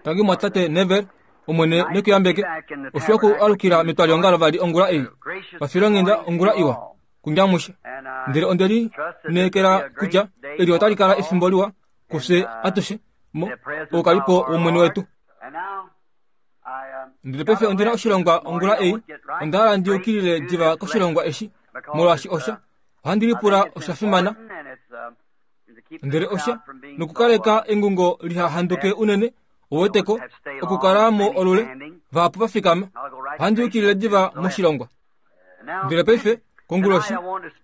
Tangi mwatate Neville, Omwene ne ku yambeke. Oshiwa ku alukila metwaliongalo vali ongula ei. Pafilonghenda ongula iwa kunyamushe. Ndele onde lineekela kutya eli otali kala efimbo liwa kufye atushe mo oukalipo wOmwene wetu. Ndele paife ondi na oshilongwa ongula ei, onda hala ndi yukilile diva koshilongwa eshi, molwaashi osha, ohandi lipula osha fimana. Ndele osha, nokukaleka engungo liha handuke unene, uweteko, okukala mo olule, vahapu va fikama. Ohandi yukilile diva moshilongwa. Ndele paife, konguloshi,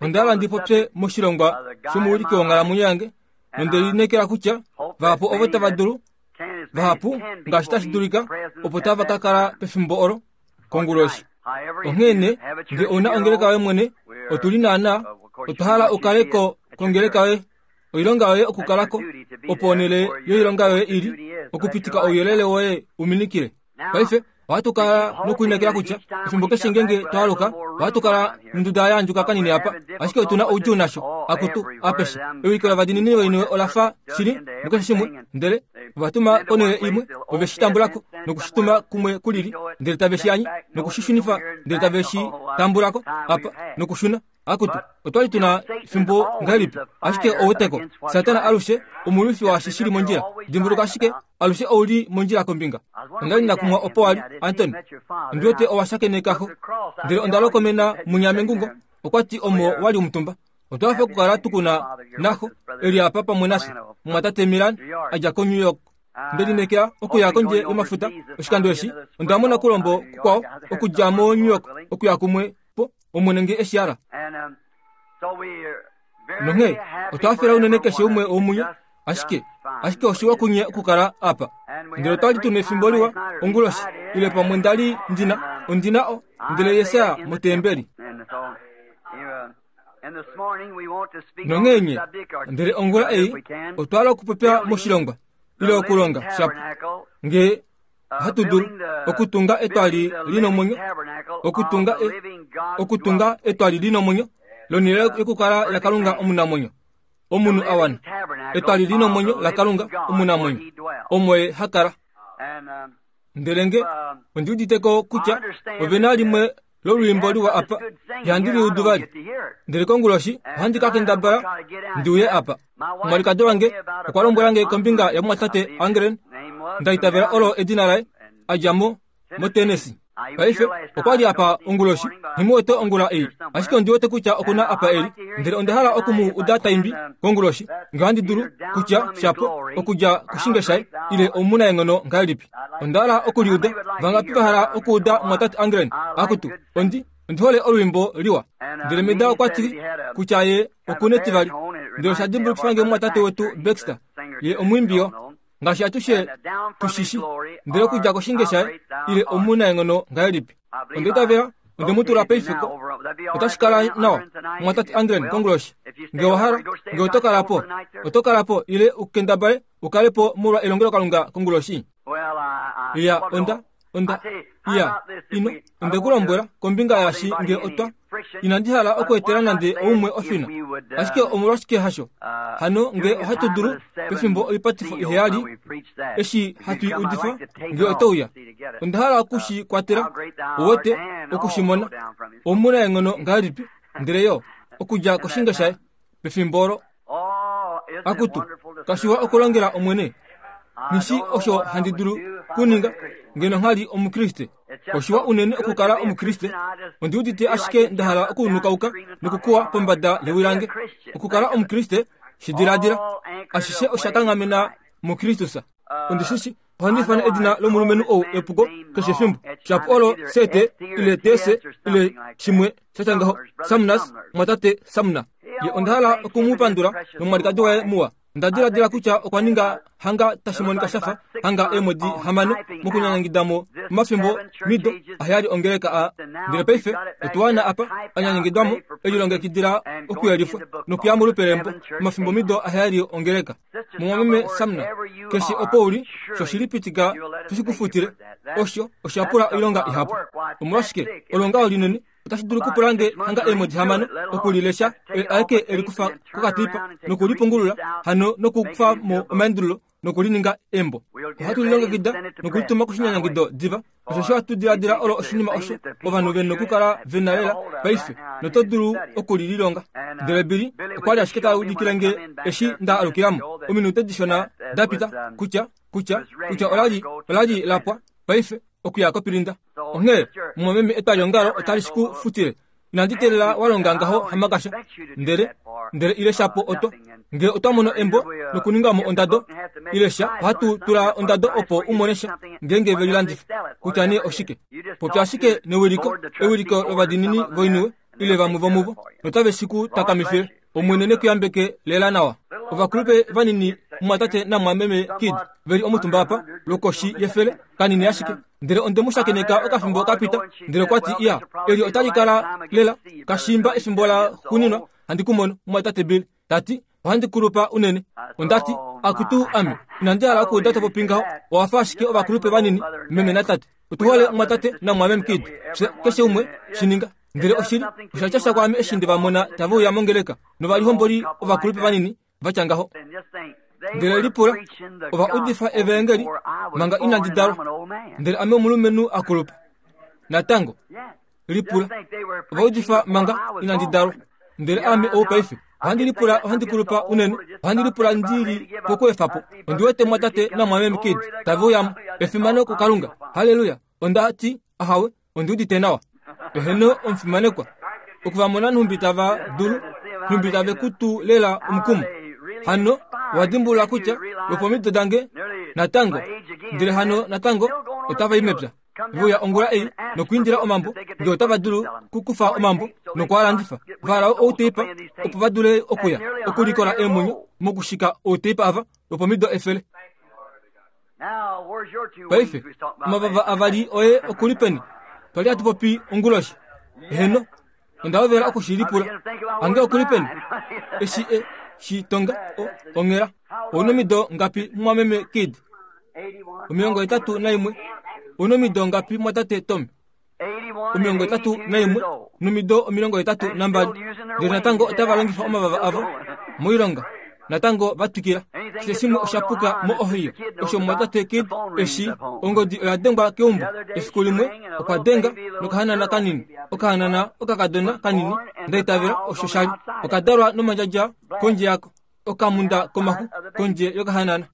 onda hala ndi popye moshilongwa shomuwiliki wonghalamwenyo yange, nonde lineekela kutya vahapu ovo tava dulu, vahapu ngaashi tashi dulika, opo tava ka kala pefimbo olo konguloshi. Onghee nee, nge ou na ongeleka yoye mwene, otu li naanaa, otwa hala u kale ko kongeleka yoye, oilonga yoye okukala ko, opo onhele yoilonga yoye i li, okupitika ouyelele woye u minikile. Paife, ohatu kala nokulinekela kutya efimbo keshe ngeenge twa aluka ohatu kala nonduda ya andjuka kanini apa, ashike otu na oudjuu nasho. Akutu, apeshe ewiliko lovadiinini voiniwe ola fa shili mukeshe shimwe, ndele ova tuma konhele imwe, ove shi tambula ko noku shi tuma kumwe kulili, ndele tave shi anye noku shi shunifa, ndele tave shi tambula ko apa nokushuna. Akutu, otwa li tu na fimbo ngahelipi? Ashike ouweteko, Satana alushe omulwifi waashi shi li mondjila. Dimbuluka ashike, alushe ou li mondjila kombinga. Onda li nda kumwa opo wa li, Antony. Ondi wete owa shakeneka xo. Ndele onda lokomena munya mengungo, okwa ti omo wa li omutumba. Otwa hafa okukala tu ku na naxo e li apa pamwe nafye, mumwatate Milan, a dja koNew York. Nde lineekela okuya kondje yomafuta oshikando eshi, onda mona kulombo kukwao okudja moNew York okuya kumwe po, Omwene nge e shi hala. Nonghee otwa hafela unene keshe umwe womunye, ashike, ashike oshiwa kunye okukala apa. Ndele otwa li tu nefimbo liwa onguloshi, ile pamwe nda li ndi na, ondi na o, ndele Jesaja motembeli. Nonghee nye, ndele ongula ei, otwa hala okupopya moshilongwa, ile okulonga shapu, nge ohatu dulu okutunga etwali li nomwenyo, okutunga e, okutunga etwali li nomwenyo lonhele yokukala yaKalunga omunamwenyo, omunhu a wana, etwali li nomwenyo laKalunga omunamwenyo, omo ye ha kala. Ndele nge ondi udite ko kutya ove na limwe lolwiimbo liwa apa, ihandi li udu vali. Ndele konguloshi ohandi ka kendabala ndi uye apa. Omwalikadi wange okwa lombwela nge kombinga yamumwatate Angren, nda itavela olo edina laye, a dja mo moTennessee. Paife okwa li apa onguloshi, nghi mu wete ongula ei, ashike ondi wete kutya oku na apa e li. Ndele onda hala oku mu uda ta imbi konguloshi, nge ohandi dulu, kutya, shapo, okudja koshinge shaye, ile omunaenghono ngahelipi. Onda hala oku li uda. Vangapi va hala okuuda mumwatate Angren? Akutu, ondi, ondi hole olwiimbo liwa. Ndele Meda okwa ti kutya ye oku netivali. Ndele osha dimbulukifa nge mumwatate wetu Baxter. Ye omwiimbi yo, ngaashi atushe tu shi shi. Ndele okudja koshinge shaye, ile omunaenghono ngahelipi. Onda itavela onde mu tula paife ko. Otashi kala nawa, mumwatate Angren, konguloshi. Nge owa hala, nge oto kala po, oto kala po, ile u kendabale u kale po molwa elongelokalunga konguloshi. Iya, onda, onda, iya, ino, onde ku lombwela kombinga yaashi nge otwa, inandi hala okweetela nande oumwe ofina. Ashike omolwashike hasho? Hano nge ohatu dulu, pefimbo oipatifo iheyali, eshi hatu i udifa, nge oto uya. Onda hala oku shi kwatela, uwete, oku shi mona. Omunaenghono ngahelipi, ndele yo, okudja koshinge shaye, pefimbo olo. Akutu, kashiwa okulongela Omwene. Nghi osho handi dulu kuninga ngeno ngha li Omukriste. Oshiwa unene okukala Omukriste. Ondi udite ashike nda hala okunukauka nokukuwa pombada yewi lange. Okukala Omukriste, shi diladila, ashishe osha kanghamena muKristus. Ondi shi shi Ohandi ifana edina lomulumenhu ou epuko keshe efimbo. Shapu olo CT ile TC ile shimwe sha tya ngaho. Samnas, mwatate Samna. Ye onda hala oku mu pandula nomwalikadi waye muwa. Onda diladila kutya okwa ninga hanga tashi monika sha fa hanga eemwedi hamano mokunyanyangida mo omafimbo mido aheyali ongeleka a. Ndele paife otu wana apa a nyanyangidwa mo e lilongekidila okuyelifwa nokuya molupe lembo omafimbo mido aheyali ongeleka. Mumwameme Samna, keshe opo u li, shoshili pitika tu shi ku futile. Osho osha pula oilonga ihapu. Omolwashike, olo ngaho linene, otashi dulu okupula nge hanga eemwedi hamano oku li lesha, oye aeke e li kufa kokatipa noku li pungulula hano nokukufa mo omaendululo noku li ninga embo. Ohatu lilongekida nokulituma koshinyanyangido diva, osheshi ohatu diladila olo oshinima osho ovanhu ve nokukala ve na lela paife, noto dulu oku li lilonga. Ndele Billy okwa li ashike ta udikile nge eshi nda alukila mo, ominute dishona da pita, kutya, kutya, kutya ola li, ola li la pwa paife, okuya kopilinda. Onghee, mumwameme, etwaliongalo otali shi ku futile. Inandi teelela wa longa ngaho hamakasha, ndele, ndele ile shapo oto. Nge otwa mono embo nokuninga mo ondado, ile sha, ohatu tula ondado opo u mone sha, ngeenge ve lilandifa, kutya nee oshike. Popya ashike newiliko, ewiliko lovadiinini voiniwe, ile vamwe vomuvo, notave shi ku takamifile. Omwene ne ku yambeke lela nawa. Ovakulupe vanini, mumwatate namwameme Kidd, ve li omutumba apa, lwokoshi yefele, kanini ashike. Ndele onde mu shakeneka okafimbo ka pita, ndele okwa ti, Iya, eli otali kala lela kashiimba efimbo la xuuninwa handi ku mono, mumwatate Bill. Ta ti, Ohandi kulupa unene. Onda ti, Akutu ame, inandi hala okuuda to popi ngaho. Owa fa ashike ovakulupe vanini, meme natate. Otu hole mumwatate namwameme Kidd. Fye, keshe umwe, shi ninga. Ndele oshili, osha tya sha kwaame eshi nde va mona tave uya mongeleka, novalihomboli ovakulupe vanini va tya ngaho. Ndele lipula, ova udifa evaengeli manga inandi dalwa, ndele ame omulumenhu a kulupa. Natango, lipula, ova udifa manga inandi dalwa, ndele ame ou paife. Ohandi lipula, ohandi kulupa unene, ohandi lipula ndi li pokuefa po. Ondi wete mwatate namwameme Kidd tave uya mo. Efimano kuKalunga! Halleluya! Onda ti, Ahawe, ondi udite nawa. Eheno, omufimanekwa. Oku va mona nhumbi tava dulu, nhumbi tave ku tu lela omukumo. Hano, owa dimbulula kutya lwopomido dange natango, ndele hano natango otava i mepya. Ve uya ongula ei nokuindila omambo, nge otava dulu kukufa omambo noku a landifa. Va hala outeipa opo va dule okuya okulikola eemwenyo mokushika outeipa ava lwopomido efele. Paife, omavava avali oye oku li peni? Twa li hatu popi onguloshi. Eheno, onda hovela oku shi lipula. Ange oku li peni? Eshi e shi tonga, o, onghela. Ou nomido ngapi, mumwameme Kidd? 81. Ou nomido ngapi, mwatate Tommy? 81 nomido 82 ndele natango otava longifa omavava avo moilonga natango va twikila keshe shimwe osha puka mo-ohio osho mumwatate Kidd eshi ongodi oya dengwa keumbo efiku limwe okwa denga nokahanana kanini okahanana okakadona kanini nda itavela osho sha li oka dalwa nomandjadja kondje yako okamunda komaxu kondje yokahanana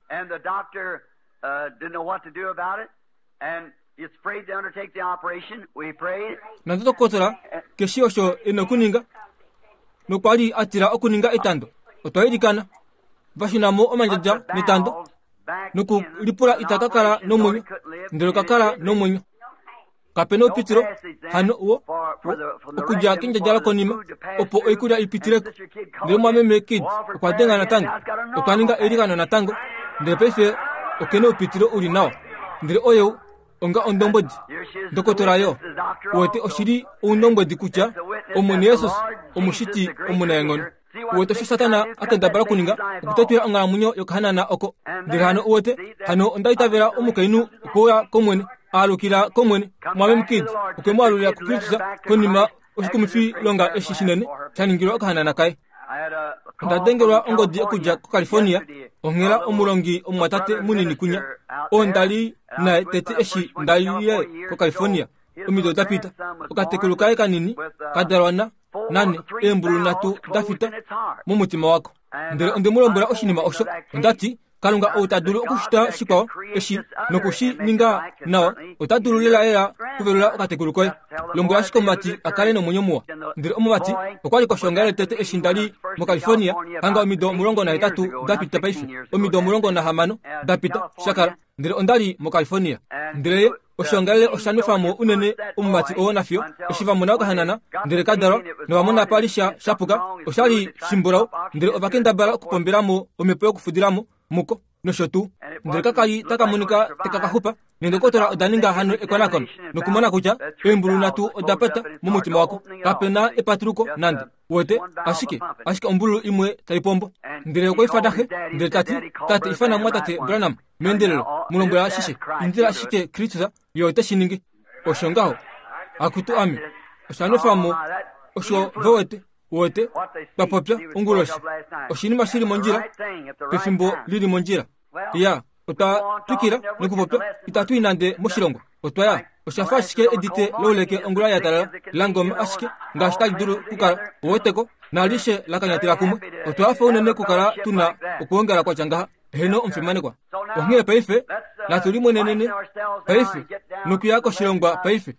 Nandotokotola keshi osho e na okuninga nokwa li a tila okuninga etando. Otwa ilikana, va shuna mo omandjadja netando nokulipula ita ka kala nomwenyo, ndele oka kala nomwenyo. Kape na oupitilo hano wo okudja kendjadja lokonima opo oikulya i pitile ko. Ndele mwameme Kidd okwa denga natango, otwa ninga eilikano natango, ndele paife oke na oupitilo u li nawa. Ndele oyeu onga ondombwedi, ndokotola yo, uwete oshi li oundombwedi kutya Omwene Jesus Omushiti omunaenghono. Uwete osho Satana a kendabala okuninga okutetwila onghalamwenyo yokahanana oko. Ndele hano uwete, hano onda itavela omukainhu okwe uya kOmwene, a alukila kOmwene. Mwameme Kidd okwe mu alulila kuKristus konima oshikumwifilonga eshi shinene sha ningilwa okahanana kaye. Onda dengelwa ongodi okudja koCalifornia onghela omulongi omumwatate munini kunya oo nda li naye tete eshi nda lile koCalifornia omido da pita. Okatekulu kaye kanini ka dalwa na nane eembululu nhatu da fita momutima wako. Ndele onde mu lombwela oshinima osho. Onda ti, Kalunga ou ta dulu okushita shikwao eshi noku shi ninga nawa, ota dulu lelalela kuvelula okatekulu koye. Lombwela ashike omumati a kale nomwenyo muwa. Ndele omumati okwa li koshoongalele tete eshi nda li moCalifornia, hanga omido 18 da pita paife, omido 16 da pita, sha kala. Ndele onda li moCalifornia. Ndele ye, oshoongalele osha nwefa mo unene omumati oo nafiyo eshi va mona okahanana ndele ka dalwa nova mona pa li sha shapuka osha li shimbulau ndele ova kendabala okupombela mo omhepo yokufudila mo muko nosho tuu ndele kaka li taka monika teka ka xupa neendokotola oda ninga hano ekonakono nokumona kutya eembulu nhatu oda pata momutima wako kape na epatuluko nande wete ashike ashike ombululu imwe tai pombo ndele okwa ifana xe ndele ta ti tate ifana mwatate branham meendelelo mu lombwela ashishe indila ashike kristus ye ote shi ningi osho ngaho akutu ame osha nwefa mo osho ve wete wete twa popya onguloshi oshinima shi li mondjila pefimbo li li mondjila ya. Otwa twikila nokupopya, itatu i nande moshilongo. Otwa ya. Osha fa ashike edite louleke ongula ya talala, la ngoma ashike ngaashi tali dulu kukala, uweteko, naalishe la kanyatela kumwe. Otwa hafa unene kukala tu na okuongala kwa tya ngaha. Heeno, omufimanekwa. Onghee paife, natu limwenenene paife nokuya koshilongwa paife,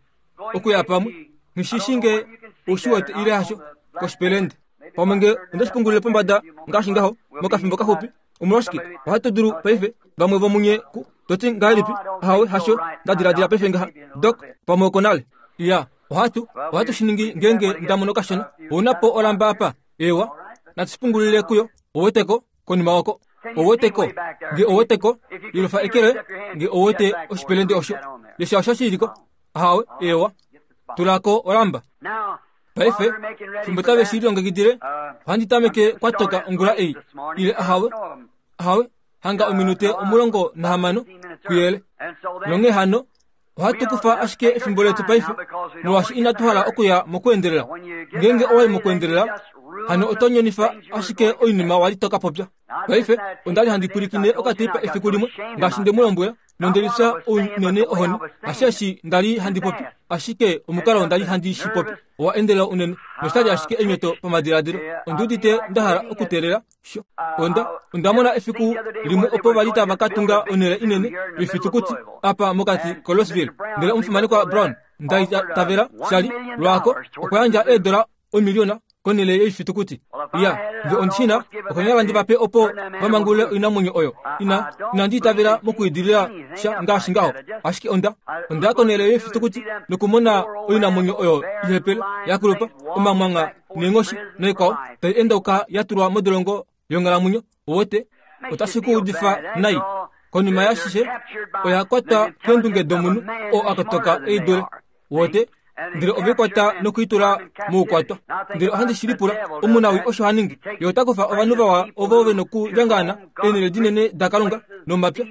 okuya pamwe. Nghi shi shii nge u shi wete ile hasho, koshipelende. Pamwe nge onde shi pungulile pombada ngaashi ngaho, mokafimbo kaxupi. Omolwashike, ohatu dulu paife, vamwe vomunye ku to ti ngahelipi, Ahawe, hasho nda diladila paife ngaha, Doc, pamwe okonale. Iya, ohatu, ohatu shi ningi ngeenge nda mono kashona. Ou na po olamba apa? Eewa, natu shi pungulile kuyo. Ouweteko, konima oko. Ouweteko, nge ouweteko, yelufa eke loye, nge ouwete oshipelende osho. Lesha osho shi li ko. Ahawe, eewa. Tula ko olamba. Paife, fimbo tave shi lilongekidile, ohandi tameke kwa toka ongula ei, ile ahawe, ahawe, hanga ominute 16 kuyele. Nonghee hano, ohatu kufa ashike efimbo letu paife, molwaashi inatu hala okuya mokuendelela. Ngeenge owa yi mokuendelela, hano oto nyonifa ashike oinima wa li to ka popya. Paife, onda li handi pwilikine okateipa efiku limwe, ngaashi nde mu lombwela, nonde lifya unene ohoni, hasheshi nda li handi popi, ashike omukalo nda li handi shi popi owa endelela unene, nosha li ashike enyoto pamadiladilo. Ondi udite nda hala okuteelela sho. Onda, onda mona efiku limwe opo va li tava ka tunga onhele inene yoifitukuti apa mokati koLouisville, ndele omufimanekwa Brown, nda itavela sha li lwaako, okwa yandja eedola omiliona konhele yoifitukuti. Ya, nge ondi shi na, okonyala ndi va pe opo va mangulule oinamwenyo oyo. Ina, inandi itavela mokuidilila sha ngaashi ngaho. Ashike onda, onda ya konhele yoifitukuti nokumona oinamwenyo oyo ihepele, ya kulupa, omamwangha neenghoshi noikwao, tai endauka ya tulwa modolongo yonghalamwenyo. Uwete, otashi ku udifa nai. Konima yashishe, oya kwatwa keendunge domunhu oo a kotoka e i dule. Uwete? Ndele ove i kwata noku i tula moukwatwa. Ndele ohandi shi lipula, omunawii osho ha ningi. Ye ota kufa ovanhu vawa ovo ve nokulyangaana eenhele dinene daKalunga nomapya,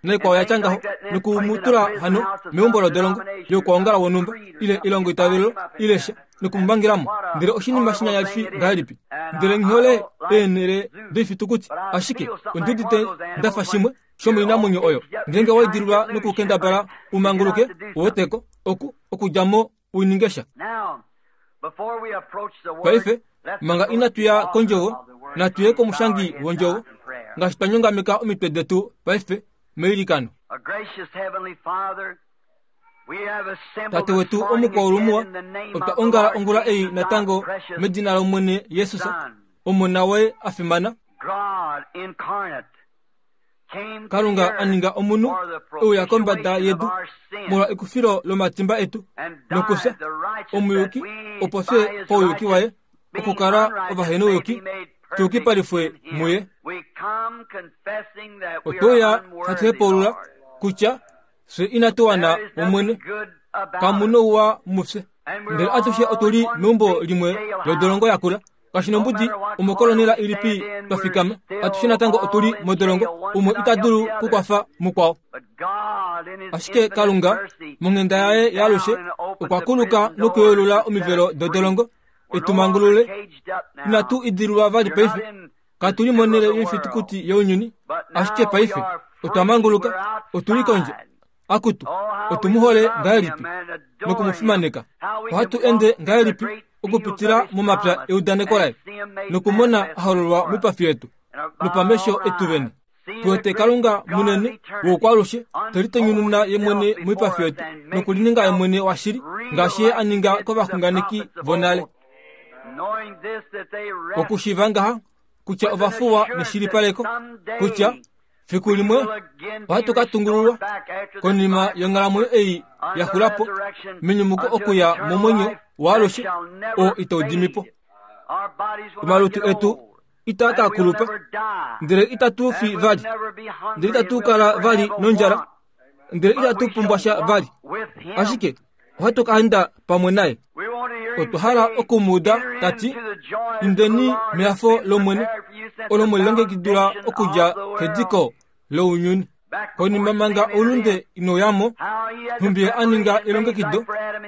naikwao ya tya ngaho, noku mu tula hano meumbo lodolongo youkwaongala wonhumba, ile elongoitavelo, ile sha. Noku mu mangela mo. Ndele oshinima shinyanyalifi ngahelipi! Ndele nghi hole eenhele doifitukuti, ashike ondi udite nda fa shimwe shomoinamwenyo oyo. Ngeenge wa idililwa nokukendabala u manguluke, u wete ko, oku, okudja mo u ninge sha. Paife, manga inatu ya kOndjovo, natu ye kOmushangi wOndjovo, ngaashi twa nyongameka omitwe detu paife meilikano. Tate wetu omukwaulumuwa, otwa ongala ongula ei natango medina lOmwene Jesus, Omona waye a fimana. Kalunga a ninga omunhu e uya kombada yedu molwa ekufilo lomatimba etu nokufya omuyuki, opo fye pauyuki waye okukala ovahenouyuki tu yukipalifwe muye. Otwe uya hatu hepaulula kutya Fye inatu wana, Omwene, kamu nouwa mufye. Ndele atushe otu li meumbo limwe lodolongo yakula. Kashi nombudi omokolonela ilipi twa fikama, atushe natango otu li modolongo, umwe ita dulu kukwafa mukwao. Ashike Kalunga, monghenda yaye yaalushe, okwa kuluka nokuyeulula omivelo dodolongo, e tu mangulule. Inatu idilulwa vali paife. Katu li monhele yoifitukuti younyuni, ashike paife otwa manguluka, otu li kondje. Akutu, otu mu hole ngahelipi noku mu fimaneka. Ohatu ende ngahelipi okupitila momapya eudaneko laye nokumona a hololwa moipafi yetu nopamesho etu vene. Tu wete Kalunga munene woukwalushe te litonyununa ye mwene moipafi yetu nokulininga ye mwene washili ngaashi ye a ninga kovaxunganeki vonale. Okushiiva ngaha kutya ova fuwa neshilipaleko kutya fiku limwe ohatu ka tungululwa konima yonghalamwenyo ei ya xula po menyumuko okuya momwenyo waalushe oo itau dimi po. Omalutu etu itaa ka kulupa, ndele itatu fi vali, ndele itatu kala vali nondjala, ndele itatu pumbwa sha vali, ashike ohatu ka enda pamwe naye. Otwa hala oku mu uda ta ti, Indeni mehafo lOmwene, olo mwe lilongekidilwa okudja kediko lounyuni. Konima manga oulunde inau ya mo, nhumbi ye a ninga elongekido,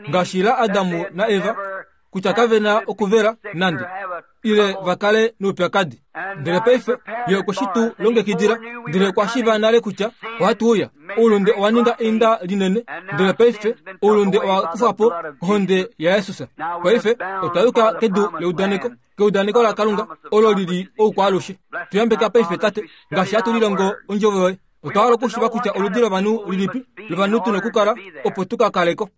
ngaashi laAdam naEva, kutya kave na okuvela nande. ile va kale noupyakadi. Ndele paife Ye okwe shi tu longekidila, ndele okwa shiiva nale kutya ohatu uya. Oulunde owa ninga einda linene, ndele paife oulunde owa kufwa po kohonde yaJesus. Paife otwa yuka kedu leudaneko, keudaneko laKalunga olo li li oukwaalushe. Tu yambeka paife, Tate, ngaashi hatu lilongo ondjovo yoye. Otwa hala okushiva kutya oludi lovanhu lilipi lovanhu tu na okukala opo tu ka kale ko.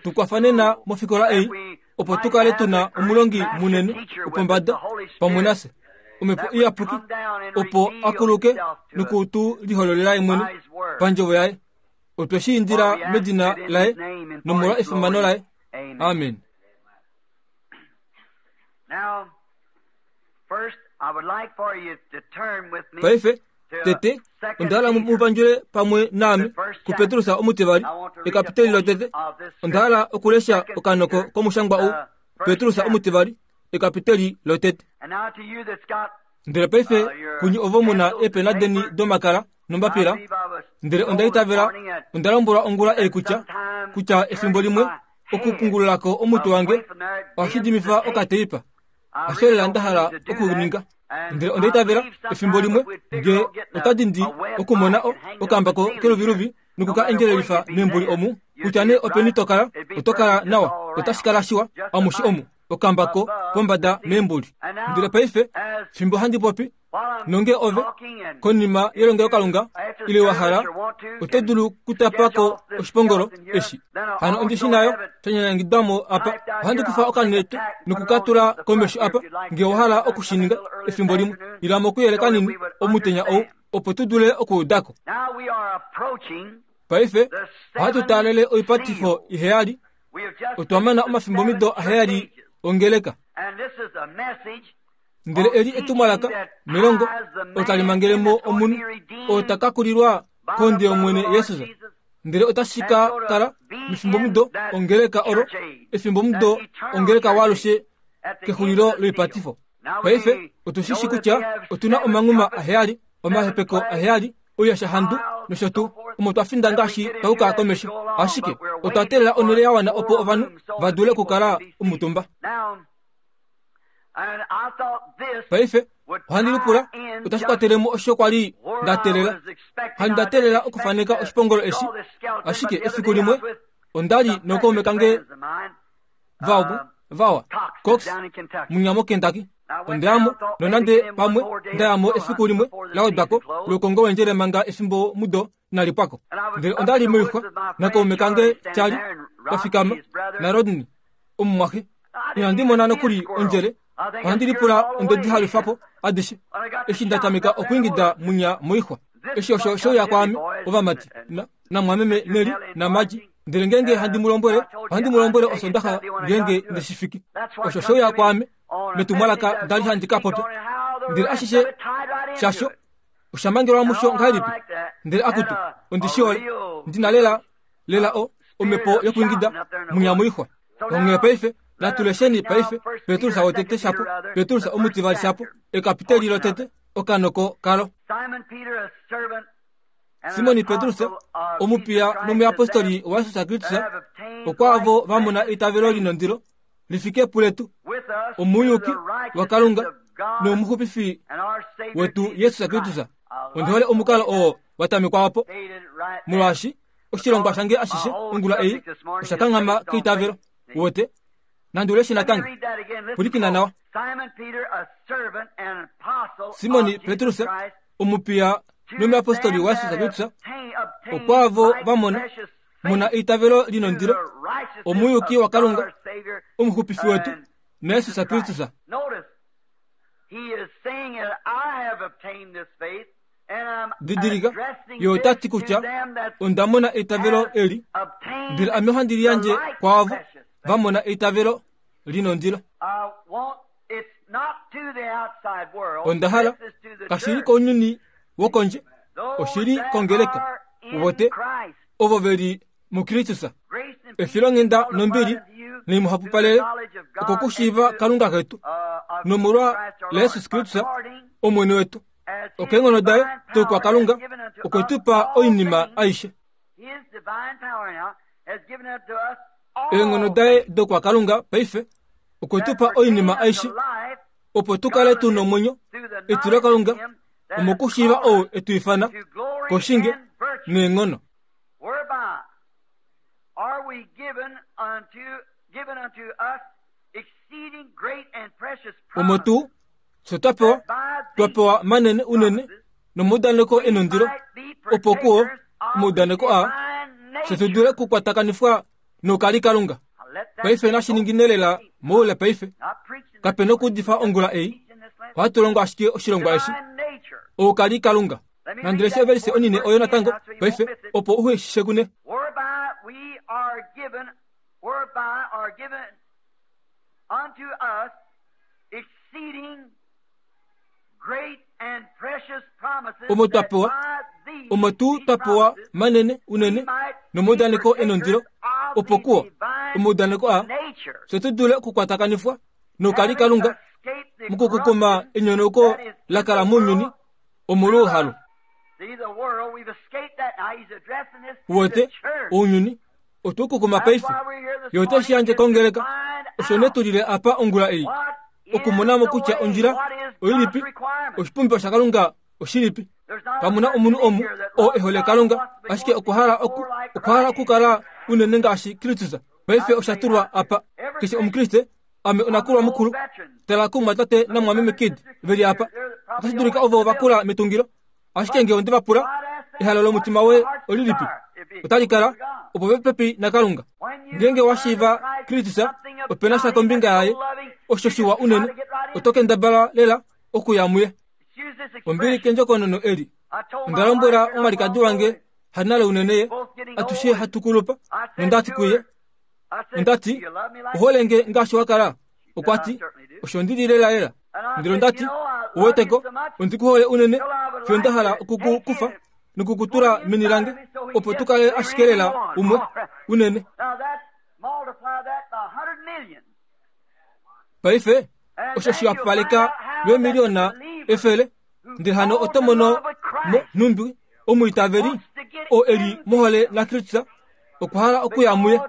Tu kwafa nena mofikola ei opo tu kale tu na omulongi munene wopombada pamwe nafye, Omhepo Iyapuki, opo a kuluke noku tu lihololela ye mwene pandjovo yaye. Otwe shi indila medina laye nomolwa efimano laye. Amen. Paife, tete, onda hala mu pandjule pamwe naame kuPetrus omutivali, ekapiteli lotete. Onda hala okulesha okanoko komushangwa ou, Petrus omutivali, ekapiteli lotete. Ndele paife kunye ovo mu na eepena deni domakala nombapila, ndele onda itavela onda lombwelwa ongula ei kutya kutya efimbo limwe okupungulula ko omutwe wange ohashi dimifa okateipa. Hasho lela nda hala okuninga. Ndele onda itavela efimbo limwe nge ota dindi okumona o, okambako keluviluvi noku ka endjelelifa membuli omu, kutya nee openi to kala, oto kala nawa, otashi kala shiwa amushe omu, okambako pombada membuli. Ndele paife, fimbo handi popi, nonge ove, konima yelongelokalunga, ile wa hala, oto dulu kutapa ko oshipongolo eshi. Hano ondi shi nayo, sha nyanyangidwa mo apa. Ohandi kufa okanete noku ka tula komesho apa, nge owa hala oku shi ninga efimbo limwe. Ila mokuyele kanini omutenya ou, opo tu dule okuuda ko. Paife ohatu taalele oipatifo iheyali. Otwa mana omafimbomido aheyali ongeleka. Ndele eli etumwalaka melongo olo tali mangele mo omunhu oo ta ka kulilwa kondje yOmwene Jesus. Ndele otashi ka kala mefimbomudo ongeleka olo, efimbomudo ongeleka waalushe kexulilo loipatifo. Paife otu shi shi kutya otu na omanghuma aheyali, omahepeko aheyali, oiyashahandu nosho tuu, omo twa finda ngaashi twa yuka komesho. Ashike otwa teelela onhele ya wana opo ovanhu va dule okukala omutumba. Paife ohandi lipula otashi kwatele mo osho kwa li nda teelela. Handi nda teelela okufaneka oshipongolo eshi, ashike efiku limwe onda li nookaume kange vawa vawa Cox munya moKentucky. Onda ya mo nonande pamwe nda ya mo efiku limwe la wedwa ko loukongo wendjele manga efimbo mudo inali pwa ko. Ndele onda li moixwa nakaume kange Charlie twa fikama naRodney omumwaxe. Inandi mona nokuli ondjele, ohandi lipula onde di halufa po adishe eshi nda tameka okwiingida munya moixwa. Eshi osho she uya kwaame, ovamati, na, namwameme Nellie naMargie, ndele ngeenge handi mu lombwele, ohandi mu lombwele Osondaxa ngeenge nde shi fiki. Osho she uya kwaame metumwalaka nda li handi ka popya. Ndele ashishe shasho osha mangelwa musho ngahelipi? Ndele akutu, ondi shi hole. Ndi na lela, lela o, omhepo yokwiingida munya moixwa. Onghee paife, natu lesheni paife Petrus wotete shapo, Petrus omutivali shapo, ekapiteli lotete, okanoko kalo. Simoni Petrus, omupiya nomuyapostoli waJesus Kristus, okwaavo va mona eitavelo li nondilo li fike puletu, omuyuki waKalunga nomuxupifi wetu Jesus Kristus. Ondi hole omukalo oo wa tamekwa opo, molwaashi oshilongwa shange ashishe ongula ei osha kanghama keitavelo. Wote, nandi uleshe natango. Pwilikina nawa. Simoni Petrus, omupiya nomuyapostoli waJesus Kristus, okwaavo va mona mona eitavelo li nondilo, omuyuki waKalunga, omuxupifi wetu, naJesus Kristus. Didilika, ye ota ti kutya onda mona eitavelo eli, ndele ame ohandi li yandje kwaavo va mona eitavelo li nondilo. Onda hala, kashi li kounyuni wokondje, oshi li kongeleka, wote, ovo ve li muKristus. Efilonghenda nombili naimuhapupalele okokushiiva Kalunga ketu nomolwa laJesus Kristus Omwene wetu. Okeenghono daye doukwakalunga okwe tu pa oinima aishe. Eenghono daye doukwakalunga paife okwe tu pa oinima aishe Opo tu kale tu nomwenyo, etilo Kalunga, omokushiiva ou e tu ifana koshinge neenghono. Omo tuu fye twa pewa, twa pewa manene unene nomaudaneko e nondilo, opo kuo omaudaneko aa fye tu dule okukwatakanifwa nokalikalunga. Paife nashi ningine lela moule paife. Kape nokuudifa ongula ei. Ohatu longo ashike oshilongwa eshi. Oukalikalunga. Nandi leshe ovelise onine oyo natango paife opo uhe shi shekune. Omo twa pewa, omo tuu twa pewa manene unene nomaudaneko e nondilo, opo kuo omaudaneko aa fye tu dule okukwatakanifwa nokalikalunga mokukukuma enyonauko la kala mounyuni omolwouhalu. Wote ounyuni otwe kukuma paife ye ote shi yandje kongeleka. Osho ne tu lile apa ongula ei okumona mo kutya ondjila oilipi, oshipumbiwa shaKalunga oshilipi. Kamu na omunhu omu oo e hole Kalunga, ashike okwa hala oku, okwa hala okukala unene ngaashi Kristus. Paife osha tulwa apa. Keshe Omukriste, ame onakulwa mukulu, tala kumumwatate namumwameme Kidd ve li apa. Otashi dulika ovo va kula metungilo, Ashike nge onde va pula, ehalo lomutima woye olilipi? Otali kala, opo ve popepi naKalunga. Ngeenge wa shiiva Kristus, ope na sha kombinga yaye osho shiwa unene, oto kendabala lela okuya muye. Ombili kendjokonono eli. Onda lombwela omwalikadi wange hanale unene ye, atushe hatu kulupa, nonda ti kuye, onda ti, Ohole nge ngaashi wa kala? Okwa ti, Osho ndi li lelalela. Ndele onda ti, Uwete ko, ondi ku hole unene fiyo nda hala oku ku kufa noku ku tula meni lange, opo tu kale ashike lela umwe unene. Paife, osho shi wapaleka lweemiliyona efele, ndele hano oto mono mo nhumbi omwiitaveli oo e li mohole naKristus okwa hala okuya muye,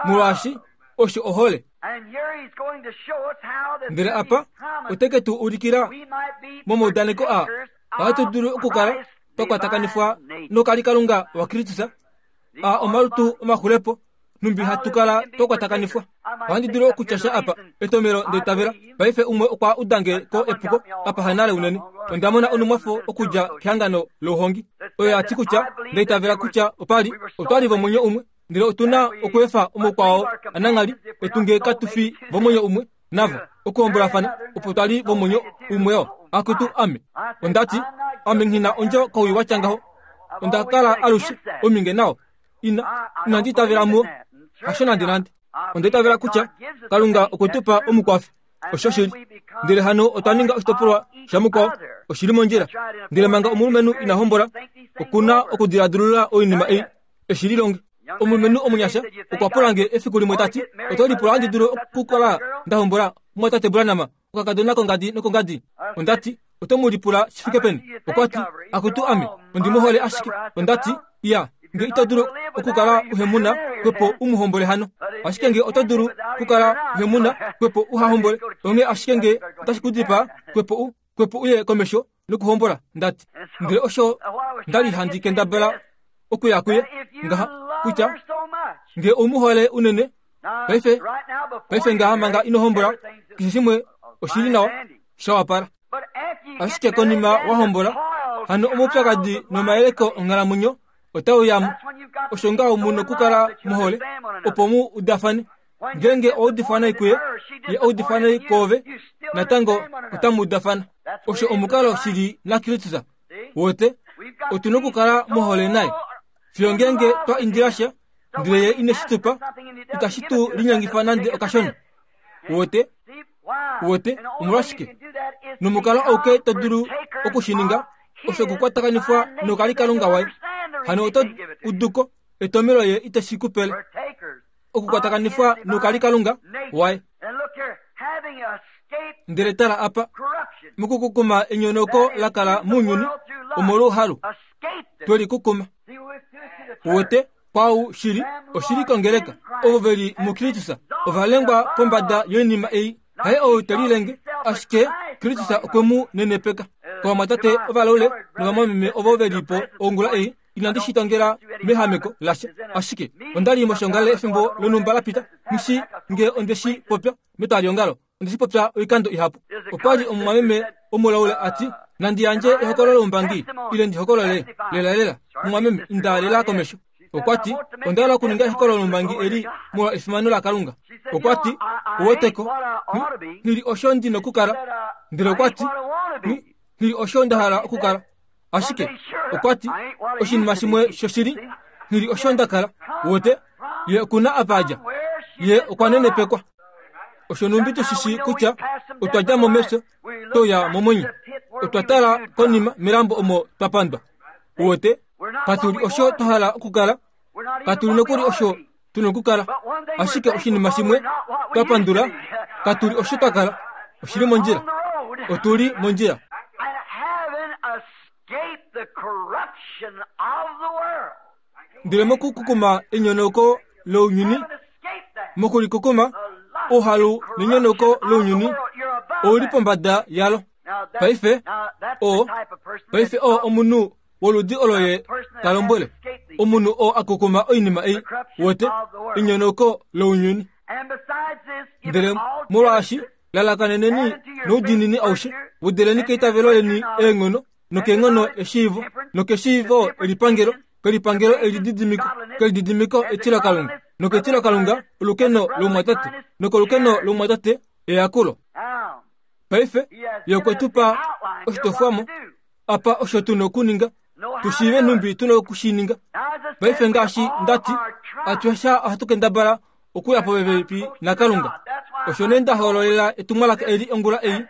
molwaashi osho ohole. Ndele apa ote ke tu ulikila momaudaneko aa ohatu dulu okukala twa kwatakanifwa nokalikalunga waKristus a omalutu omaxulepo numbi hatu kala twa kwatakanifwa. Ohandi dulu okutya sha apa etomelo ndeitavela. Paife umwe okwa udange ko epuko apa hanale unene. Onda mona onumwafo okudja kehangano louhongi oyo ya ti kutya ndaitavela kutya opa li otwa li vomwenyo umwe ndele otu na okweefa omukwao ananghali etu nge katu fi vomwenyo umwe navo okuhombolafana opo twa li vomwenyo umwe oo. Akutu ame! Onda ti, Ame nghi na ondjo kowii wa tya ngaho. Onda kala alushe ominge nao. Ina, inandi itavela muo. Hasho nandenande. Onda itavela kutya Kalunga okwe tu pa omukwafi. Oshoshili. Ndele hano otwa ninga oshitopolwa shamukwao. Oshi li mondjila. Ndele manga omulumenhu ina hombola, oku na okudiladilulula oinima ei e shi lilonge. Omulumenhu omunyasha okwa pula nge efiku limwe ta ti, Oto lipula handi dulu okukala nda hombola mumwatate Branham, okakadona kongadi nokongadi? Onda ti, Oto mu lipula shi fike peni? Okwa ti, Akutu ame, ondi mu hole ashike. Onda ti, Iya, nge ito dulu okukala uhe mu na, xwepo u mu hombole hano. Ashike nge oto dulu okukala uhe mu na, xwepo uha hombole. Onghee ashike nge otashi ku dipaa, xwepo u, xwepo uye komesho nokuhombola. Nda ti, Ndele osho nda li handi kendabala okuya kuye ngaha, kutya nge ou mu hole unene, paife, paife ngaha manga ino hombola, keshe shimwe oshi li nawa, sha wapala. Ashike konima wa hombola, hano omaupyakadi nomayeleko onghalamwenyo otau ya mo. Osho ngaho mu nokukala mohole opo mu udafane. Ngeenge owa udifwa nai kuye, ye a udifwa nai koove, natango otamu udafana. Osho omukalo shili naKristus. Wote, otu nokukala mohole naye. Fiyo ngeenge twa indila sha, ndele ye ine shi tu pa, itashi tu linyengifa nande okashona. Wote? Wote? Omolwashike? Nomukalo auke to dulu oku shi ninga, osho okukwatakanifwa nokalikalunga waye. Hano oto udu ko etomelo ye ite shi ku pele. Okukwatakanifwa nokalikalunga waye. Ndele tala apa, mokukukuma enyonoko la kala mounyuni omolwouhalu, twe li kukuma. Wote? Kwau shili, oshili kongeleka, ovo ve li muKristus ova lengwa pombada yoinima ei. Haye ou te lilenge, Ashike Kristus okwe mu nenepeka. Kovamwatate ovalaule novamwameme ovo ve li po ongula ei, inandi shi tongela mehameko lasha. Ashike onda li moshongalele efimbo lonhumba la pita, nghi shii nge onde shi popya metwaliongalo. Onde shi popya oikando ihapu. Opa li omumwameme omulaule a ti, Nandi yandje ehokololo loumbangi, ile ndi hokolole lelalela, mumwameme, inda lela komesho. Okwa ti, Onda hala okuninga ehokololo loumbangi eli molwa efimano laKalunga. Okwa ti, Uweteko, nghi li osho ndi nokukala. Ndele okwa ti, Nghi li osho nda hala okukala. Ashike, okwa ti, oshinima shimwe shoshili, nghi li osho nda kala. Uwete, ye oku na apa a dja. Ye okwa nenepekwa. Osho numbi tu shi shii kutya otwa dja mo mefyo twe uya momwenyo. Otwa tala konima melambo omo twa pandwa. Uwete, katu li osho twa hala okukala, katu li nokuli osho tu na okukala. Ashike oshinima shimwe twa pandula, katu li osho twa kala. Oshi li mondjila. Otu li mondjila. Ndele mokukukuma enyonauko lounyuni, mokulikukuma ouhalu nenyonauko lounyuni, ou li pombada yalo. Paife, oo, paife oo omunhu woludi olo ye ta lombwele omunhu oo a kukuma oinima ei, wote, enyonauko lounyuni. Ndele molwaashi lalakaneneni noudiinini aushe, wedeleni keitavelo leni eenghono, nokeenghono eshiivo, nokeshiivo elipangelo, kelipangelo elididimiko, kelididimiko etilokalunga, noketilokalunga olukeno lomumwatate, nokolukeno lomumwatate eyakulo. Paife ye okwe tu pa oshitofwamo apa osho tu na okuninga, tu shiive nhumbi tu na oku shi ninga. Paife ngaashi nda ti, atushe ohatu kendabala okuya popepi naKalunga. Osho nee nda hoololela etumwalaka eli ongula ei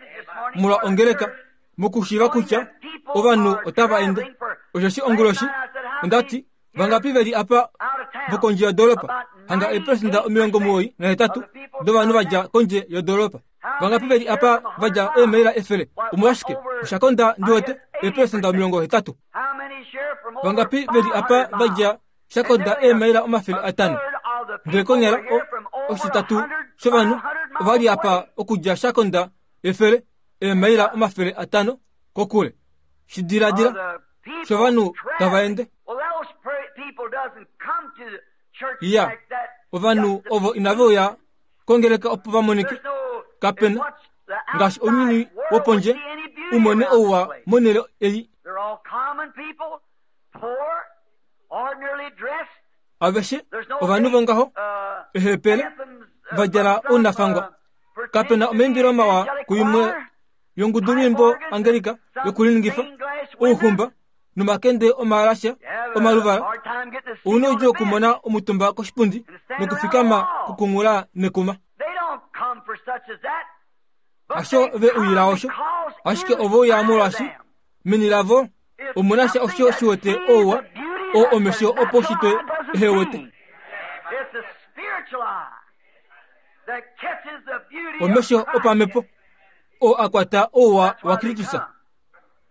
molwa ongeleka, mokushiiva kutya ovanhu otava ende. Osheshi onguloshi onda ti, Vangapi ve li apa vokondje yodoolopa? Hanga eeperesenda 98 dovanhu va dja kondje yodoolopa. Vangapi ve li apa va dja eemaila 100? Omolwashike, osha konda ndi wete, eeperesenda 80. Vangapi ve li apa va dja sha konda eemaila 500? Ndele konyala o, oshititatu shovanhu ova li apa okudja sha konda 100, eemaila 500 kokule. Shi diladila, shovanhu tava ende. Ya, ovanhu ovo inave uya kongeleka opo va monike. Kape na, ngaashi ounyuni wopondje, u mone ouwa monhele ei. Aveshe ovanhu vongaho, eehepele, va djala ounafangwa. Kape na omaimbilo mawa kuimwe yongudulwiimbo Angelika yokuliningifa, ouxumba nomakende omaalasha omaluvala. Ou na oudjuu okumona omutumba koshipundi nokufikama kukunghula nekuma. Hasho ve uyila osho, ashike ove uya molwaashi meni lavo omu na sha osho shi wete ouwa oo omesho opaushitwe ehe wete. Omesho opamhepo oo a kwata ouwa waKristus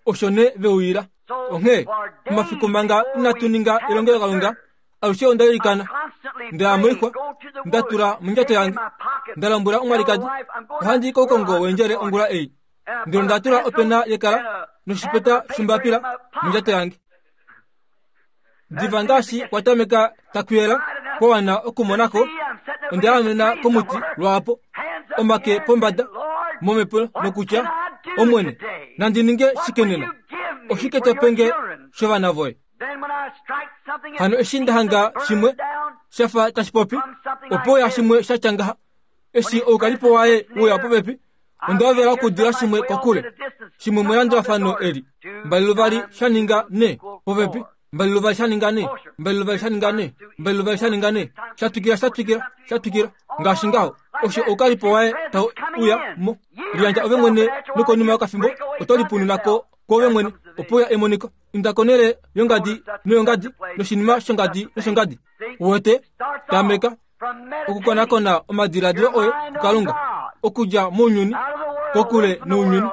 osho ne ve uyila. Onghee omafiku manga inatu ninga elongelokalunga, alushe onda ilikana, nda ya moixwa, nda tula mondjato yange, nda lombwela omwalikadi, ohandi i koukongo weendjele ongula ei. Ndele onda tula opena yekala noshipeta shombapila mondjato yange. Diva ngaashi kwa tameka taku yela, kwa wana okumona ko, onda yaamena komuti lwaapo, omake pombada, momhepo nokutya, Omwene, nandi ninge shike nena? Oshike to pe nge shovana voye? Hano eshi nda hanga shimwe sha fa tashi popi, opo uya shimwe sha tya ngaha. Eshi oukalipo waye uya popepi, onda hovela okudila shimwe kokule, shimwe melandulafano eli, 22 sha ninga 4, popepi, 22 sha ninga 4, 22 sha ninga 4, 22 sha ninga 4, sha twikila, sha twikila, sha twikila, ngaashi ngaho. Osho oukalipo waye tau uya mo. Liyandja ove mwene nokonima yokafimbo oto lipununa ko kwoove mwene, opo uya emoniko. Inda konhele yongadi noyongadi noshinima shongadi noshongadi. Uwete? Tameka okukonakona omadiladilo oye kuKalunga, okudja mounyuni, kokule nounyuni,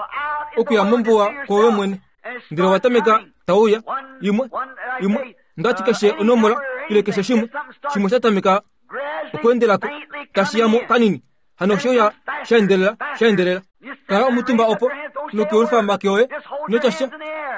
okuya mombuwa kwoove mwene. Ndele wa tameka tau uya, imwe, imwe, ndati keshe onomola, ile keshe shimwe, shimwe sha tameka okweendela ko, tashi ya mo kanini. Hano oshe uya sha endelela, sha endelela. Kala omutumba opo nokuyelufa omake oye, ino tya sha.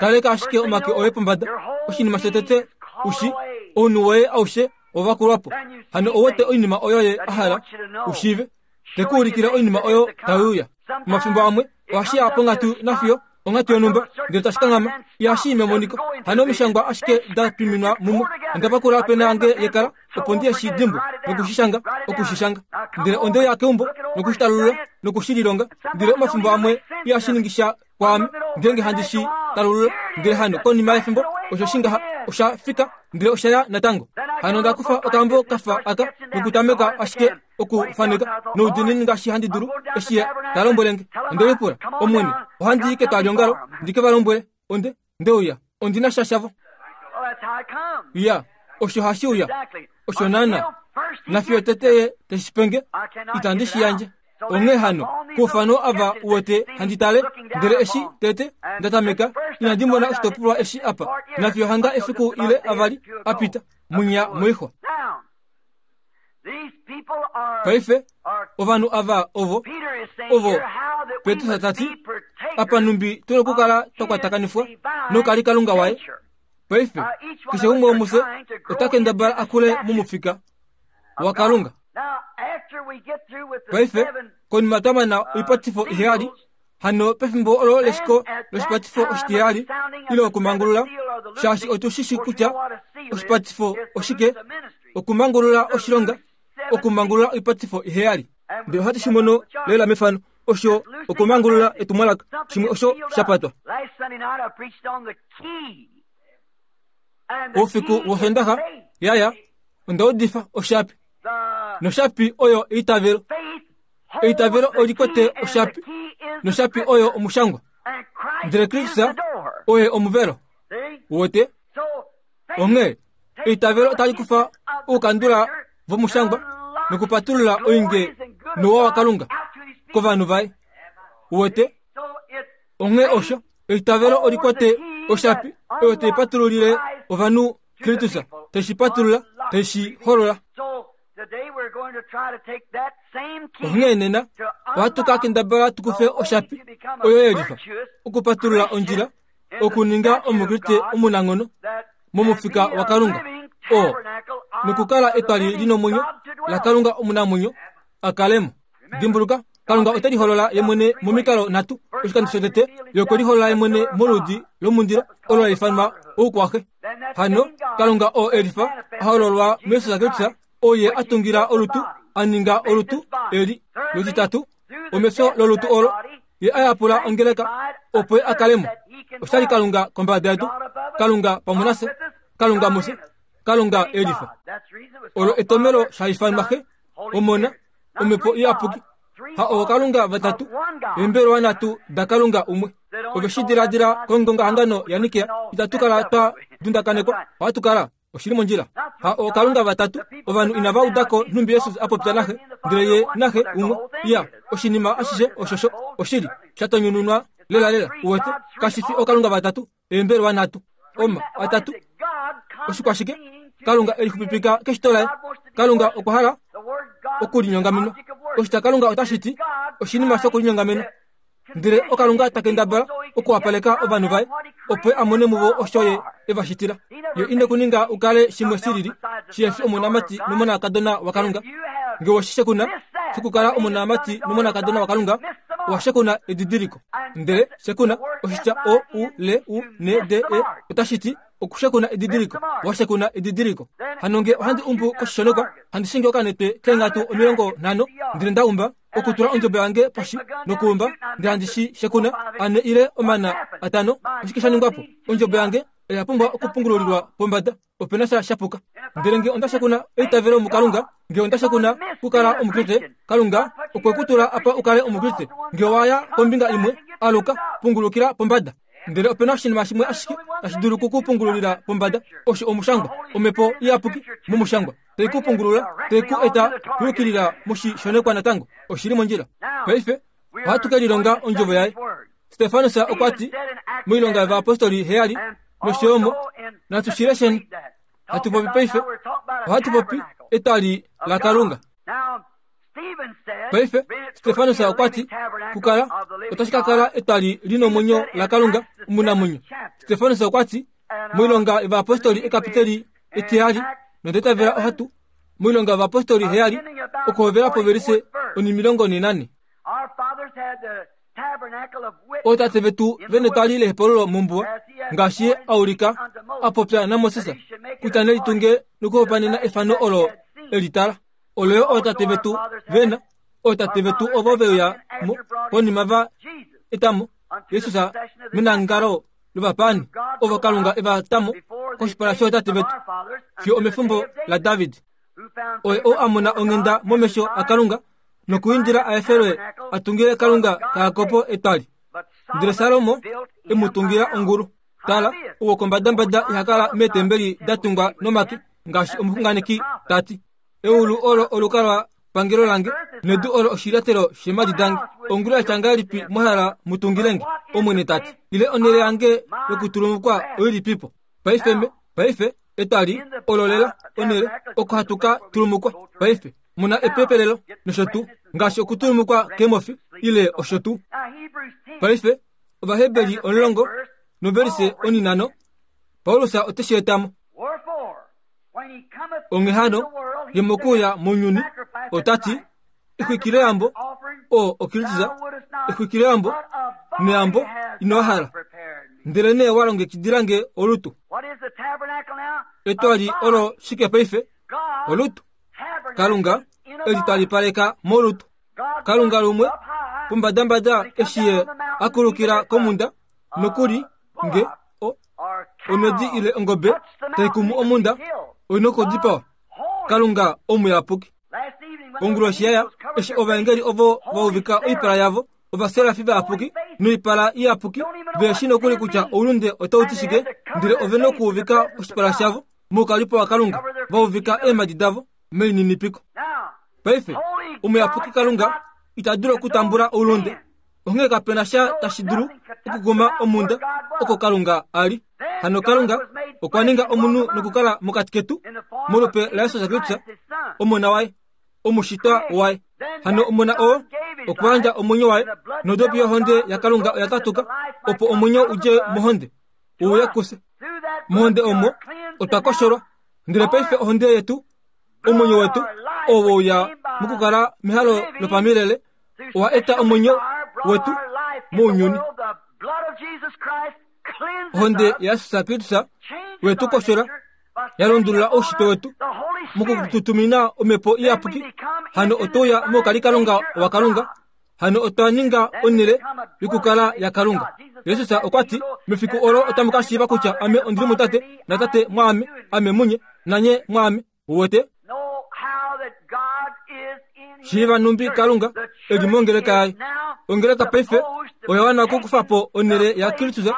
Kaleka ashike omake oye pombada. Oshinima shotete u shi, ounhu woye aushe owa vakulwa po. Hano ou wete oinima oyo ye a hala u shiive. Te ku ulikile oinima oyo tai uya. Omafimbo amwe ohashi ya ponghatu nafiyo onghatu yonhumba ndele tashi kanghama. Ihashi i memoniko. Hano omishangwa ashike da twiminwa mumwe. Onda pakula opena yange yekala opo ndi shi dimbwe noku shi shanga, oku shi shanga. Ndele onde uya keumbo noku shi talulula noku shi lilonga. Ndele omafimbo amwe ihashi ningi sha kwaame ngeenge handi shi talulula. Ndele hano konima yefimbo osho shi ngaha osha fika ndele osha ya natango. Hano onda kufa okambo kafa aka nokutameka ashike okufaneka noudiinini ngaashi handi dulu eshi ye ta lombwele nge. Onde lipula, Omwene, ohandi i ketwaliongalo ndi ke va lombwele onde nde uya. Ondi na sha shavo. Ya, osho hashi uya. Osho naana. Nafiyo tete ye te shi pe nge, itandi shi yandje. Onghee hano, koufano ava u wete handi tale, ndele eshi tete nda tameka, inandi mona oshitopolwa eshi apa, nafiyo hanga efiku ile avali a pita, munya moixwa. Paife, ovanhu ava ovo, ovo, Petrus ta ti, apa nhumbi tu nokukala twa kwatakanifwa nokalikalunga waye. Paife, keshe umwe womufye ota kendabala a kule momufika waKalunga. Paife, konima twa mana oipatifo iheyali, hano pefimbo olo leshiko loshipatifo oshitiheyali ile okumangulula, shaashi otu shi shi kutya oshipatifo oshike, okumangulula oshilonga, okumangulula oipatifo iheyali. Ndele ohatu shi mono lela mefano, osho okumangulula etumwalaka, shimwe osho sha patwa. Oufiku wOsoondaxa ya ya, onda udifa oshapi, noshapi oyo eitavelo. Eitavelo oli kwete oshapi, noshapi oyo omushangwa. Ndele Kristus oye omuvelo. Uwete? Onghee, eitavelo otali kufa oukandula vomushangwa nokupatulula oinge nouwa waKalunga kovanhu vaye. Uwete? Onghee osho, eitavelo oli kwete oshapi oyo tai patululile ovanhu Kristus, tai shi patulula, tai shi holola. Onghee nena ohatu ka kendabala tu kufe oshapi oyo ye lifa okupatulula ondjila okuninga Omukriste omunanghono momufika waKalunga oo nokukala etwali li nomwenyo laKalunga omunamwenyo a kale mo. Dimbuluka, Kalunga ote liholola ye mwene momikalo nhatu. Oshikando shotete, ye okwe liholola ye mwene moludi lomundilo olo la ifanwa oukwaxe. Hano, Kalunga oo e lifa a hololwa muJesus Kristus, oye a tungila olutu, a ninga olutu eli. Lutitatu, omefyo lolutu olo, ye a yapula ongeleka opo ye a kale mo. Osha li Kalunga kombada yetu, Kalunga pamwe nafye, Kalunga mufye, Kalunga e lifa. Olo etomelo sha ifanwa Xe, Omona, Omhepo Iyapuki. Ha ookalunga vatatu, eembelewa nhatu daKalunga umwe. Ove shi diladila kongongahangano yaNikea, itatu kala twa dundakanekwa, ohatu kala oshi li mondjila. Ha ookalunga vatatu, ovanhu inava uda ko nhumbi Jesus a popya naXe, ndele ye naXe umwe. Iya, oshinima ashishe oshosho, oshili, sha tonyununwa lelalela. Uwete, kashi fi ookalunga vatatu, eembelewa nhatu, oma atatu. Oshikwashike? Kalunga e lixupipika keshito laye. Kalunga okwa hala okulinyongamenwa. Oshitya Kalunga otashi ti oshinima shokulinyongamena. Ndele oKalunga ta kendabala okuwapaleka ovanhu vaye opo a mone muvo osho ye e va shitila. Ye ine ku ninga u kale shimwe shi lili shihe fi omonamati nomonakadona waKalunga. Nge owe shi shekuna shokukala omonamati nomonakadona waKalunga, owa shekuna edidiliko. Ndele shekuna, oshitya O U L U N D E otashi ti okushekuna edidiliko. Wa shekuna edidiliko. Hano nge ohandi umbu koshishonekwa, handi shingi okanete keenghatu 50, ndele nda umba, okutula ondjobo yange poshi nokuumba, ndele handi shi shekuna ane ile omana atano, oshike sha ningwa po? Ondjobo yange oya pumbwa okupungululilwa pombada. Ope na sha sha puka. Ndele nge onda shekuna eitavelo muKalunga, nge onda shekuna kukala Omukriste, Kalunga okwe ku tula apa u kale Omukriste. Nge owa ya kombinga imwe, aluka, pungulukila pombada. Ndele ope na oshinima shimwe ashike tashi dulu ku ku pungululila pombada, osho Omushangwa, Omhepo Iyapuki mOmushangwa, tai ku pungulula, tai ku eta yukilila moshishonekwa natango. Oshi li mondjila. Paife, ohatu ke lilonga Ondjovo Yaye. Stefanus okwa ti, moilonga yovayapostoli heyali nosho yo mo, natu shi lesheni. Hatu popi paife, ohatu popi etwali laKalunga. Paife, Stefanus okwa ti, kukala, Otashi ka kala etwali li nomwenyo laKalunga omunamwenyo. Stefanus okwa ti, moilonga yovayapostoli ekapiteli etihali nonde tavela ohatu, moilonga yovayapostoli heyali okuhovela povelise onimilongo nenane. Ootate vetu vene twali lehepululo mombuwa, ngaashi ye a ulika a popya naMoses kutya ne litunge nokuhopanena efano olo e li tala. Olo yo ootate vetu vena, ootate vetu ovo ve uya mo konima va eta mo Jesus menangalo lovapaani, ovo Kalunga e va ta mo koshipala shootate vetu fiyo omefimbo laDavid. Oye ou a mona onghenda momesho aKalunga nokuindila a efelwe a tungile Kalunga kaJakob etwali. Ndele Salomo e mu tungila ongulu. Tala, ou wokombadambada iha kala meetembeli da tungwa nomake, ngaashi omuxunganeki ta ti, Eulu olo olukalwa pangelo lange, nedu olo oshilyatelo sheemhadi dange. Ongulu ya tya ngahelipi mwa hala mu tungile nge? Omwene ta ti. Ile onhele yange yokutulumukwa oilipipo? Paife me, paife, etwali olo lela onhele oko hatu ka tulumukwa paife, mu na epepelelo nosho tuu, ngaashi okutulumukwa keemofi ile osho tuu. Paife, Ovaheberi omulongo novelise oninano, Paulus ote shi eta mo. Onghee hano, ye mokuuya mounyuni, ota ti, Exwikiloyambo, oo oKristus, exwikiloyambo neyambo ino hala, ndelenee wa longekidila nge olutu. Etwali olo shike paife? Olutu. Kalunga e li twalipaleka molutu. Kalunga lumwe pombadambada eshi ye a kulukila komunda, nokuli nge o, omhedi ile ongobe tai kumu omunda, oi nokudipawa. Kalunga omuyapuki. Onguloshi yaya, eshi ovaengeli ovo va uvika oipala yavo, ovaserafi vayapuki noipala iyapuki, ve shi nokuli kutya oulunde otau ti shike, ndele ove nokuuvika oshipala shavo moukalipo waKalunga, va uvika eemhadi davo melininipiko. Paife, omuyapuki Kalunga ita dulu okutambula oulunde, onghee kape na sha tashi dulu okukuma omhunda oko Kalunga a li. Hano Kalunga okwa ninga omunhu nokukala mokati ketu molupe laJesus Kristus, Omona waye, omushitwa waye. Hano Omona oo okwa yandja omwenyo waye, nodopi yohonde yaKalunga oya katuka opo omwenyo u dje mohonde u uye kufye. Mohonde omo otwa kosholwa, ndele paife ohonde yetu omwenyo wetu oo we uya mokukala mehalo lopamilele owa eta omwenyo wetu mounyuni. Ohonde yaJesus Kristus wetu koshola ya lundulula oushitwe wetu mokututumina omhepo iyapuki. Hano otwe uya moukalikalunga waKalunga. Hano otwa ninga onhele yokukala yaKalunga. Jesus okwa ti, Mefiku olo otamu ka shiiva kutya ame ondi li muTate, naTate mwaame, ame munye, nanye mwaame. Uwete? Shiiva nhumbi Kalunga e li mongeleka yaye. Ongeleka paife oya wana okukufa po onhele yaKristus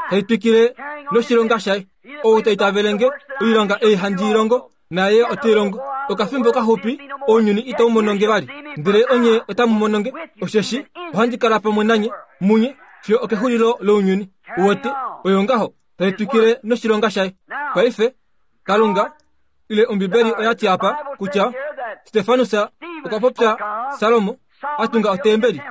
tai twikile noshilonga shaye. Ou ta itavele nge, oilonga ei handi i longo, naye ote i longo. Okafimbo kaxupi ounyuni itau mono nge vali, ndele onye otamu mono nge, osheshi ohandi kala pamwe nanye munye fiyo okexulilo lounyuni. Uwete, oyo ngaho tai twikile noshilonga shaye. Paife, Kalunga ile Ombibeli oya ti apa kutya Stefanus okwa popya Salomo a tunga otembeli,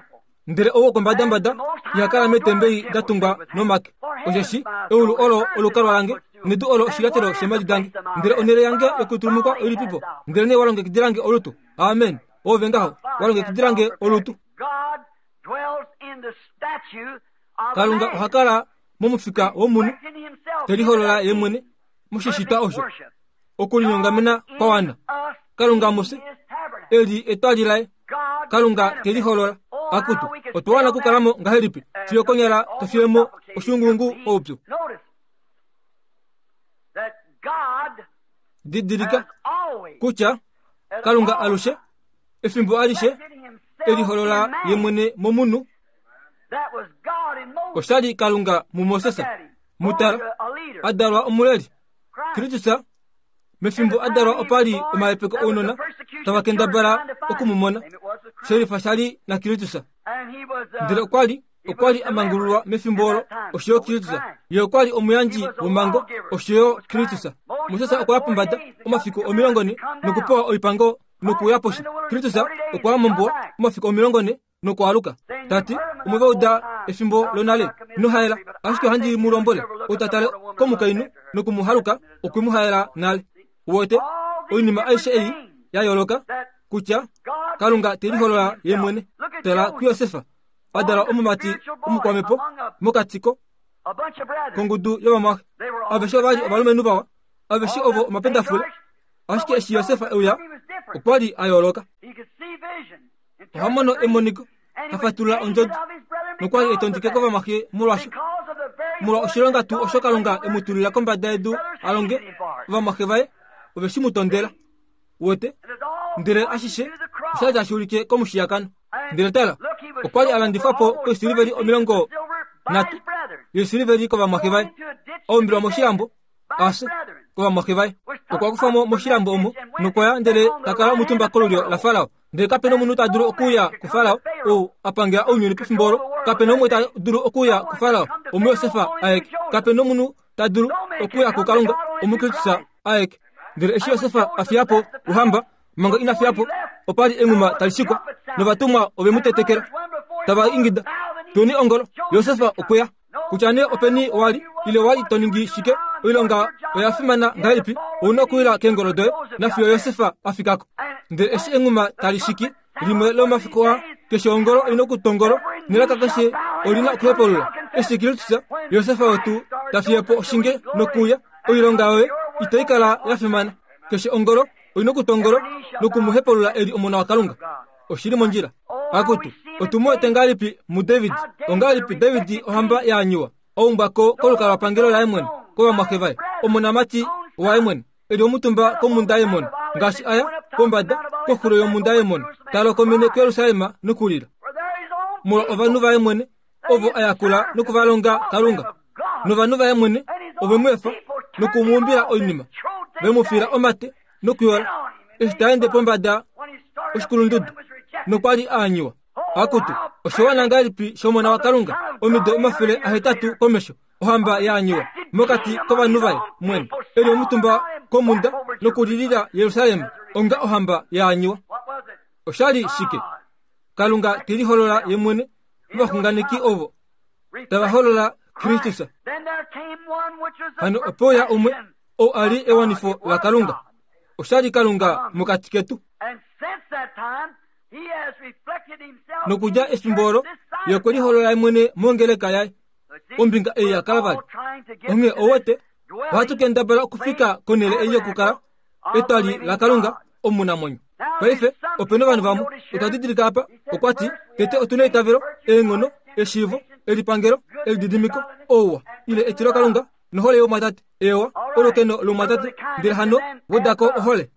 ndele ou wokombadambada iha kala meetembeli da tungwa nomake. Osheshi eulu olo olukalwa lange, nedu olo oshilyatelo sheemhadi dange. Ndele onhele yange yokutulumukwa oilipipo? Ndelenee wa longekidila nge olutu. Amen. Oove ngaho, wa longekidila nge olutu. Kalunga oha kala momufika womunhu, te liholola ye mwene moshishitwa osho okulinyongamena kwa wana. Kalunga mufye e li etwali laye. Kalunga te liholola. Akutu, otwa wana okukala mo ngahelipi fiyo konyala to fiye mo oshuunguungu oupyu. Didilika kutya Kalunga alushe efimbo alishe e liholola ye mwene momunhu. Osha li Kalunga muMoses, mutala, a dalwa omuleli. Kristus mefimbo a dalwa opa li omahepeko ounona tava kendabala oku mu mona, shelifa sha li naKristus. Ndele okwa li okwa li a mangululwa mefimbo olo, osho yo Kristus. Ye okwa li omuyandji womhango, osho yo Kristus. Moses okwa ya pombada omafiku 40 nokupewa oipango nokuuya poshi. Kristus okwa ya mombuwa omafiku 40 nokwaaluka, ta ti, Omwe va uda efimbo lonale, Ino haela. Ashike ohandi mu lombwele, ou ta tale komukainhu noku mu haluka, okwe mu haela nale. Uwete, oinima aishe ei ya yooloka, kutya Kalunga te liholola ye mwene. Tala kuJosef, a dala omumati omukwamhepo mokati ko kongudu yovamwaxe. Aveshe ova li ovalumenhu vawa, aveshe ovo omapendafule. Ashike eshi Josef e uya, okwa li a yooloka. Oha mono emoniko, ha fatulula ondjodi, nokwa li e tondike kovamwaxe molwasho. Molwa oshilonga tuu osho Kalunga e mu tulila kombada yedu a longe, ovamwaxe vaye ove shi mu tondela. Wete? Ndele ashishe osha li tashi ulike komushiyakano. Ndele tala, okwa li a landifwa po koisiliveli 30 yoisiliveli kovamwaxe vaye, a umbilwa moshilambo a fye kovamwaxe vaye. Okwa kufa mo moshilambo omo nokwa ya ndele ta kala omutumba kolulyo laFarao. Ndele kape na omunhu ta dulu okuuya kuFarao ou a pangela ounyuni pefimbo olo. Kape na umwe ta dulu okuuya kuFarao omuJosef aeke. Kape na omunhu ta dulu okuuya kuKalunga omuKristus aeke. Ndele eshi Josef a fiya po ouhamba, manga ina fiya po, opa li enghuma tali shikwa, novatumwa ove mu tetekela tava ingida, Tweni ongolo, Josef okwe ya. Kutya nee openi wa li, ile wa li to ningi shike, oilonga oya fimana ngahelipi, ou na okuwila keengolo doye nafiyo Josef a fika ko. Ndele eshi enghuma tali shiki, limwe lomomafiku aa, keshe ongolo oi na okutongolo, nelaka keshe oli na okuhepulula. Eshi Kristus, Josef wetu, ta fiye po oshinge nokuuya, oilonga yoye itai kala ya fimana. Keshe ongolo oi na okutongolo noku mu hepulula e li Omona waKalunga. Oshi li mondjila. Akutu, otu mu wete ngahelipi muDavid? Ongahelipi David ohamba ya anyiwa, a umbwa ko kolukalwapangelo laye mwene, kovamwaxe vaye, omonamati waye mwene, e li omutumba komhunda yEmono, ngaashi a ya pombada koxulo yomhunda yEmono, ta lokomene kuJerusalem nokulila molwa ovanhu vaye mwene, ovo a yakula noku va longa Kalunga. Novanhu vaye mwene ove mu efa noku mu umbila oinima, ve mu fiila omate nokuyola eshi ta ende pombada oshikulundudu nokwa li a anyiwa. Akutu, oshiwana ngahelipi shOmona waKalunga omido 800 komesho, ohamba ya anyiwa mokati kovanhu vaye mwene, e li omutumba komhunda nokulilila Jerusalem onga ohamba ya anyiwa. Osha li shike? Kalunga te liholola ye mwene movaxunganeki ovo tava holola Kristus. Hano ope uya umwe ou a li ewanifo laKalunga. Osha li Kalunga mokati ketu. Nokudja efimbo olo, ye okwe liholola ye mwene mongeleka yaye, ombinga ei yaKalvari. Onghee ou wete, ohatu kendabala okufika konhele ei yokukala etwali laKalunga omunamwenyo. Paife, ope na ovanhu vamwe, otwa didilika apa, okwa ti, Tete otu na eitavelo, eenghono, eshiivo, elipangelo, elididimiko, ouwa, ile etilokalunga, nohole youmwatate, eewa, olukeno loumwatate, ndele hano weda ko ohole.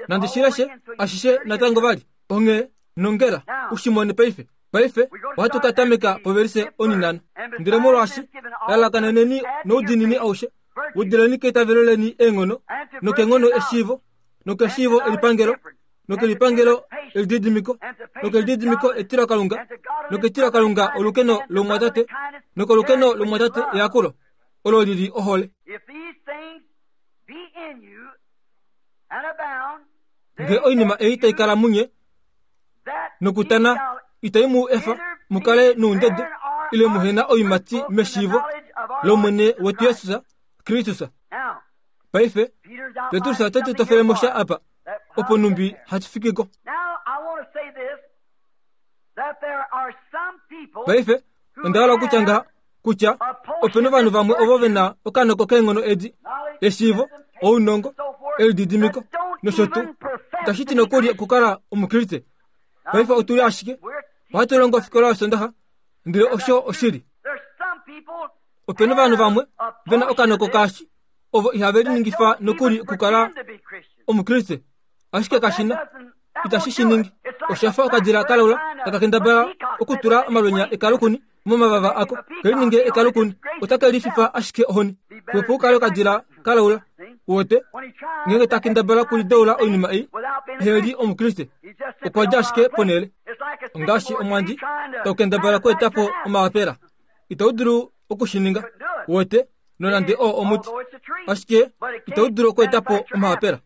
Nandi shi leshe ashishe natango vali. Onghee, nongela, u shi mone paife. Paife ohatu ka tameka povelise oninhano. Ndele molwaashi, lalakaneneni noudiinini aushe, wedeleni keitavelo leni eenghono, nokeenghono eshiivo, nokeshiivo elipangelo, nokelipangelo elididimiko, nokelididimiko etilokalunga, noketilokalunga olukeno lomumwatate, nokolukeno lomumwatate eyakulo, olo li li ohole. Nge oinima ei tai kala munye nokutana itai mu efa mu kale noundede ile muhe na oiimati meshiivo lOmwene wetu Jesus Kristus. Paife, Petrus ote tu tofele mo sha apa, opo numbi hatu fiki ko. Paife, onda hala okutya ngaha kutya ope na ovanhu vamwe ovo ve na okanoko keenghono edi, eshiivo, ounongo, elididimiko nosho tuu. Itashi ti nokuli okukala Omukriste. Paife otu li ashike ohatu longo ofikola yOsondaxa, ndele osho oshili. Ope na ovanhu vamwe ve na okanoko kaashi ovo ihave liningifa nokuli okukala Omukriste, ashike kashi na itashi shi ningi. Osha fa okadila ka laula taka kendabala okutula omalwenya ekalukuni momavava ako ke lininge ekalukuni, otake lififa ashike ohoni. Xwepo u kale okadila ka laula. Uwete, ngeenge ta kendabala okulideula oinima ei, ehe li Omukriste, okwa dja ashike ponhele. Ongaashi omwandi tau kendabala okweeta po omaapela. Itau dulu oku shi ninga. Uwete, nonande oo omuti, ashike itau dulu okweeta po omaapela.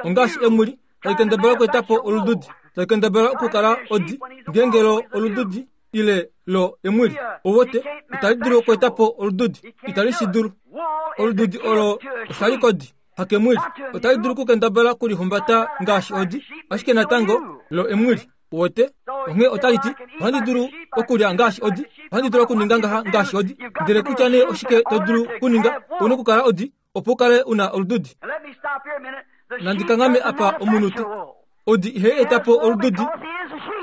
Ongaashi emuli tali kendabala okweeta po olududi, tali kendabala okukala odi, ngeenge lo olududi. ile lo emwili owote itali dulu okweeta po olududi itali shi dulu olududi olo oshali kodi hakemwili otali dulu okukendabala okulihumbata ngaashi odi ashike natango lo emwili wote onghee otali ti ohandi dulu okulya ngaashi odi ohandi dulu okuninga ngaha ngaashi odi ndele kutya nee oshike to dulu okuninga una okukala odi opo u kale u na olududi nandi kanghame apa omunute odi ihai eta po olududi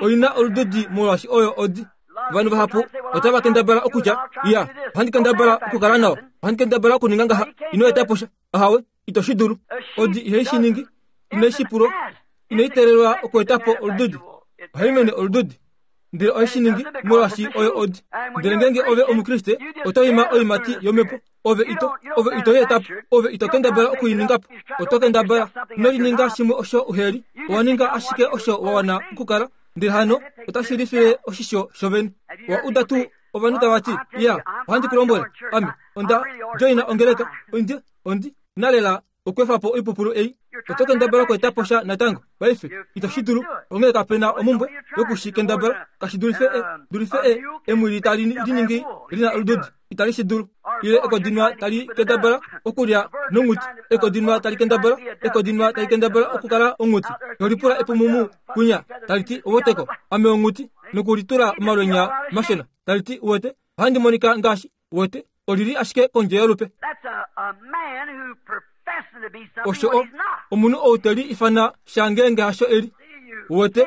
oi na olududi molwaashi oyo odi ovanhu vahapu otava kendabala okutya ya ohandi kendabala okukala nawa ohandi kendabala okuninga ngaha ino eta po sha ahawe ito shi dulu odi ihai shi ningi inai shi pulwa inai teelelwa okweeta po olududi ohai mene olududi ndele ohe shi ningi molwaashi oyo odi ndele ngeenge ove omukriste oto ima oimati yomhepo ove ito ove ito yeeta po ove ito kendabala oku i ninga po oto kendabala ino lininga shimwe osho uheli owa ninga ashike osho wa wana okukala ndele hano otashi lifile oshisho shovene wa uda tuu ovanhu tava ti ya ohandi ku lombwele ame onda joina ongeleka ondi ondi na lela okweefa po oipupulu ei oto kendabala okweeta po sha natango paife ito shi dulu onghee kape na omumbwe yoku shi kendabala kashi dulife e dulife e emwili tali liningi li na olududi itali shi dulu ile ekodinwa tali kendabala okulya nonghuti ekodinwa tali kendabala ekodinwa tali kendabala okukala onghuti nolipula epumumu kunya tali ti oweteko ame onghuti nokulitula omalwenya mashona tali ti uwete ohandi monika ngaashi wete oli li ashike kondje yolupe osho o omunhu ou te li ifana sha ngeenge hasho eli wete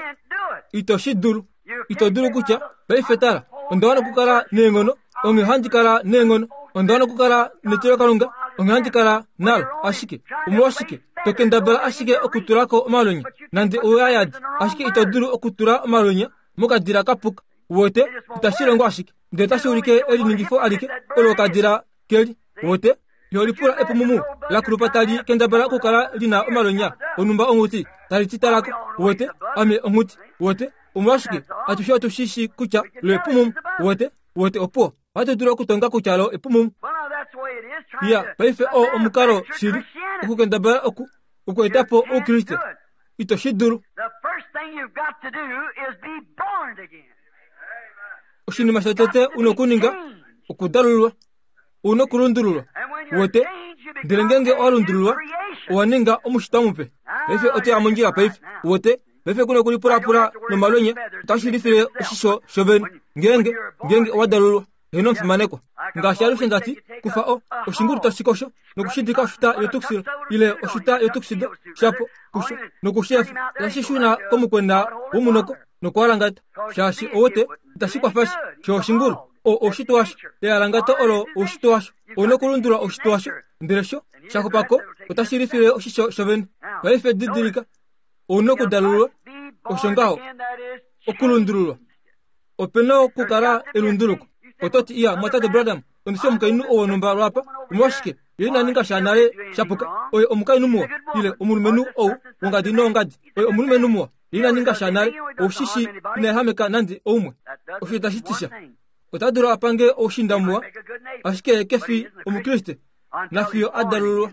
ito shi dulu ito dulu kutya paife tala onda wana okukala neenghono onghee handi kala neenghono onda wana okukala netilokalunga onghee handi kala nalo ashike omolwashike to kendabala ashike okutula ko omalwenya nande ouyayadi ashike ito dulu okutula omalwenya mokadila kapuka wote itashi longo ashike ndele otashi ulike eliningifo alike olo okadila keli wote yo lipula epumumu la kulupa tali kendabala okukala li na omalwenya onhumba onghuti tali ti talako wote ame onghuti wote omolwashike atushe otu shi shi kutya lo epumumu wote wote opuwo ohatu dulu okutonga kutya lo epumumu ya paife oo omukalo shili okukendabala oku okweeta po oukriste ito shi dulu oshinima shotete una okuninga okudalululwa una okulundululwa wote ndele ngeenge owa lundululwa owa ninga omushitwa mupe paife oto ya mondjila paife wote paife kuna okulipulapula nomalwenya otashi lifile oshisho shovene ngeenge ngeenge owa dalululwa heno omufimanekwa ngaashi alushe nda ti kufa o oshingulu tashi kosho nokushidika oshuta yotuxil ile oshuta yotuxido shapo kusho nokushefa tashi shuna komukwena womunoko nokualangata shaashi owote itashi kwafa sha sho oshingulu o oushitwe washo ealangato olo oushitwe washo ou nokulundulula oushitwe washo ndele sho sha xupako otashi lifile oshisho shovene paife didilika ou nokudalululwa osho ngaho okulundululwa Ope na okukala elunduluko. Oto ti, Iya, Mwatate Branham, ondi shi omukainhu ou wonhumba lwaapa. Omolwashike, ye ina ninga sha nale sha puka. Oye omukainhu muwa. Ile, omulumenhu ou wongadi noongadi. Oye omulumenhu muwa. Ye ina ninga sha nale. Ou shi shii, ina ehameka nande oumwe. Osho itashi ti sha. Ota dulu a pange oushinda muwa, ashike ye ke fi Omukriste, nafiyo a dalululwa.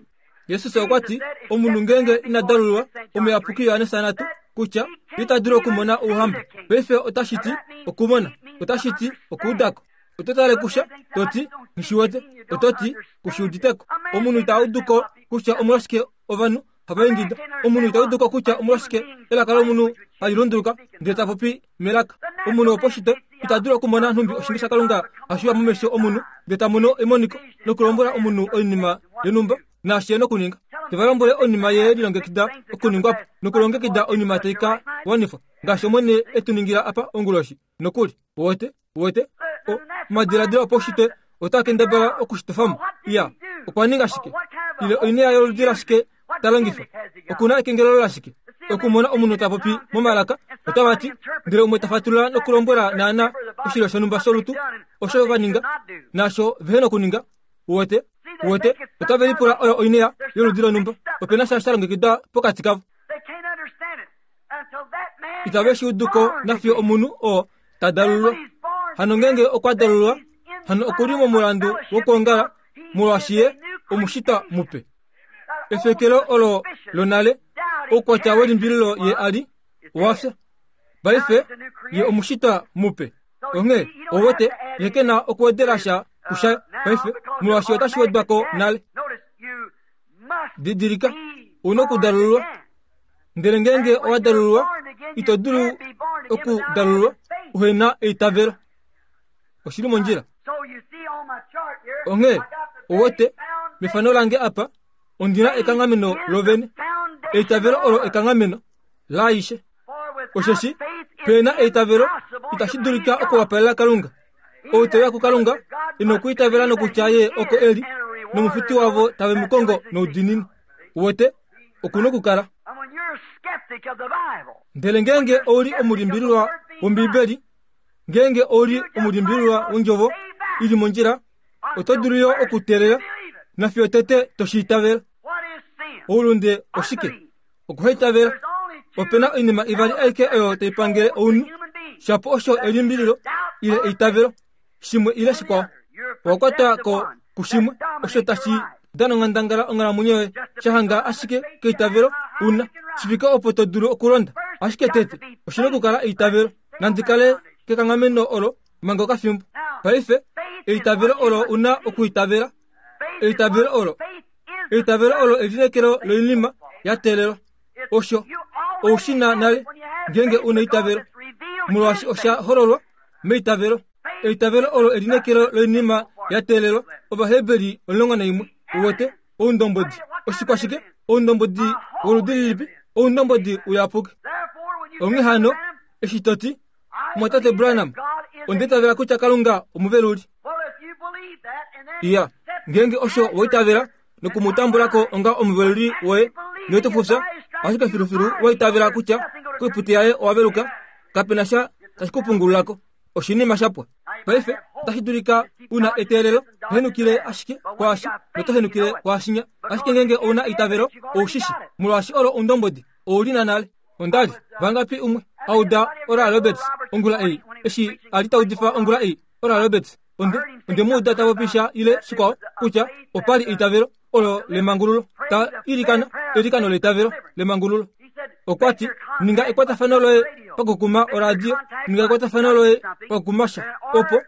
Jesus okwa ti, Omunhu ngeenge ina dalululwa, omuyapuki Johannes natu, kutya ita dulu okumona ouhamba. Paife otashi ti okumona, otashi ti okuuda ko. Oto tale kusha, to ti, Nghi wete. Oto ti, Ku shi udite ko. Omunhu ita udu ko kutya omolwashike ovanhu hava ingida. Omunhu ita udu ko kutya omolwashike elaka lomunhu hali lunduluka ndele ta popi melaka. Omunhu woposhitwe ita dulu okumona nhumbi oshinge shaKalunga hashi uya momesho omunhu ndele ta mono emoniko nokulombwela omunhu oinima yonhumba naashi e na okuninga. Te va lombwele oinima ye lilongekida okuningwa po nokulongekida oinima tai ka wanifwa ngaashi Omwene e tu ningila apa onguloshi nokuli. Uwete? Uwete? O, omadiladilo opaushitwe otaa kendabala oku shi tofa mo. Iya, okwa ninga shike? Ile oinea yoludi lashike ta longifa? Oku na ekengelelo lashike? Okumona omunhu ta popi momalaka, otava ti, ndele umwe ta fatulula nokulombwela naana oshilyo shonhumba sholutu osho va ninga naasho vehe nokuninga. Uwete? Uwete? Otave lipula oyo oinea yoludi lonhumba. Ope na sha sha longekidwa pokati kavo. Itave shi udu ko nafiyo omunhu oo ta dalulwa. Hano ngeenge okwa dalulwa, hano oku li momulandu wokwoongala molwaashi ye omushitwa mupe. Efekelo olo lonale, oukwatya welimbililo ye a li, owa fya. Paife ye omushitwa mupe. Onghee, ouwete, ye ke na okuwedela sha kusha paife, molwaashi otashi wedwa ko nale. Didilika, u nokudalululwa. Ndele ngeenge owa dalululwa, ito dulu okudalululwa uhe na eitavelo. Oshi li mondjila. Onghee, ouwete, mefano lange apa, ondi na ekanghameno lovene. Eitavelo olo ekanghameno laaishe. Osheshi pe na eitavelo, itashi dulika okuwapalela Kalunga. Ou te uya kuKalunga e nokwiitavela nokutya Ye oko e li, nomufuti wavo tave mu kongo noudiinini. Uwete, oku nokukala. Ndele ngeenge ou li omulimbililwa wOmbiibeli, ngeenge ou li omulimbililwa wOndjovo i li mondjila, oto dulu yo okuteelela nafiyo tete to shi itavela. Oulunde oshike? Okuhaitavela. Ope na oinima ivali aike oyo tai pangele ounhu, shapo osho elimbililo ile eitavelo, shimwe ile shikwao. Owa kwatwa ko kushimwe osho tashi dana onghandangala onghalamwenyo yoye, sha hanga ashike keitavelo una shi fike opo to dulu okulonda. Ashike tete oshi na okukala eitavelo. Nandi kale kekanghameno olo manga okafimbo. Paife, eitavelo olo u na okuitavela. Eitavelo olo Eitavelo olo elineekelo loinima ya teelelwa. Osho ou shi na nale ngeenge u na eitavelo, molwaashi osha hololwa meitavelo. Eitavelo olo elineekelo loinima ya teelelwa. Ovaheberi 11. Uwete? Oundombwedi. Oshikwashike? Oundombwedi woludi lilipi? Oundombwedi uyapuki. Onghee hano, eshi to ti, Mumwatate Branham, onda itavela kutya Kalunga omuveluli. Iya, ngeenge osho wa itavela noku mu tambula ko onga omuveluli woye, noito fufya, ashike filufilu wa itavela kutya koiputi yaye owa veluka, kape na sha tashi ku pungulula ko. Oshinima sha pwa. Paife, otashi dulika u na eteelelo, henukile ashike kwaashi noto henukile kwaashinya. Ashike ngeenge ou na eitavelo, ou shi shi, molwaashi olo oundombwedi, ou li na nale. Onda li vangapi umwe a uda Oral Roberts ongula ei, eshi a li ta udifa ongula ei? Oral Roberts, onde, onde mu uda ta popi sha ile shikwao, kutya opa li eitavelo olo lemangululo, ta ilikana eilikano leitavelo lemangululo. Okwa ti, Ninga ekwatafano loye pakukuma oradio, ninga ekwatafano loye pakukuma sha, opo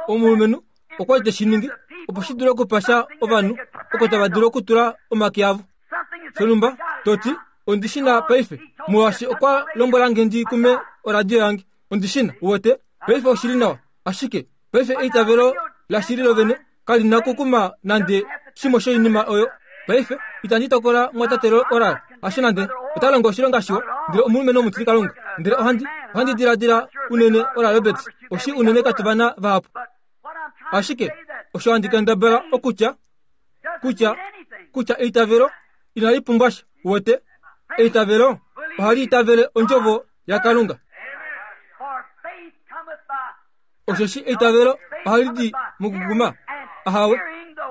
omulumenhu okwa li te shi ningi opo shi dule okupa sha ovanhu oko tava dulu okutula omake avo. Shonhumba, to ti, Ondi shi na paife, molwaashi okwa lombwela nge ndi kume oradio yange. Ondi shi na, uwete. Paife oshi li nawa. Ashike, paife eitavelo lashili lovene kali na okukuma nande shimwe shoinima oyo. Paife, itandi tokola mwatate Oral, hasho nande. Ota longo oshilonga shiwa, ndele omulumenhu omutilikalunga. Ndele ohandi, ohandi diladila unene Oral Roberts, oshi unene katu vana vahapu. Ashike, osho handi kendabala okutya, kutya, kutya eitavelo inali pumbwa sha. Uwete? Eitavelo ohali itavele Ondjovo yaKalunga. Osheshi eitavelo ohali di mokukuma. Ahawe,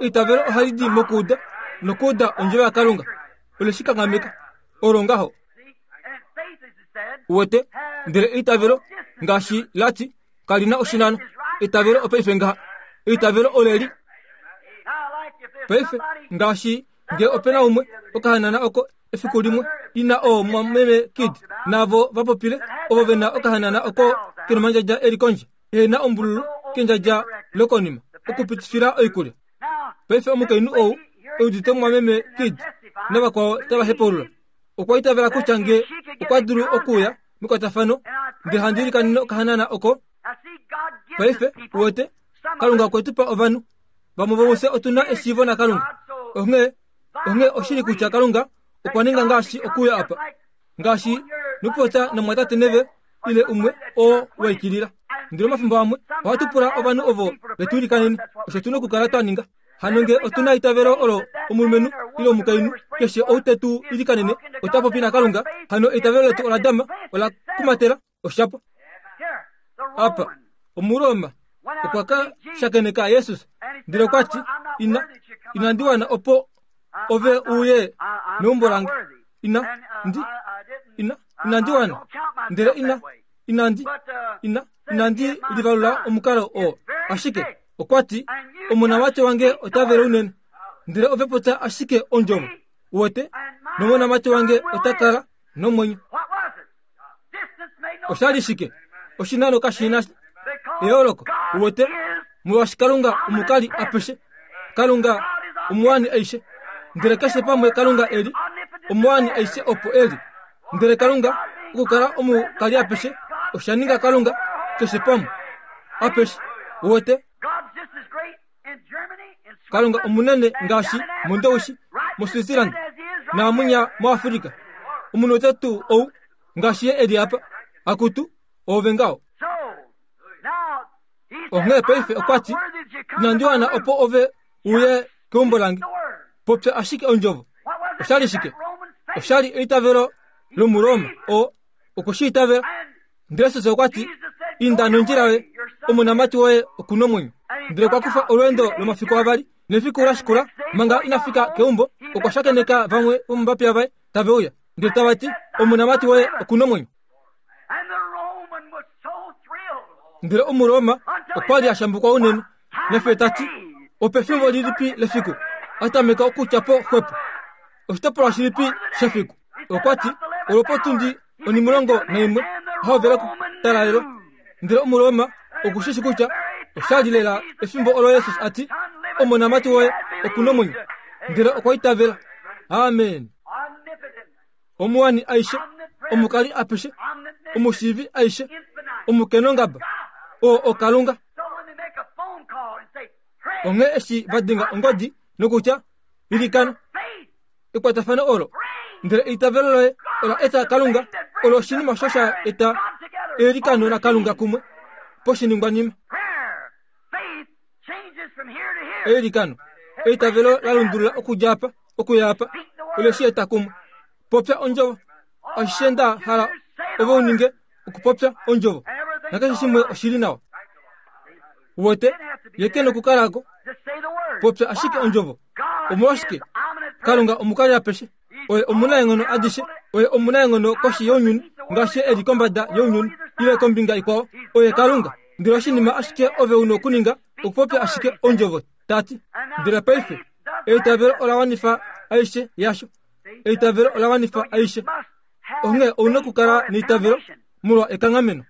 eitavelo ohali di mokuuda, nokuuda Ondjovo yaKalunga. Ole shi kanghameka. Olo ngaho. Uwete? Ndele eitavelo, ngaashi la ti, kali na oshinano. Eitavelo opaife ngaha. Eitavelo oleli. Paife, ngaashi nge ope na umwe okahanana oko efiku limwe ina oo meme Kid naavo va popile ovo ve na okahanana oko kenomandjadja e li kondje ehe na ombululu kendjadja lokonima okupitifila oikulya. Paife omukainhu ou e udite mumwameme Kid navakwao tava hepaulula okwa itavela kutya nge okwa dulu okuuya mekwatafano ndele handi ilikanene okahanana oko. Paife uwete Kalunga okwe tu pa ovanhu vamwe vomufye otu na eshiivo naKalunga. Onghee, onghee oshili kutya Kalunga okwa ninga ngaashi okuuya apa, ngaashi nokupopya namwatate neve ile umwe oo wa ikilila. Ndele omafimbo amwe ohatu pula ovanhu ovo ve tu ilikanene, osho tu na okukala twa ninga. Hano nge otu na eitavelo olo omulumenhu ile omukainhu keshe ou te tu ilikanene ota popi naKalunga, hano eitavelo letu ola dama, ola kumatela osha pwa. Apa, Omuroma okwa ka shakeneka Jesus ndele okwa ti, Ina, inandi wana opo ove uye meumbo lange. Ina, ndi, ina, inandi wana. Ndele ina, inandi, ina, inandi livalula omukalo oo. Ashike, okwa ti, omonamati wange ota vele unene. Ndele ove popya ashike ondjovo, uwete, nomonamati wange ota kala nomwenyo. Osha li shike? Oshinano kashi na eyooloko, uwete, molwaashi Kalunga omukali apeshe. Kalunga omuwani aishe. Ndele keshe pamwe Kalunga e li, omuwani aishe opo e li. Ndele Kalunga okukala omukali apeshe osha ninga Kalunga keshe pamwe apeshe. Uwete? Kalunga omunene ngaashi mOndowishi, moSwitzerland naamunya moAfrika. Omunhu ote tuu ou ngaashi ye e li apa. Akutu, oove ngaho. Onghee paife okwa ti, Inandi wana opo ove uye keumbo lange. Popya ashike ondjovo. Osha li shike? Osha li eitavelo lOmuroma oo okwe shi itavela. Ndele Jesus okwa ti, Inda nondjila yoye, omonamati woye oku nomwenyo. Ndele okwa kufa olweendo lomafiku avali, nefiku la shikula, manga ina fika keumbo, okwa shakeneka vamwe vomovapiya vaye tave uya, ndele tava ti, Omonamati woye oku nomwenyo. Ndele Omuroma okwa li a shambukwa unene, nefyo ta ti, Opefimbo lilipi lefiku a tameka okutya po xwepo? Oshitopolwa shilipi shefiku? Okwa ti, Olwopotundi onimulongo naimwe hovela okutalalelwa. Ndele Omuroma oku shi shi kutya osha li lela efimbo olo Jesus a ti, Omonamati woye oku nomwenyo. Ndele okwa itavela. Amen. Omuwani aishe, omukali apeshe, omushiivi aishe, omukenongaba, oo oKalunga. Onghee eshi va denga ongodi nokutya, Ilikana, ekwatafano olo, ndele eitavelo loye ola eta Kalunga, olo oshinima osho sha eta eilikano laKalunga kumwe poshiningwanima. Eilikano, eitavelo la lundulula okudja apa okuya apa, ole shi eta kumwe. Popya ondjovo. Ashishe nda hala ove u ninge okupopya ondjovo, nakeshe shimwe oshi li nawa. Uwete, ye ke nokukala ko. Popya ashike ondjovo. Omolwashike? Kalunga omukali apeshe. Oye omunaenghono adishe. Oye omunaenghono koshi younyuni, ngaashi e li kombada younyuni, ile kombinga ikwao. Oye Kalunga. Ndele oshinima ashike ove u nokuninga okupopya ashike ondjovo, ta ti. Ndele paife, eitavelo ola wanifa aishe yasho. Eitavelo ola wanifa aishe. Onghee ou na okukala neitavelo molwa ekanghameno.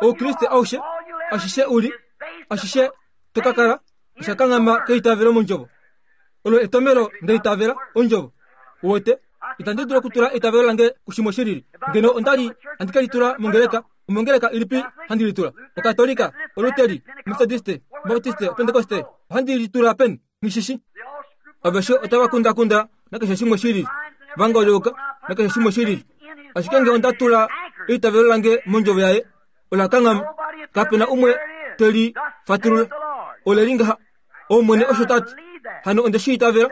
Oukriste aushe, ashishe u li, ashishe to ka kala, osha kanghama keitavelo mondjovo. Olo etomelo nda itavela ondjovo. Uwete, itandi dulu okutula eitavelo lange kushimwe shi lili. Ngeno onda li handi ke li tula mongeleka, omongeleka ilipi handi li tula? Okatolika, Oluteri, Metodiste, Baptiste, Opentekoste, ohandi li tula peni? Nghi shi Aveshe otava kundakunda nakeshe shimwe shi lili, va ngolyoka nakeshe shimwe shi lili. Ashike nge onda tula eitavelo lange mondjovo yaye, ola kanghama. Kape na umwe te li fatulula. Ole li ngaha, Omwene osho ta ti. Hano onde shi itavela,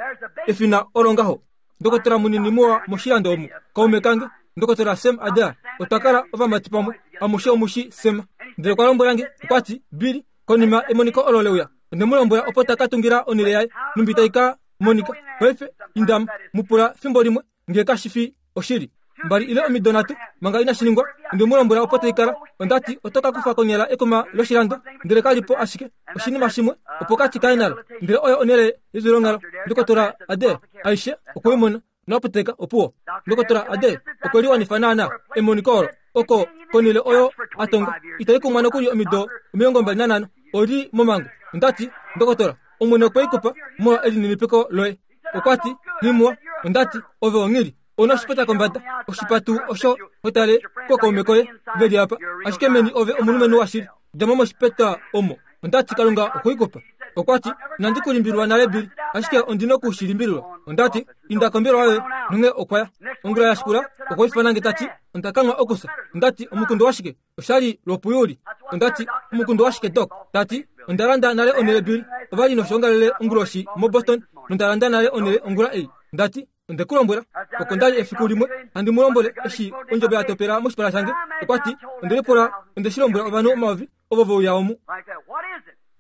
efina olo ngaho. Ndokotola munini muwa moshilando omu, kaume kange, Ndokotola Sam Adair, otwa kala ovamati pamwe, amushe omu shi Sam. Ndele okwa lombwela nge, okwa ti, Billy, konima emoniko olo le uya, onde mu lombwela opo ta ka tungila onhele yaye, nhumbi tai ka monika. Paife, inda mu pula fimbo limwe nge kashi fi oshili. Mbali ile omido nhatu manga inashi ningwa, onde mu lombwela opo tai kala. Onda ti, Oto ka kufa konyala ekuma loshilando, ndele ka li po ashike oshinima shimwe opokati kaye nalo. Ndele oyo onhele yevyulonghalo. Ndokotola Adair, aishe okwe i mona. Noaputeka opuwo. Ndokotola Adair okwe liwanifa naanaa emoniko olo oko konhele oyo a tonga itai kumwa nokuli omido 25 oli momango. Onda ti, Ndokotola, Omwene okwe i kupa molwa elininipiko loye. Okwa ti, Nghimuwa. Onda ti, Ove onghili. Ou na oshipeta kombada, oshipa tuu osho ho tale kookaume koye ve li apa, ashike meni ove omulumenhu washili. Dja mo moshipeta omo. Onda ti, Kalunga okwe i kupa. Okwa ti, Inandi ku limbililwa nale, Billy, ashike ondi noku shi limbililwa. Onda ti, Inda kombelewa yoye. Nonghee okwa ya. Ongula ya shikula, okwa ifana nge ta ti, Onda kanghwa okufya. Onda ti, Omukundu washike? Osha li lwopuyuli. Onda ti, Omukundu washike, Doc? Ta ti, Onda landa nale onhele, Billy. Ova li noshoongalele onguloshi moBoston, nonda landa nale onhele ongula ei. Nda ti, Onde ku lombwela, oko nda li efiku limwe handi mu lombwele eshi ondjobo ya topela moshipala shange. Okwa ti, Onde lipula, onde shi lombwela ovanhu omayovi ovo ve uya omu.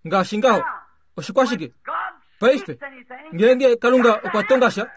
Ngaashi ngaho. Oshikwashike? Paife, ngeenge Kalunga okwa tonga sha,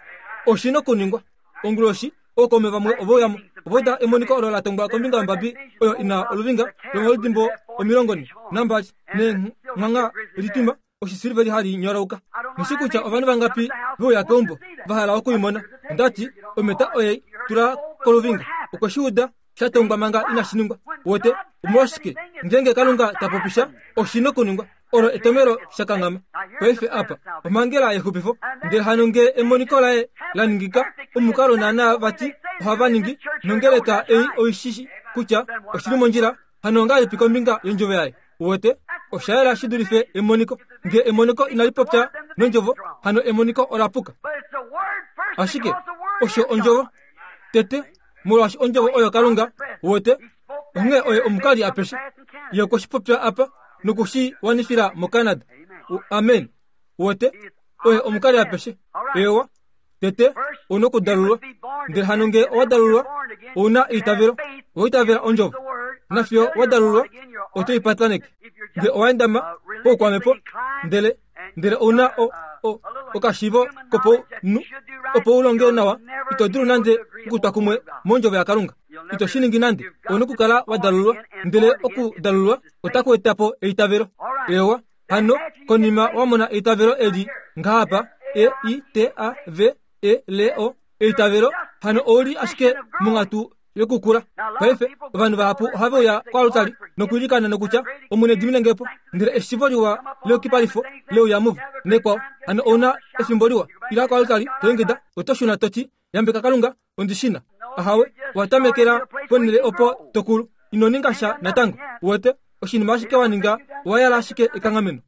oshi nokuningwa. Onguloshi, ookaume vamwe ove uya mo. Ova uda emoniko olo la tongwa kombinga yombabi oyo i na oluvinga lomaludimbo 42 neenghwangha litwima oshisiliveli hali nyolauka. Nghi kutya ovanhu vangapi ve uya keumbo va hala oku i mona. Onda ti, Ometa oye i tula koluvinga. Okwe shi uda sha tongwa manga inashi ningwa. Wete, omolwashike ngeenge Kalunga ta popi sha, oshi nokuningwa. Olo etomelo sha kanghama. Paife apa, omhangela yexupifo. Ndele hano ngee emoniko laye la ningika, omukalo naanaa vati ohava ningi, nongeleka ei oi shi shi kutya oshi li mondjila, hano ongahelipi kombinga yondjovo yaye? Uwete, osha yela shi dulife emoniko. Nge emoniko inali popya nondjovo, hano emoniko ola puka. Ashike osho ondjovo tete, molwaashi ondjovo oyo Kalunga, uwete, onghee oye omukali apeshe. Ye okwe shi popya apa noku shi wanifila moCanada. Amen. Uwete, oye omukali apeshe. Eewa. Tete, ou na okudalulwa. Ndele hano nge owa dalulwa, ou na eitavelo, owa itavela ondjovo. Nafiyo wa dalulwa, oto i pataneke. Nge owa endama poukwamhepo, ndele, ndele ou na o, o, okashiivo kopaunhu, opo u longe nawa, ito dulu nande okutwa kumwe mondjovo yaKalunga. Ito shi ningi nande. Ou na okukala wa dalulwa. Ndele okudalulwa otaku eta po eitavelo. Eewa. Hano, konima wa mona eitavelo eli ngaha E I T A V E L O, eitavelo, hano ou li ashike monghatu yokukula. Paife, ovanhu vahapu ohave uya koalutali nokwiilikana nokutya, Omwene dimine nge po. Ndele eshivo liwa leyukipalifo le uya muvo, nekwao. Hano ou na efimbo liwa. Ila koalutali, to ingida, oto shuna to ti, Yambeka Kalunga, ondi shi na. Ahawe, wa tamekela ponhele opo to kulu. Ino ninga sha natango. Uwete, oshinima ashike wa ninga, owa yala ashike ekanghameno.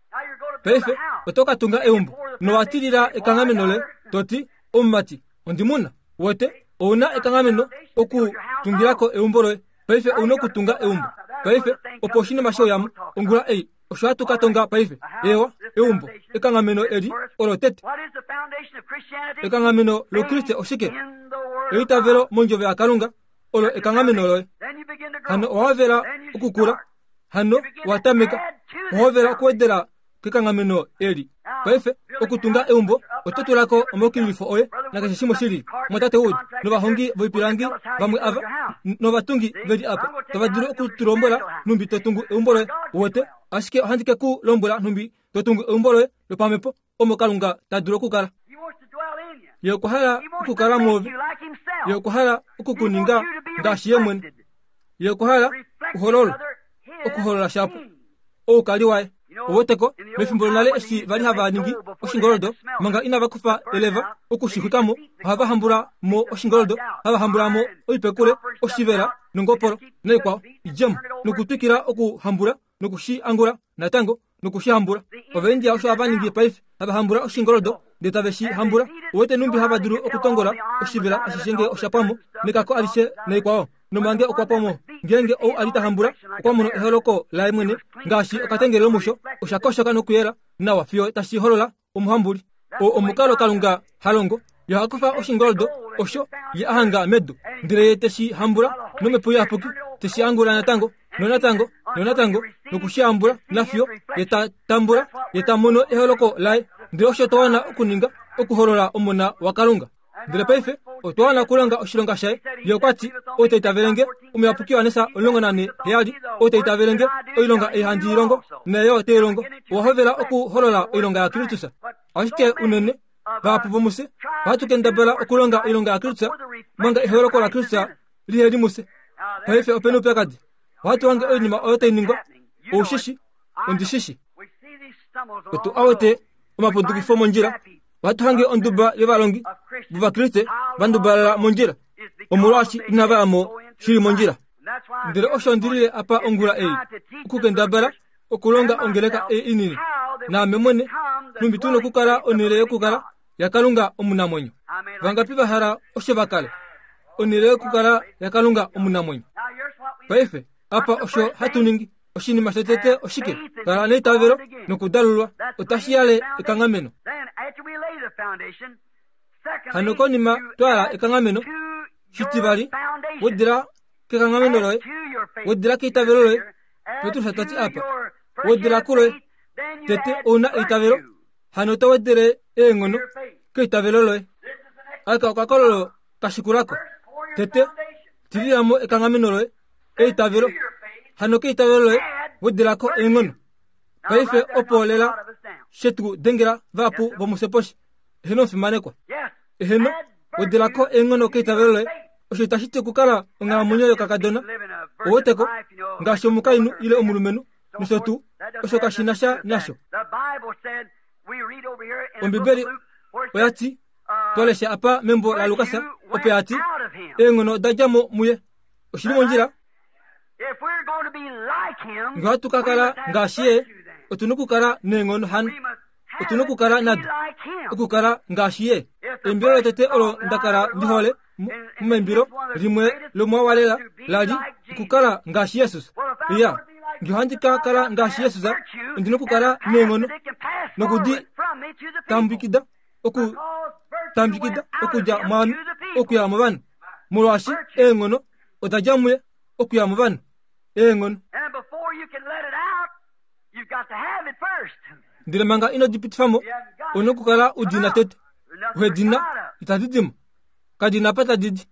Paife, oto ka tunga eumbo, nowa tilila ekanghameno loye, to ti, Omumati, ondi mu na. Uwete, ou na ekanghameno oku tungila ko eumbo loye. Paife ou na okutunga eumbo. Paife, opo oshinima shouyamo, ongula ei, Osho hatu ka tonga paife. Eewa, eumbo, ekanghameno eli olo tete. Ekanghameno lOukriste oshike? Eitavelo mondjovo yaKalunga olo ekanghameno loye. Hano owa hovela okukula, hano wa tameka, owa hovela okuwedela kekanghameno eli. Paife, okutunga eumbo, oto tula ko omaukililifo oye nakeshe shimwe shi lili. Mwatate Wood novahongi voipilangi vamwe ava novatungi ve li apa tava dulu oku tu lombwela nhumbi to tungu eumbo loye. Uwete? Ashike ohandi ke ku lombwela nhumbi to tungu eumbo loye lopamhepo omo Kalunga ta dulu okukala. Ye okwa hala okukala mwoove. Ye okwa hala oku ku ninga ngaashi ye mwene. Ye okwa hala uhololwe, okuholola shapo oukali waye. Uweteko, mefimbo lonale eshi va li hava ningi oshingoldo, manga inava kufa eleva oku shi xwika mo, ohava hambula mo oshingoldo, hava hambula mo oipekule, oshivela nongopolo naikwao idje mo, nokutwikila okuhambula noku shi angula natango noku shi hambula. Ovaindia osho hava ningi paife, hava hambula oshingoldo ndele tave shi hambula. Uwete numbi hava dulu okutongola oshivela ashishe nge osha pwa mo, nekako alishe naikwao, nomange okwa pwa mo. Ngeenge ou a li ta hambula okwa mono eholoko laye mwene ngaashi okatengele lomusho, osha koshoka nokuyela nawa fiyo tashi holola omuhambuli. Oo omukalo Kalunga ha longo. Ye oha kufa oshingoldo osho ye a hanga medu, ndele ye te shi hambula nomhepo iyapuki, te shi angula natango, nonatango, nonatango, noku shi hambula nafiyo ye ta tambula, ye ta mono eholoko laye. Ndele osho twa wana okuninga, okuholola Omona waKalunga. Ndele paife otwa wana okulonga oshilonga shaye. Ye okwa ti, Ou ta itavele nge, Omuyapuki Johannes 14:7, ou ta itavele nge, oilonga ei handi i longo, naye yo ote i longo. Owa hovela okuholola oilonga yaKristus. Ashike unene, vahapu vomufye ohatu kendabala okulonga oilonga yaKristus manga eholoko laKristus lihe li mufye. Paife ope na oupyakadi. Ohatu hange oinima oyo tai ningwa. Ou shi shi? Ondi shi shi. Otu a wete omapundukifo mondjila. Ohatu hange onduba yovalongi vOvakriste va ndubalala mondjila omolwaashi inava ya mo shili mondjila. Ndele osho ndi lile apa ongula ei, okukendabala okulonga ongeleka ei inini, naame mwene, nhumbi tu nokukala onhele yokukala yaKalunga omunamwenyo. Vangapi va hala osho va kale? Onhele yokukala yaKalunga omunamwenyo. Paife, apa osho hatu ningi. Oshinima shotete oshike? Kala neitavelo nokudalulwa. Otashi yale ekanghameno. Hano konima twa yala ekanghameno, shitivali, wedila kekanghameno loye, wedila keitavelo loye. Petrus ta ti apa, wedela kuloye. Tete ou na eitavelo, hano to wedele eenghono keitavelo loye. Aka okakololo ka shikula ko. Tete, tilila mo ekanghameno loye, eitavelo. Hano keitavelo loye, wedela ko eenghono. Paife opo lela she tu dengela vahapu vomufye poshi. Eheno omufimanekwa. Eheno, wedela ko eenghono keitavelo loye. Osho itashi ti okukala onghalamwenyo yokakadona. Ouweteko, ngaashi omukainhu ile omulumenhu, nosho tuu, osho kashi na sha nasho. Ombibeli oya ti, twa lesha apa membo laLukas, opo ya ti, eenghono oda dja mo muye. Oshi li mondjila? Nge ohatu ka kala ngaashi ye, otu na okukala neenghono hano. Otu na okukala nado, okukala ngaashi ye. Eimbilo lotete olo nda kala ndi hole momaimbilo limwe lomoawalela la li okukala ngaashi Jesus. Iya, nge ohandi ka kala ngaashi Jesus, ondi na okukala neenghono nokudi tambukida oku tambukida okudja mwaame okuya movanhu, molwaashi eenghono oda dja muye okuya movanhu. Eenghono. Ndele manga ino di pitifa mo, ou na okukala u di na tete. Uhe di na, itadi di mo. Kadi na apa tadi di.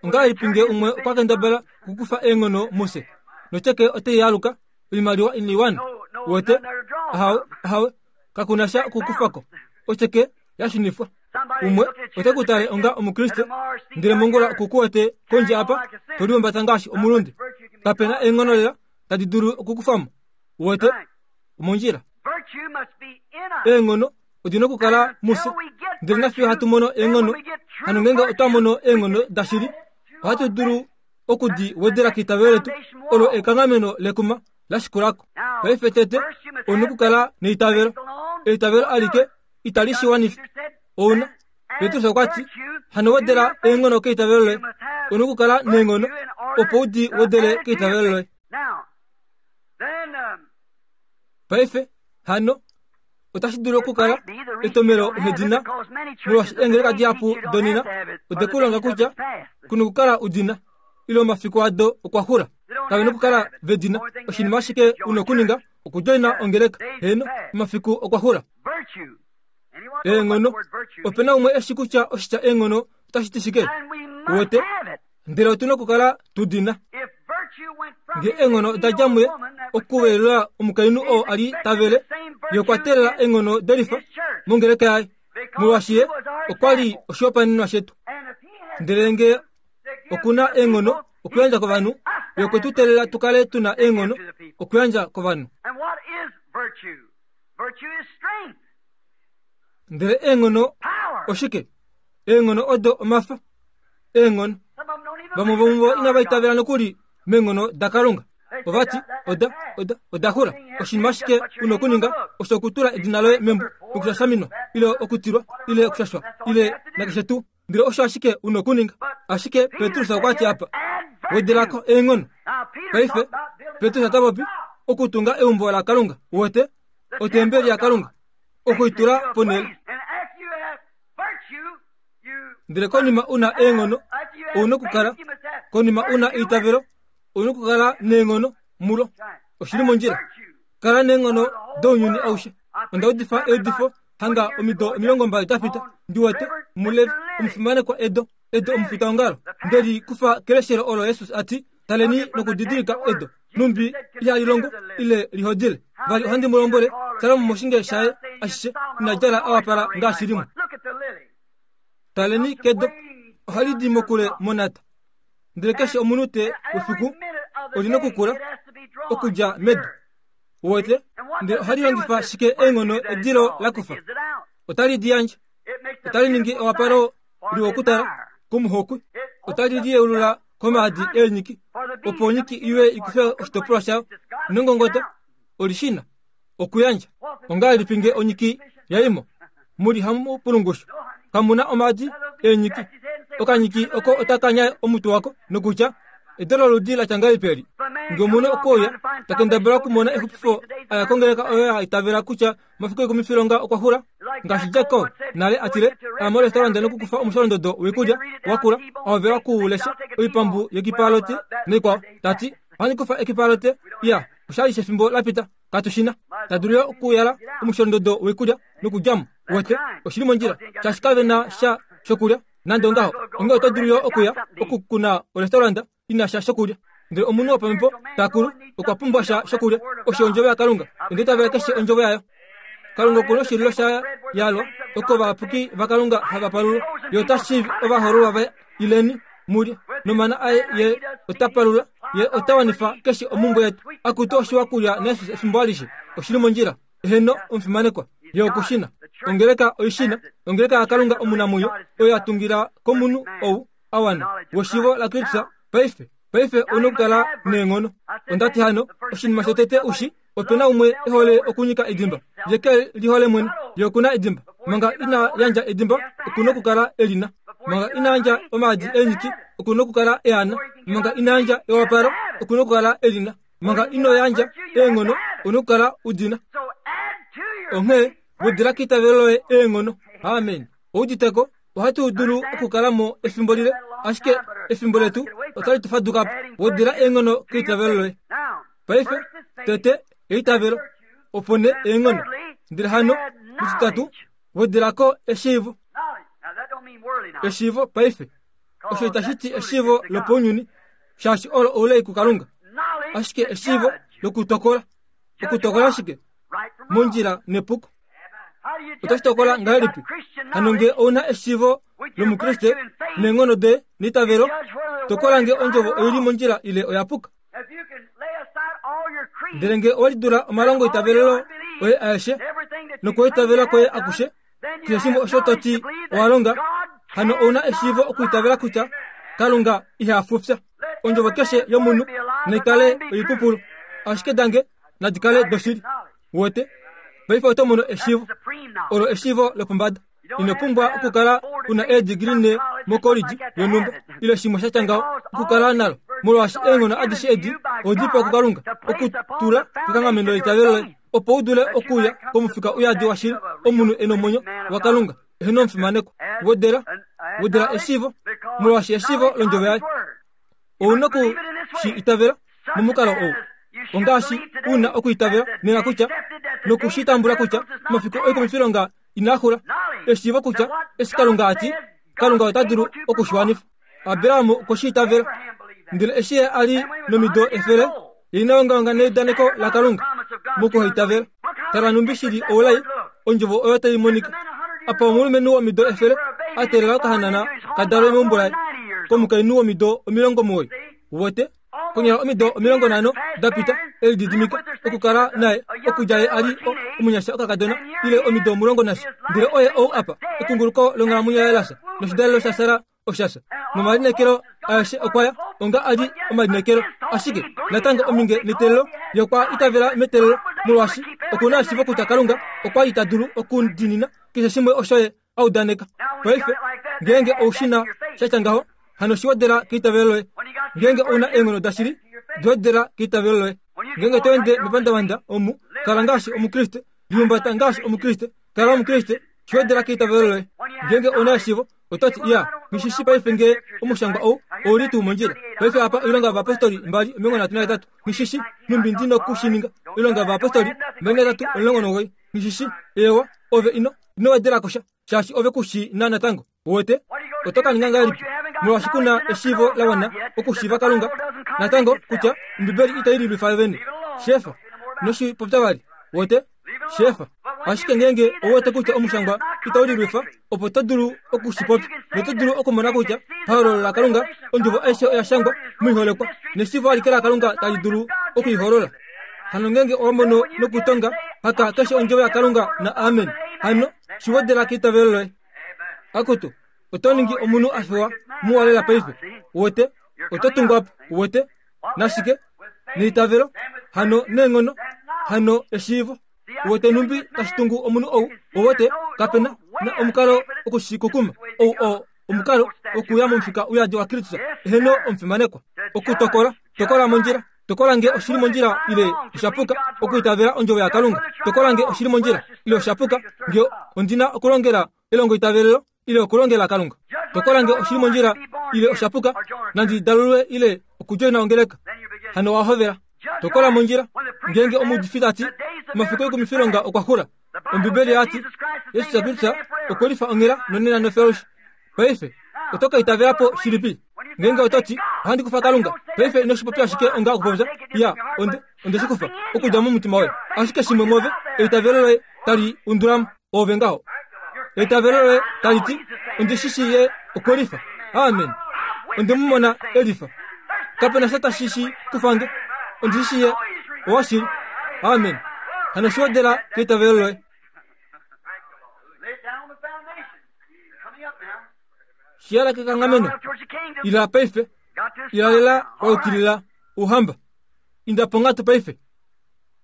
Ongahelipi nge umwe okwa kendabala okukufa eenghono mufye, notyeke otai aluka, oimaliwa inai wana? Uwete? Ahawe, ahawe, kaku na sha okukufa ko. Otyeke ya shunifwa. Umwe ote ku tale onga Omukriste, ndele mongula oku ku wete kondje apa, to lihumbata ngaashi omulunde. Kape na eenghono lela tadi dulu okukufa mo. Uwete? Omondjila. Eenghono odi na okukala mufye. Ndele nafiyo hatu mono eenghono, hano ngeenge otwa mono eenghono dashili, ohatu dulu oku di wedela keitavelo letu, olo ekanghameno lekuma la shikula ko. Paife tete, ou na okukala neitavelo. Eitavelo alike itali shi wanifa. Ou na, Petrus okwa ti, hano wedela eenghono keitavelo loye. Ou na okukala neenghono opo u di wedele keitavelo loye. Paife, hano, otashi dulu okukala etomelo uhedina molwaashi eengeleka dihapu donena ode ku longa kutya ku nokukala udina ile omafiku ado okwa xula kave nokukala vedina oshinima ashike u nokuninga okudjoina ongeleka heeno omafiku okwa xula eenghono ope na umwe eshi kutya oshitya eenghono otashi ti shike wete ndele otu na okukala tu dina nge eenghono oda dja muye okuvelula omukainhu oo a li ta vele ye okwa teelela eenghono delifa mongeleka yaye molwaashi ye okwa li oshihopaenenwa shetu ndele nge oku na eenghono okuyandja kovanhu ye okwe tu teelela tu kale tu na eenghono okuyandja kovanhu Ndele eenghono oshike? Eenghono odo omafa. Eenghono. Vamwe vomuvo inava itavela nokuli meenghono daKalunga. Ova ti, Oda, oda, oda xula. Oshinima ashike u na okuninga osho okutula edina loye membo lokushashaminwa, ile okutilwa, ile okushashwa, ile nakeshe tuu. Ndele osho ashike u na okuninga. Ashike Petrus okwa ti apa, wedela ko eenghono. Paife, Petrus ota popi okutunga eumbo laKalunga. Uwete? Otembeli yaKalunga. Oku i tula ponhele. Ndele konima u na eenghono, ou na okukala. Konima u na eitavelo, ou na okukala neenghono mulo. Oshi li mondjila. Kala neenghono dounyuni aushe. Onda udifa eudifo hanga omido 20 da pita, ndi wete, Mulevi, omufimanekwa Edo, Edo omufitaongalo, nde li kufa keleshelo olo Jesus a ti, Taleni nokudidilika edo, numbi ihali longo ile lihodile. Vali ohandi mu lombwele, Salomo moshinge shaye ashishe ina djala a wapala ngaashi limwe. Taleni kedo, ohali di mokule monata. Ndele keshe omunute wefiku oli nokukula okudja medu. Uwete? Ndele ohali longifa shike eenghono edilo la kufa? Otali di yandje. Otali ningi ewapalo liwa okutala komuhokwi. Otali liyeulula komaadi eenyiki, opo onyiki iwe i kufe oshitopolwa shayo nongongoto. Oli shi na okuyandja. Ongahelipi nge onyiki ya i mo? Mu li hamu pulungushu. Kamu na omaadi eenyiki. Okanyiki oko otaka nyae omutwe wako nokutya, Edo loludi la tya ngahelipi eli? Nge omunhu okwe uya, ta kendabala okumona exupifo a ya kongeleka oyo ya itavela kutya omafiku oikumifilonga okwa xula, ngaashi Jack Cole nale a tile, a morestauranda nokukufa omusholondodo woikulya wakula, a hovela oku u lesha, oipambu yekipalote naikwao, ta ti, Ohandi kufa ekipalote, iya, osha li shefimbo la pita, katu shi na. Ta dulu yo okuyala omusholondodo woikulya nokudja mo. Uwete, oshi li mondjila, shaashi kave na sha shokulya. Nande ongaho, onghee oto dulu yo okuya oku ku na orestauranda i na sha shokulya. Ndele omunhu wopamhepo ta kulu okwa pumbwa sha shokulya, osho Ondjovo yaKalunga. Onda itavela keshe Ondjovo yaYo. Kalunga oku na oshililo sha yalwa oko ovayapuki vaKalunga hava palulwa. Ye ota shiivi ovahoololwa vaye. Ileni, mu lye. Nomana aye ye ota palula, ye ota wanifa keshe omhumbwe yetu. Akutu oshiwa kulya naJesus efimbo alishe. Oshi li mondjila. Eheno, omufimanekwa. Ye oku shi na. Ongeleka oi shi na. Ongeleka yaKalunga omunamwenyo, oyo ya tungila komunhu ou a wana weshiivo laKristus paife. Paife ou na okukala neenghono. Onda ti hano, oshinima shotete u shi, ope na umwe e hole okunyika edimba. Ye ke lihole mwene. Ye oku na edimba. Manga ina yandja edimba, oku na okukala e li na. Manga ina yandja omaadi eenyiki, oku na okukala e a na. Manga ina yandja ewapalo, oku na okukala e li na. Manga ino yandja eenghono, ou na okukala u di na. Onghee, wedela keitavelo loye eenghono. Amen. Ou udite ko? Ohatu dulu okukala mo efimbo lile, ashike efimbo letu otali tu faduka po. Wedela eenghono keitavelo loye. Paife, tete eitavelo, opo nee eenghono. Ndele hano, mutitatu, wedela ko eshiivo. Eshiivo paife. Osho itashi ti eshiivo lopaunyuni, shaashi olo oulai kuKalunga. Ashike eshiivo lokutokola. Okutokola shike? Mondjila nepuko. Otashi tokola ngahelipi? Hano nge ou na eshiivo lOmukriste neenghono doye neitavelo, tokola nge ondjovo oi li mondjila ile oya puka. Ndele nge owe lidula omalongoitavelelo oye aeshe nokwoitavela kwoye akushe, keshe shimwe osho to ti owa longa, hano ou na eshiivo okuitavela kutya Kalunga iha fufya. Ondjovo keshe yomunhu nai kale oipupulu, ashike dange nadi kale doshili. Wote, paife oto mono eshiivo. Olo eshiivo lopombada. Ino pumbwa okukala u na eedigili ne mokolidji yonhumba ile shimwe sha tya ngaho okukala nalo, molwaashi eenghono adishe edi odi pewa kuKalunga okutula kekanghameno leitavelo loye opo u dule okuuya komufika uyadi washili omunhu e nomwenyo waKalunga eheno omufimanekwa. Wedela, wedela eshiivo, molwaashi eshiivo londjovo yaye. Ou na oku shi itavela momukalo ou. Ongaashi u na okuitavela nena kutya noku shi tambula kutya omafiku oikumifilonga inaa xula. Eshiivo kutya eshi Kalunga a ti, Kalunga ota dulu oku shi wanifa. Abraham okwe shi itavela. Ndele eshi ye a li nomido efele, ye ina ongaonga neudaneko laKalunga mokuhaitavela. Tala nhumbi shi li oulai, ondjovo oyo tai monika. Apa omulumenhu womido efele a teelela okahanana ka dalwe meumbo laye komukainhu womido 90. Wote, konyala omido 50 da pita, e lididimika okukala naye okudja ye a li omunyasha okakadona ile omido omulongo nasha. Ndele oye ou apa, ekunguluko longhalamwenyo yaye la fya, noshidalelo shaSara osha fya. Nomalineekelo aeshe okwa ya onga a li omalineekelo, ashike natango ominge neteelelo, ye okwa itavela meteelelo, molwaashi oku na eshiivo kutya Kalunga okwa li ta dulu okudiinina keshe shimwe osho ye a udaneka. Paife, ngeenge ou shi na sha tya ngaho, hano shi wedela keitavelo loye. Ngeenge ou na eenghono dashili, di wedela keitavelo loye. Ngeenge to ende mepandavanda omu, kala ngaashi Omukriste, lihumbata ngaashi Omukriste, kala Omukriste, shi wedela keitavelo loye. Ngeenge ou na eshiivo, oto ti, Ya, nghi shi shii paife ngee omushangwa ou ou li tuu mondjila. Paife apa Oilonga yOvayapostoli 2:38, nghi shi shii nhumbi ndi noku shi ninga. Oilonga yOvayapostoli 23:19, nghi shi shii. Eewa, ove ino, ino wedela ko sha, shaashi ove ku shi na natango. Uwete? Oto ka ninga ngahelipi? Molwaashi ku na eshiivo la wana okushiiva Kalunga natango kutya Ombibeli itai lilwifa yo vene. Shefa. Ino shi popya vali. Uwete? Shefa. Ashike ngeenge ou wete kutya omushangwa itau lilwifa, opo to dulu oku shi popya, noto dulu okumona kutya pahololo laKalunga ondjovo aishe oya shangwa moiholekwa, neshiivo alike laKalunga tali dulu oku i holola. Hano ngeenge owa mono nokutonga haka keshe ondjovo yaKalunga na amen, hano shi wedela keitavelo loye. Akutu, oto ningi omunhu a fewa muwa lela paife. Uwete? Oto tungwa po. Uwete? Nashike? Neitavelo, hano neenghono, hano eshiivo. Uwete nhumbi tashi tungu omunhu ou? Uwete, kape na, na omukalo oku shi kukuma. Ou oo omukalo wokuya momufika uyadi waKristus. Eheno, omufimanekwa. Okutokola, tokola mondjila. Tokola nge oshi li mondjila ile osha puka okuitavela ondjovo yaKalunga. Tokola nge oshi li mondjila ile osha puka nge ondi na okulongela elongoitavelelo ile okulongela Kalunga. Tokola nge oshi li mondjila ile osha puka, nandi dalulwe ile okudjoina ongeleka. Hano wa hovela. Tokola mondjila ngeenge omuudifi ta ti omafiku oikumifilonga okwa xula. Ombibeli oya ti Jesus Kristus okwe lifa onghela nonena nofelushi. Paife oto ka itavela po shilipi? Ngeenge oto ti ohandi kufa Kalunga, paife ino shi popya ashike onga okupopya, ya onde onde shi kufa okudja momutima woye. Ashike shimwe mwove, eitavelo loye tali undula mo. Oove ngaho. Eitavelo loye tali ti, Ondi shi shii ye okwe lifa. Amen. Onde mu mona elifa. Kape na sha tashi shi kufa nge. Ondi shi shii ye owashili. Amen. Hano shi wedela keitavelo loye. Shi yala kekanghameno. Ila paife. Ila lela wa yukilila Ouhamba. Inda ponghatu paife.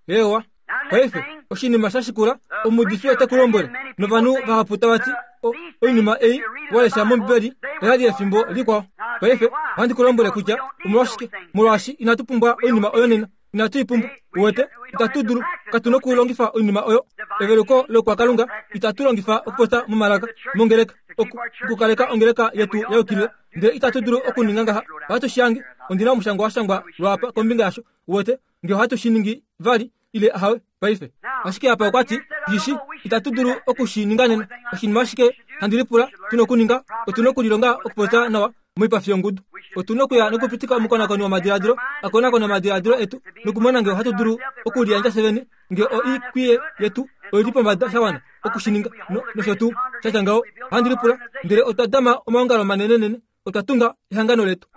Eewa. Paife, oshinima sha shikula, omuudifi ote ku lombwele, novanhu vahapu tava ti, O, oinima ei wa lesha mOmbibeli oya li yefimbo likwao. Paife, ohandi ku lombwele kutya omolwashike. Molwaashi inatu pumbwa oinima oyo nena. Inatu i pumbwa. Uwete, itatu dulu, katu nokulongifa oinima oyo. Eveluko lokwakalunga itatu longifa okupopya momalaka mongeleka, oku, okukaleka ongeleka yetu ya yukilila. Ndele itatu dulu okuninga ngaha. Ohatu shi hange. Ondi na omushangwa wa shangwa lwaapa kombinga yasho. Uwete, nge ohatu shi ningi vali ile ahawe paife. Ashike apa okwa ti, Ndishi, itatu dulu oku shi ninga nena. Oshinima ashike handi lipula tu nokuninga, otu nokulilonga okupopya nawa moipafi yongudu. Otu nokuya nokupitika omukonakoni womadiladilo a konakone omadiladilo etu nokumona nge ohatu dulu okuliyandja fyevene, nge oikwiye yetu oi li pombada sha wana oku shi ninga, no, nosho tuu, sha tya ngaho. Ohandi lipula, ndele otwa dama omaongalo manenenene Otwa tunga ehangano letu.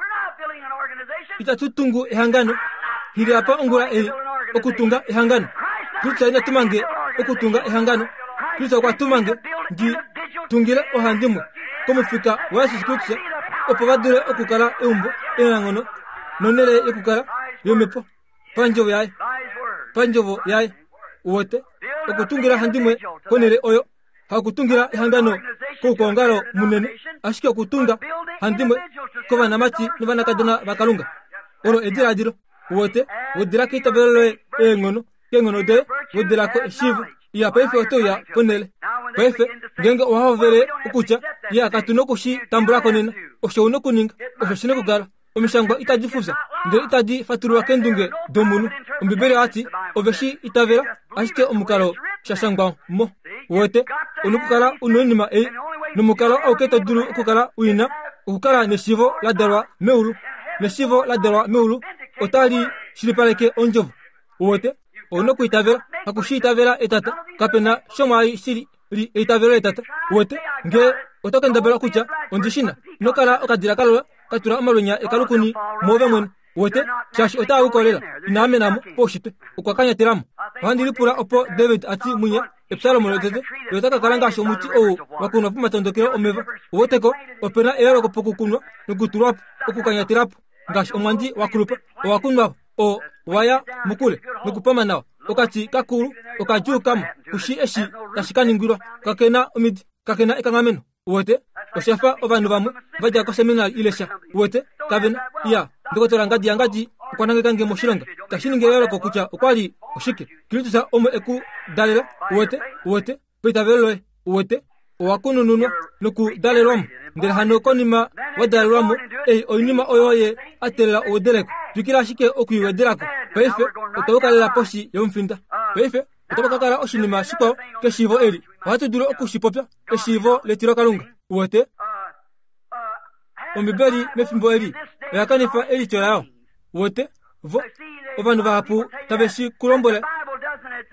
Itatu tungu ehangano. Hili apa ongula ei okutunga ehangano. Kristo ina tuma nge okutunga ehangano. Kristo okwa tuma nge ndi tungile ohandimwe komufika waJesus Kristus opo va dule okukala eumbo enanghono nonhele yokukala yomhepo pandjovo yaye pandjovo yaye uwete okutungila handimwe konhele oyo Hakutungila ehangano koukwaongalo munene, ashike okutunga handimwe kovanamati novanakadona vaKalunga. Olo ediladilo. Uwete, wedela keitavelo loye eenghono, keenghono doye, wedela ko eshiivo. Iya, paife oto uya ponhele. Paife, ngeenge owa hovele okutya, Iya, katu noku shi tambula ko nena. Osho u nokuninga. Osho shi nokukala. Omishangwa itadi fufya, ndele itadi fatululwa keendunge domunhu. Ombibeli oya ti, Ove shi itavela ashike omukalo sha shangwa mo. Uwete, u nokukala u noinima ei, nomukalo auke to dulu okukala u i na, okukala neshiivo la dalwa meulu. Neshiivo la dalwa meulu otali shilipaleke Ondjovo. Uwete, ou nokwiitavela, haku shi itavela etata. Kape na shomwaai shi li eitavelo letata. Uwete, nge oto kendabala okutya, Ondi shi na, ino kala okadila kalola ka tula omalwenya ekalukuni mwoove mwene. Uwete, shaashi otaa u kolela. Ina amena mo poushitwe. Okwa kanyatela mo. Ohandi lipula opo David a ti mwinya, Epsalomo lotete, ye ota ka kala ngaashi omuti ou wa kunwa pomatondokelo omeva. Uwete ko, ope na eyooloko pokukunwa nokutulwa po, okukanyatela po. Ngaashi omwandi wa kulupa, owa kunwa po. O waya mokule nokupama nawa. Okati kakulu okadjuu kamo kushi eshi tashi ka ningilwa. Kake na omidi, kake na ekanghameno. Uwete? Osha fa ovanhu vamwe va dja koseminari ile sha. Uwete? Kave na. Iya, Ndokotola Ngadi yaNgadi okwa nangeka nge moshilonga. Itashi ningi eyooloko kutya okwa li oshike. Kristus omo e ku dalela. Uwete? Uwete? Paitavelo loye. Uwete? Owa kunununwa nokudalelwa mo. Ndele hano konima wa dalelwa mo, ei oinima oyo ye a teelela ouwedeleko. Twikila ashike oku i wedela ko. Paife otwa yuka lela poshi yomufinda. Paife otapa ka kala oshinima shikwao keshiivo eli. Ohatu dulu oku shi popya, eshiivo letilokalunga. Uwete? Ombibeli mefimbo eli oya kanifa elityo layo. Uwete? Vo, ovanhu vahapu tave shi ku lombwele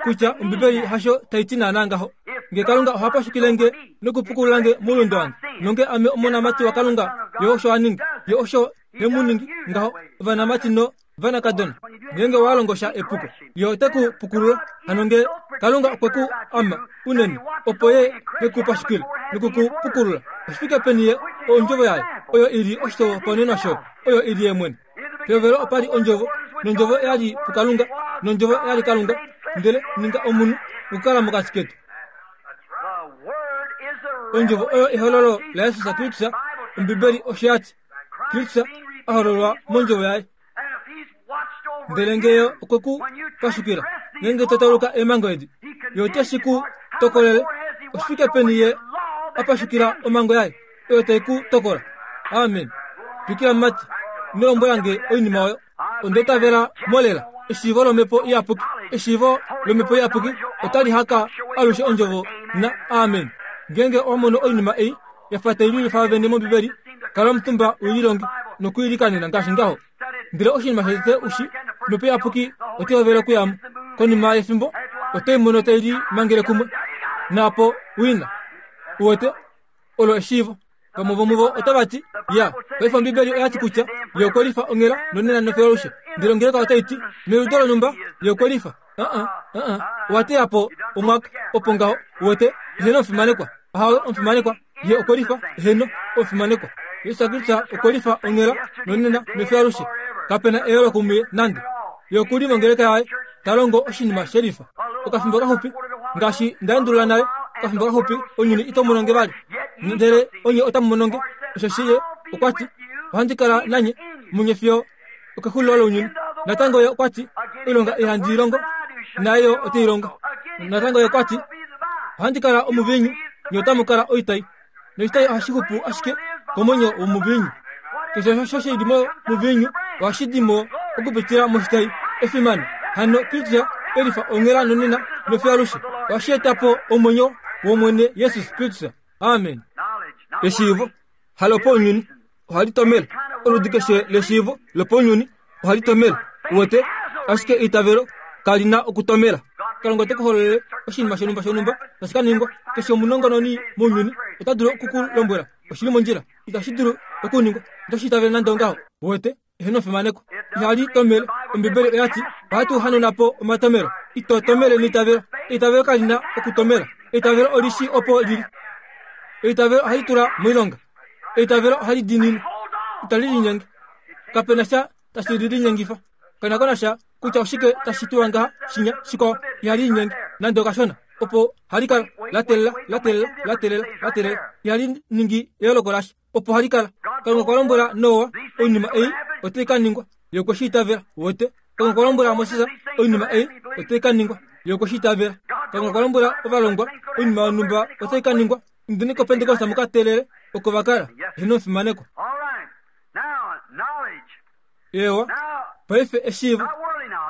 kutya Ombibeli hasho tai ti naanaa ngaho. Nge Kalunga oha pashukile nge nokupukulula nge moulunde wange, nonge ame omonamati waKalunga, Ye osho a ninga. Ye osho he mu ningi ngaho, ovanamati no vanakadona. Ngeenge wa longo sha epuko, Ye ote ku pukulula. Hano nge Kalunga okwe ku ama unene, opo Ye he ku pashukile noku ku pukulula, oshi fike peni Ye Ondjovo yaye, oyo i li oshihopaenenwa shoye, oyo i li Ye mwene. Pehovelo opa li Ondjovo, nOndjovo oya li puKalunga, nOndjovo oya li Kalunga, ndele ninga omunhu okukala mokati ketu. Ondjovo oyo ehololo laJesus Kristus. Ombibeli osho ya ti, Kristus a hololwa mondjovo yaye. Ndele nge ye okwe ku pashukila, ngeenge to tauluka eemhango edi, ye ote shi ku tokolele. Oshi fike peni ye a pashukila omhango yaye oyo tai ku tokola? Amen. Twikila mumati, ino lombwela nge oinima oyo. Onda itavela mo lela. Eshiivo lOmhepo Iyapuki, eshiivo lOmhepo Iyapuki otali haka alushe ondjovo na amen. Ngeenge owa mono oinima ei ya fa tai lilifa vene mOmbibeli, kala omutumba u lilonge nokwiilikanena ngaashi ngaho. Ndele oshinima shotete u shi, Omhepo Iyapuki otai hovele okuya mo. Konima yefimbo, oto i mono tai limangele kumwe. Naapo u i na. Uwete? Olo eshiivo. Vamwe vomuvo otava ti, Ya, paife Ombibeli oya ti kutya Ye okwe lifa onghela nonena nofyo alushe. Ndele ongeleka otai ti, Meliudo lonhumba, Ye okwe lifa. Uh-uh, uh-uh. Owa teya po omwaka, opo ngaho, uwete, eheno omufimanekwa. Ahawe, omufimanekwa, Ye okwe lifa, eheno, omufimanekwa. Jesus Kristus okwe lifa onghela nonena nofyo alushe. Kape na eyooloko muye nande. Ye oku li mongeleka yaye, ta longo oshinima she lifa. Okafimbo kaxupi, ngaashi nda endulula nale, okafimbo kaxupi ounyuni ito mu longe vali, ndele onye otamu mu nonge, osheshi ye okwa ti, Ohandi kala nanye munye fiyo okexulilo lounyuni. Natango ye okwa ti, Oilonga ei handi i longo, naye yo ote i longo. Natango ye okwa ti, Ohandi kala omuviinyu, nye otamu kala oitai. Noshitayi ohashi xupu ashike komwenyo womuviinyu. Keshe osho shi li momuviinyu ohashi di mo okupitila moshitayi. Efimano! Hano Kristus e lifa onghela nonena nofiyo alushe. Ohashi eta po omwenyo wOmwene Jesus Kristus. Amen. Eshiivo halopounyuni ohali tomele. Oludi keshe leshiivo lopounyuni ohali tomele. Uwete? Ashike eitavelo kali na okutomela. Kalunga ote ku hololele oshinima shonhumba shonhumba tashi ka ningwa. Keshe omunongononi mounyuni ota dulu oku ku lombwela oshili mondjila. Itashi dulu okuningwa. Ito shi itavele nande ongaho. Uwete? Eheno fimaneko. Ihali tomele. Ombibeli oya ti, ohatu hanuna po omatomelo. Ito tomele neitavelo. Eitavelo kali na okutomela. Eitavelo oli shi opo lili. Eitavelo ohali tula moilonga. Eitavelo ohali diinine. Itali linyenge. Kape na sha tashi li linyengifa. Kape na sha kutya oshike tashi tulwa ngaha, shinya, shikwao. Ihali linyenge nande okashona. Opo hali kala la teelela, la teelela, la teelela, la teelela. Ihali ningi eyooloko lasha. Opo hali kala. Kalunga okwa lombwela Noa oinima ei otai ka ningwa. Ye okwe shi itavela. Uwete? Kalunga okwa lombwela Moses oinima ei otai ka ningwa. Ye okwe shi itavela. Kalunga okwa lombwela ovalongwa oinima yonhumba otai ka ningwa. Indeni kOpentekoste mu ka teelele oko va kala. Eheno omufimanekwa. Eewa, paife eshiivo.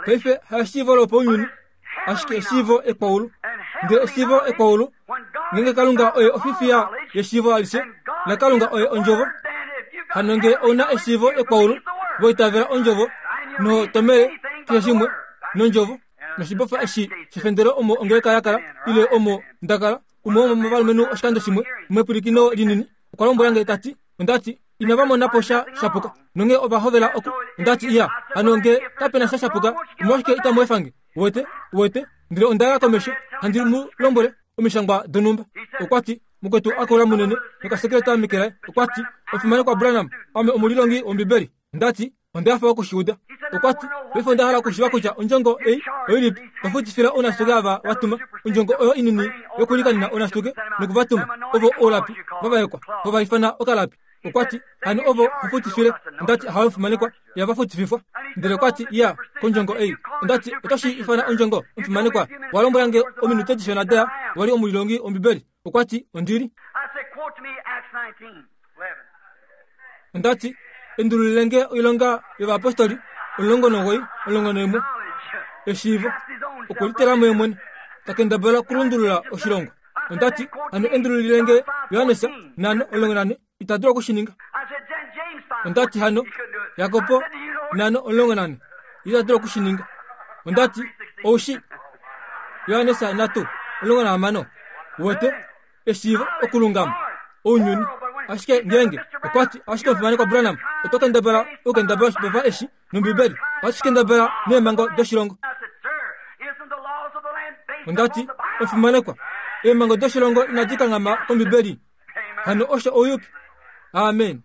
Paife haeshiivo lopaunyuni, ashike eshiivo ekwaulu. Ndele eshiivo ekwaulu, ngeenge Kalunga oye ofifiya yeshiivo alishe, naKalunga oye ondjovo, hano nge ou na eshiivo ekwaulu, wa itavela ondjovo, noho tomele keshe shimwe nondjovo, noshibofa eshi shefendelo omo ongeleka ya kala, ile omo nda kala, Umwe womovalumenhu oshikando shimwe mepwilikino linini okwa lombwela nge ta ti, Onda ti, inava mona po sha shapuka. Nonghee ova hovela oku. Onda ti, Iya, hano nge kape na sha shapuka, omolwashike itamu efa nge? Uwete? Uwete? Ndele onda ya komesho, handi mu lombwele omishangwa donhumba. Okwa ti, Mukwetu akula munene nokasekeleta meke laye, okwa ti, Omufimanekwa Branham, ame omulilongi wOmbibeli. Onda ti, Onda hafa oku shi uda. Okwa ti, Paife onda hala okushiiva kutya ondjongo ei oilipi to futifila ounashituke ava wa tuma, ondjongo oyo inini yokulikanena ounashituke noku va tuma, ovo oulapi va vaekwa, ho va ifana okalapi. Okwa ti, Hano ovo ho futifile. Onda ti, Ahawe omufimanekwa, ihava futififwa. Ndele okwa ti, Iya, kondjongo ei. Onda ti, Oto shi ifana ondjongo, omufimanekwa? Wa lombwela nge ominute dishona da ya, wa li omulilongi wOmbibeli. Okwa ti, Ondi li. Onda ti, Endululile nge oilonga yovayapostoli 19, 11, eshiivo, okwe litela mo ye mwene, ta kendabala okulundulula oshilongo. Onda ti, Hano endululile nge Johannes 5, 14, ita dulu oku shi ninga. Onda ti, Hano Jakob 5, 14, ita dulu oku shi ninga. Onda ti, Ou shi Johannes 3, 16, uwete? eshiivo okulungama ounyuni. Ashike ngeenge okwa ti, ashike omufimanekwa Branham, oto kendabala okukendabala oshibofa eshi nOmbibeli, ohatu shi kendabala neemhango doshilongo. Onda ti, omufimanekwa, eemhango doshilongo inadi kanghama kOmbibeli. Hano osho ouyuki. Amen.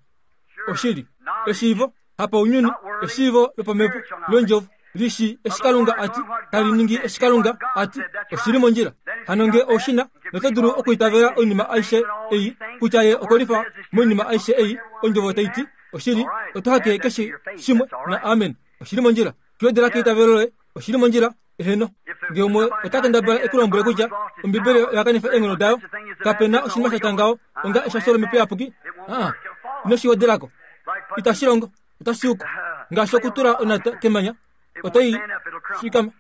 Oshili. Eshiivo, hapaunyuni, eshiivo lopamhepo londjovo li shii eshi Kalunga a ti, tali ningi eshi Kalunga a ti, oshi li mondjila. Hano nge ou shi na, noto dulu okuitavela oinima aishe ei, kutya Ye okwe lifa moinima aishe ei, ondjovo tai ti, oshili, oto hake keshe shimwe na amen. Oshi li mondjila. Kiwedela keitavelo loye, oshi li mondjila. Eheno. Nge umwe ota kendabala e ku lombwele kutya Ombibeli oya kanifa eenghono dayo, kape na oshinima sha tya ngaho onga eshasho lOmhepo Iyapuki. Aa, ino shi wedelako. Itashi longo. Otashi uka. Ngaashi okutula onata kemanya, otai fikama.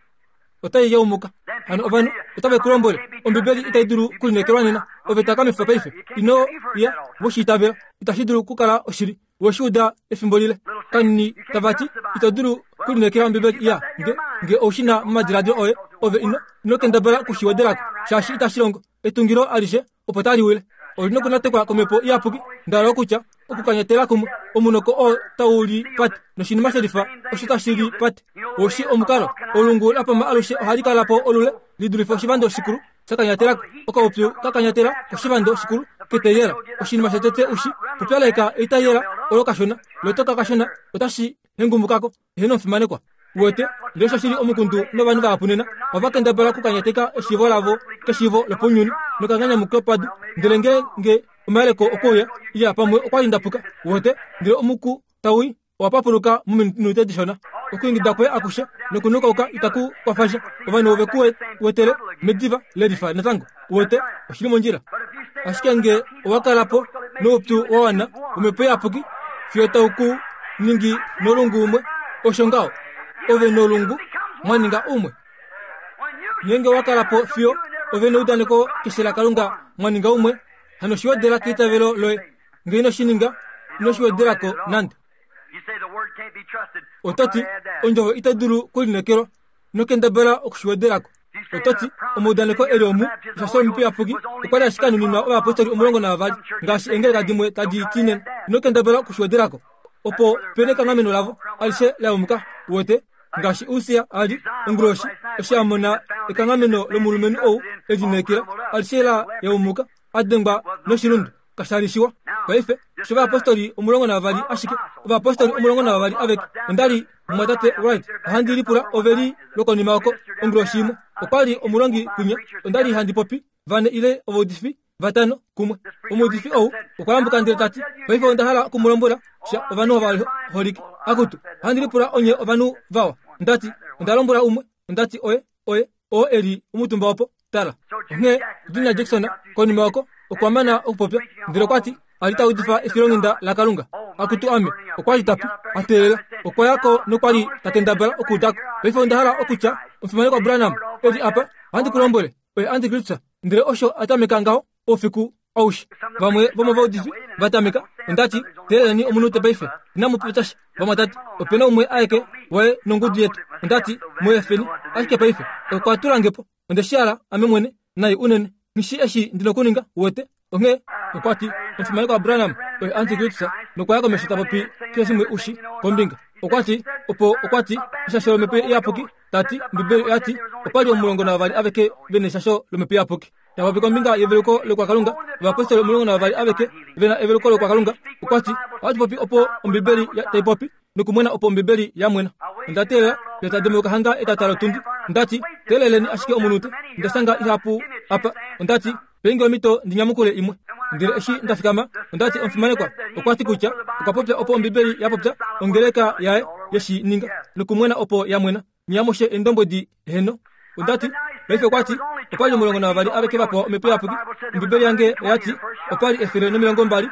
Otai yaumuka. Hano ovanhu otave ku lombwele, Ombibeli itai dulu okulineekelwa nena. Ove takamifa paife. Ino ya we shi itavela. Itashi dulu okukala oshili. We shi uda efimbo lile. Kanini tava ti, Ito dulu okulineekela Ombibeli. Ya, nge, nge ou shi na momadiladilo oye, ove ino, ino kendabala oku shi wedelako, shaashi itashi longo. Etungilo alishe opo tali wile. Oli nokunatekwa komhepo iyapuki, ndala okutya okukanyatela kumwe omunoko oo tau li pate noshinima shelifa osho tashi li pate. Oshi omukalo, olungu la pama alushe ohali kala po olule li dulife oshivando shikulu sha kanyatela okaupyu ka kanyatela koshivando shikulu keteyela. Oshinima shotete ushi pupyaleka eitayela olo kashona, lotoka kashona otashi hengumukako. Eheno omufimanekwa. Uwete, ndele osho shili omukundu novanhu vahapu nena, ova kendabala okukanyateka eshiivo lavo keshiivo lopaunyuni nokanganyamuke padu. Ndele ngeenge omayeleko okwe uya, iya pamwe okwa li nda puka. Uwete, ndele omuku tau i, owa papuluka mominute dishona. Okwiingida kwoye akushe nokunukauka itaku kwafa sha. Ovanhu ove ku wetele mediva lelifa natango. Uwete, oshi li mondjila. Ashike nge owa kala po noupyu wa wana womhepo iyapuki fiyo tau ku ningi nolungu umwe, osho ngaho, ove nolungu mwa ninga umwe. Ngeenge owa kala po fiyo ove neudaneko keshe laKalunga mwa ninga umwe, hano shi wedela keitavelo loye. Nge ino shi ninga, ino shi wedela ko nande. Oto ti, Ondjovo itai dulu kulinekelwa. Nokendabala oku shi wedela ko. Oto ti, Omaudaneko e li omu, osha Omhepo Iyapuki okwa li ashike a nuninwa ovayapostoli 12, ngaashi eengeleka dimwe tadi ti nena. Ino kendabala oku shi wedela ko. Opo pe nekanghameno lavo alishe la yumuka, uwete, ngaashi Ussia a li, onguloshi, eshi a mona ekanghameno lomulumenhu ou e lineekela, alishe la yaumuka, a dengwa noshilundu. Kasha li shiwa. Paife, osho ovayapostoli 12 ashike, ovayapostoli 12 aveke. Onda li, Mumwatate Wright, ohandi lipula ove li lwokonima oko, onguloshi imwe. Okwa li omulongi kwinya. Onda li handi popi, vane ile ovaudifi vatano kumwe. Omuudifi ou okwa yambuka ndele ta ti, Paife onda hala oku mu lombwela sha ovanhu ovaholike. Akutu, ohandi lipula onye ovanhu vawa. Onda ti, Onda lombwela umwe, onda ti oye, oye, oo e li omutumba opo. Tala, onghee Junior Jackson konima oko okwa mana okupopya, ndele okwa ti, a li ta udifa efilonghenda laKalunga. Akutu ame, okwa li ta pi, a teelela. Okwa ya ko nokwa li ta kendabala okuuda ko. Paife onda hala okutya, Omufimanekwa Branham e li apa, ohandi ku lombwele, oye antikristus. Ndele osho a tameka ngaho oufiku aushe. Vamwe vomovaudifi va tameka, onda ti, Teeleleni omunute paife. Inamu popya sha, vamwatate. Ope na umwe aeke waye nongudu yetu. Onda ti, Mu efeni ashike paife. Okwa tula nge po. Onde shi hala ame mwene, nai unene. Nghi shii eshi ndi nokuninga, uwete. Onghee okwa ti, Omufimanekwa Branham oye antikristus, nokwa ya komesho ta popi keshe shimwe u shi kombinga. Okwa ti, opo okwa ti, eshasho lOmhepo Iyapuki, ta ti, Ombibeli oya ti, opa li 12 aveke ve neshasho lOmhepo Iyapuki. Ta popi kombinga yeveluko lokwakalunga, ovapostoli 12 aveke ve na eveluko lokwakalunga. Okwa ti, Ohatu popi opo Ombibeli tai popi, nokumwena opo Ombibeli ya mwena. Onda teelela fiyo ta demuka hanga etata lotundi. Onda ti, Teeleleni ashike omunute, onda shanga ihapu apa. Onda ti, Pe nge omhito ndi nyamukule imwe. Ndele eshi nda fikama, onda ti, Omufimanekwa okwa ti kutya okwa popya opo Ombibeli ya popya, ongeleka yaye ye shi ninga, nokumwena opo ya mwena. Nye amushe eendombwedi, heeno. Onda ti, Paife okwa ti, opa li 12 aveke va pewa Omhepo Iyapuki. Ombibeli yange oya ti, opa li 120,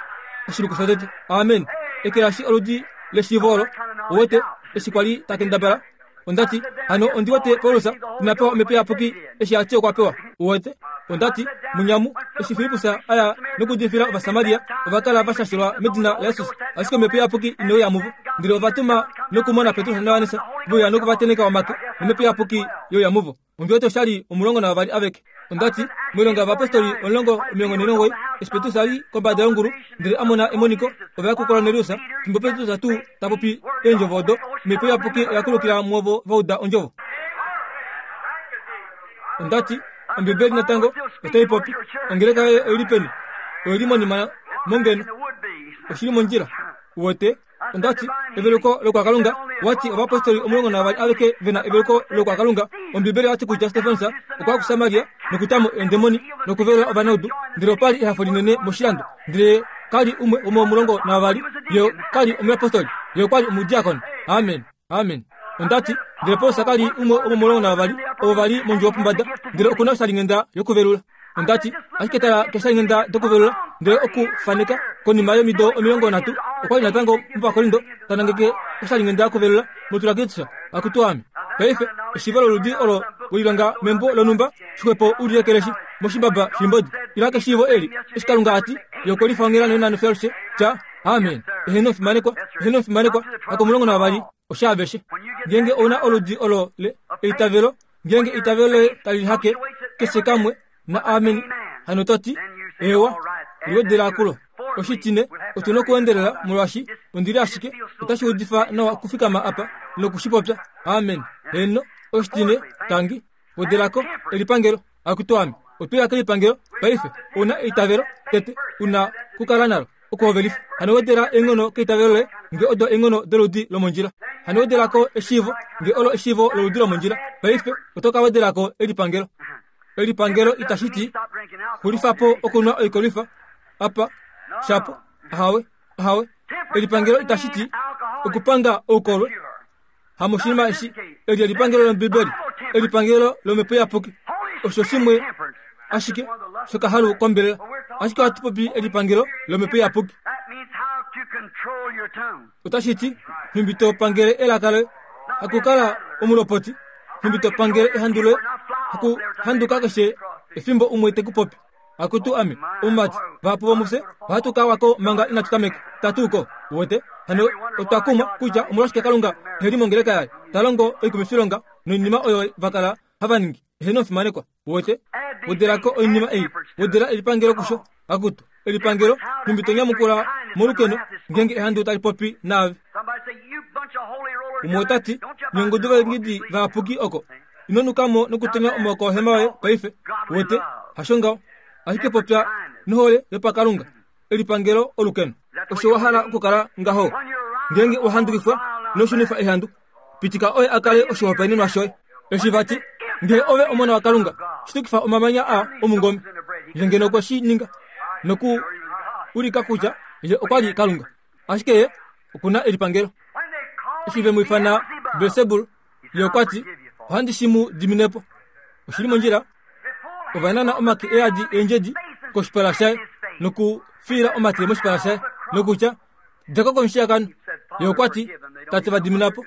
oshiluku shotete. Amen. Ekelashi oludi leshiivo olo, uwete, eshi kwa li ta kendabala. Onda ti, Hano ondi wete Paulus ina pewa Omhepo Iyapuki eshi a ti okwa pewa. Uwete? Onda ti, Munyamu, eshi Filippus a ya nokuudifila Ovasamaria, ova kala va shashelwa medina laJesus, ashike Omhepo Iyapuki ine uya muvo. Ndele ova tuma nokumona Petrus naJohannes ve uya noku va tenheka omake, nOmhepo Iyapuki ye uya muvo. Ondi wete osha li 12 aveke. Onda ti, Moilonga yOvayapostoli 10:49, eshi Petrus a li kombada yongulu ndele a mona emoniko, ova ya kuKornelius. Fimbo Petrus tuu ta popi eendjovo odo, Omhepo Iyapuki oya kulukila muovo va uda ondjovo. Onda ti, Ombibeli natango otai popi. Ongeleka yoye oi li peni? Oi li monima mongeno. Oshi li mondjila. Uwete? Onda ti, Eveluko lokwakalunga. Wa ti ovapostoli 12 aveke ve na eveluko lokwakalunga. Ombibeli oya ti kutya Stefanus okwa ya kuSamaria nokuta mo eendemoni nokuvelula ovanaudu, ndele opa li ehafo linene moshilando. Ndele ka li umwe womomulongo navavali, ye ka li omuyapostoli, ye okwa li omudiakoni. Amen. Amen. Onda ti, ndele Paulus ka li umwe womomulongo navavali ovo va li mondjuwo pombada, ndele oku na oshalinghenda yokuvelula. Onda ti, ashike tala keshalinghenda dokuvelula, ndele oku faneka konima yomido 30 okwa li natango mOvakorindo ta nangeke oshalinghenda yokuvelula moTurakitsha. Akutu ame. Paife, eshiivo loludi olo we lilonga membo lonhumba, shixwepo u li ekeleshi moshimbaba shimbodi. Ila keshiivo eli, eshi Kalunga a ti, Ye okwe lifa onghela nonhano fiyo alushe, tya, Amen. Eheno omufimanekwa, eheno omufimanekwa, hakomulongo navavali, oshaaveshe. Ngeenge ou na oludi olo le eitavelo, ngeenge eitavelo loye tali hake keshe kamwe na amen, hano to ti, Eewa. Liwedela kulo. Oshitine, otu na okuendelela molwaashi ondi li ashike otashi udifa nawa okufikama apa noku shi popya. Amen. Heeno. Oshitine, tangi. Wedelako elipangelo. Akutu ame. Otwe ya kelipangelo paife. Ou na eitavelo, tete, u na ku kala nalo. Okuhovelifa. Hano wedela eenghono keitavelo loye, nge odo eenghono doludi lomondjila. Hano wedela ko eshiivo, nge olo eshiivo loludi lomondjila. Paife oto ka wedela ko elipangelo. Elipangelo itashi ti xulifa po okunwa oikolwifa apa shapo. Ahawe, ahawe. Elipangelo itashi ti okupanga oukolwe. Hamoshinima eshi, eli elipangelo lOmbibeli, elipangelo lOmhepo Iyapuki. Osho shimwe ashike shokahalu kombelela. Ashike ohatu popi elipangelo lOmhepo Iyapuki. Otashi ti, nhumbi to pangele elaka loye, hakukala omulopoti, nhumbi to pangele ehandu loye, hakuhanduka keshe efimbo umwe te ku popi. Akutu ame, omumati, vahapu vomufye ohatu ka wa ko manga inatu tameka. Ta tuu ko. Uwete? Hano otwa kumwa kutya omolwashike Kalunga ehe li mongeleka yaye, ta longo oikumifilonga noinima oyo va kala hava ningi. Eheno omufimanekwa. Uwete? Wedela ko oinima ei. Wedela elipangelo kusho. Akutu, elipangelo, nhumbi to nyamukula molukeno ngeenge ehandu tali popi naave. Umwe ota ti, Nye ongudu vaingidi vayapuki oko. Ino nuka mo nokutonya omaoko ohema yoye paife. Uwete? Hasho ngaho. Ashike popya nohole yopakalunga, elipangelo olukeno. Osho wa hala okukala ngaho. Ngeenge wa handukifwa, ino shunifa ehandu. Pitika oye a kale oshihopaenenwa shoye. Eshi va ti, Ngee ove omona waKalunga, shitukifa omamanya aa omungome. Ye ngeno okwe shi ninga noku ulika kutya ye okwa li Kalunga. Ashike ye oku na elipangelo. Eshi ve mu ifana Belsebul, ye okwa ti, Ohandi shi mu dimine po. Oshi li mondjila. Ova nana omake e yadi eendjedi koshipala shaye nokufiila omate moshipala shaye nokutya, Dja ko komushiyakano. Ye okwa ti, Tate va dimina po.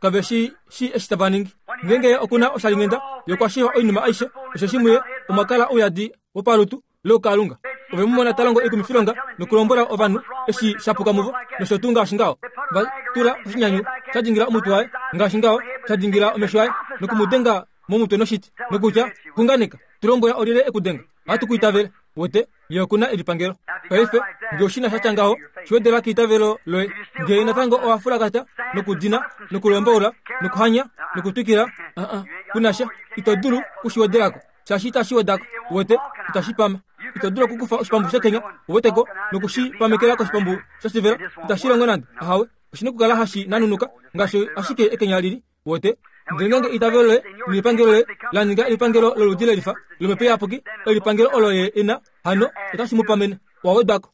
Kave shi shii eshi tava ningi. Ngeenge ye oku na oshalinghenda, ye okwa shiiva oinima aishe, osheshi muye omwa kala ouyadi wopalutu loukalunga. Ove mu mona ta longo oikumifilonga nokulombwela ovanhu eshi sha puka muvo, nosho tuu ngaashi ngaho. Va tula oshinyanyu sha dingila omutwe waye, ngaashi ngaho, sha dingila omesho aye, noku mu denga momutwe noshiti, nokutya, Xunganeka, tu lombwela olyelye e ku denga. Ohatu ku itavele. Wete, ye oku na elipangelo. Paife, nge oshina sha tya ngaho, shi wedela keitavelo loye. Nge natango owa fulakata, nokudina, nokulomboula, nokuhanya, nokutwikila, uh-uh, ku na sha. Ito dulu ku shi wedelako, shaashi itashi wedako. Wete, itashi pama. Ito dulu okukufa oshipambu shekenya, uweteko, noku shi pamekela koshipambu shoshivela. Itashi longo nande. Ahawe. Oshi na okukala hashi nanunuka, ngaashi ashike ekenya lili. Wote, ndele ngeenge eitavelo loye nelipangelo loye la ninga elipangelo loludi lelifa lOmhepo Iyapuki, elipangelo olo ye e na, hano otashi mu pamene. Owa wedwa ko.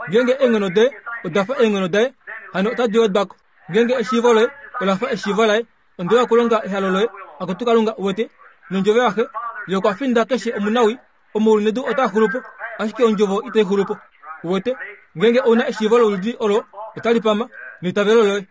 Ngeenge eenghono doye oda fa eenghono daye, hano otadi wedwa ko. Ngeenge eshiivo loye ola fa eshiivo laye, onde ya kulonga ehalo loye, akutu Kalunga, uwete, nondjovo yaxe, ye okwa finda keshe omunawii, omaulu nedu otaa xulu po, ashike ondjovo itai xulu po. Uwete, ngeenge ou na eshiivo loludi olo, otali pama, neitavelo loye.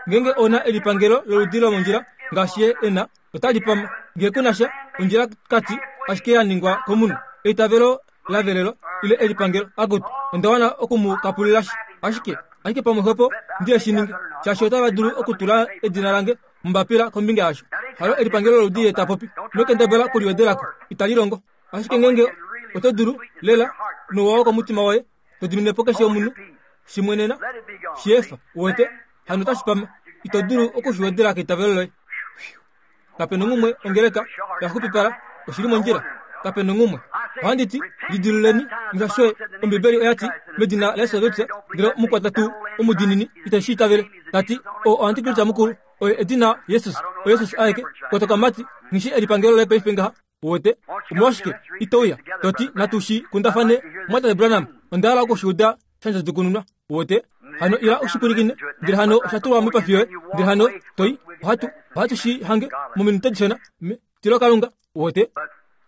Ngeenge ou na elipangelo loludi lomondjila ngaashi ye e na, otali pama. Ngee ku na sha, ondjila kati ashike ya ningwa komunhu. Eitavelo la velelwa, ile elipangelo, akutu, onda wana oku mu kapulila shi. Ashike, ashike pamwe xwepo ndi shi ninge, shaashi otava dulu okutula edina lange mombapila kombinga yasho. Halo elipangelo loludi ye ta popi. Ino kendabala okuliwedela ko. Itali longo. Ashike ngeenge oto dulu, lela, nouwa wokomutima woye, to dimine po keshe omunhu, shi mwenena, shi efa, uwete, hano otashi pama. Ito dulu oku shi wedela keitavelo loye. Kape nonghumwe ongeleka ya xupipala, oshi li mondjila. Kape nonghumwe. Ohandi ti, lidiluleni, musha Ombibeli oya ti, medina laJesus Kristus, ndele omukwata tuu omudiinini ite shi itavele. Ta ti, oo oantikristo mukulu, oye edina Jesus, oJesus aeke. Kotoka mati, nghi shi elipangelo loye paife ngaha. Uwete? Omolwashike ito uya, to ti, Natu shi kundafane, Mumwatate Branham, onda hala oku shi uda sha ndjadjukununwa. Uwete? Hano ila u shi pwilikine, ndele hano osha tulwa moipafi yoye, ndele hano to i. Ohatu, ohatu shi hange mominute dishona. Me, tilo Kalunga. Uwete?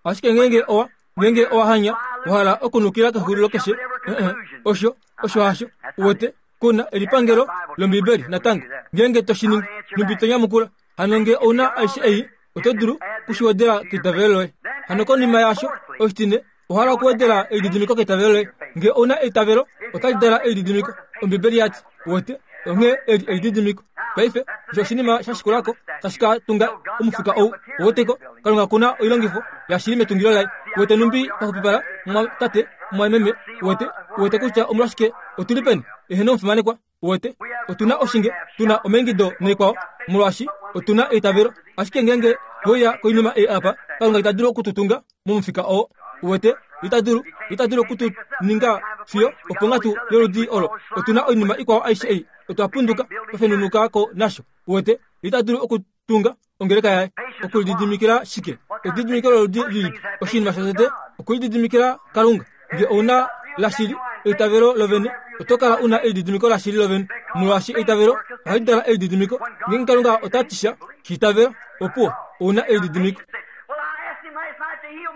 Ashike ngeenge owa, ngeenge owa hanya, wa hala okunukila kexulilo keshe, eh, osho, osho hasho. Uwete? Ku na elipangelo lOmbibeli natango. Ngeenge to shi ningi, nhumbi to nyamukula. Hano nge ou na aishe ei, oto dulu kushiwedela keitavelo loye. Hano konima yaasho, oshitine, owa hala okuwedela elididimiko keitavelo loye. Nge ou na eitavelo, otali dala elididimiko. Ombibeli ya ti, Uwete, onghee eli elididimiko. Paife, osho oshinima sha shikula ko, tashi ka tunga omufika ou. Uweteko, Kalunga ku na oilongifo yashili metungilo laye. Uwete numbi paxupipala, mumwatate? mumwameme, uwete, uwete kutya omolwashike otu li peni? Eheno omufimanekwa, uwete, otu na oshinge, tu na omaingido naikwao, molwaashi otu na eitavelo. Ashike ngeenge we uya koinima ei apa, Kalunga ita dulu oku tu tunga momufika oo. Uwete, ita dulu, ita dulu oku tu ninga fiyo oponghatu yoludi olo. Otu na oinima ikwao aishe ei, otwa punduka, twa fenunuka ko nasho. Uwete, ita dulu oku tunga ongeleka yaye. Okulididimikila shike? Elididimiko loludi lilipi? Oshinima shotete, okulididimikila Kalunga. Nge ou na lashili eitavelo lovene, oto kala u na elididimiko lashili lovene, molwaashi eitavelo ohali dala elididimiko. Ngeenge Kalunga ota ti sha, shi itavela, opuwo, ou na elididimiko.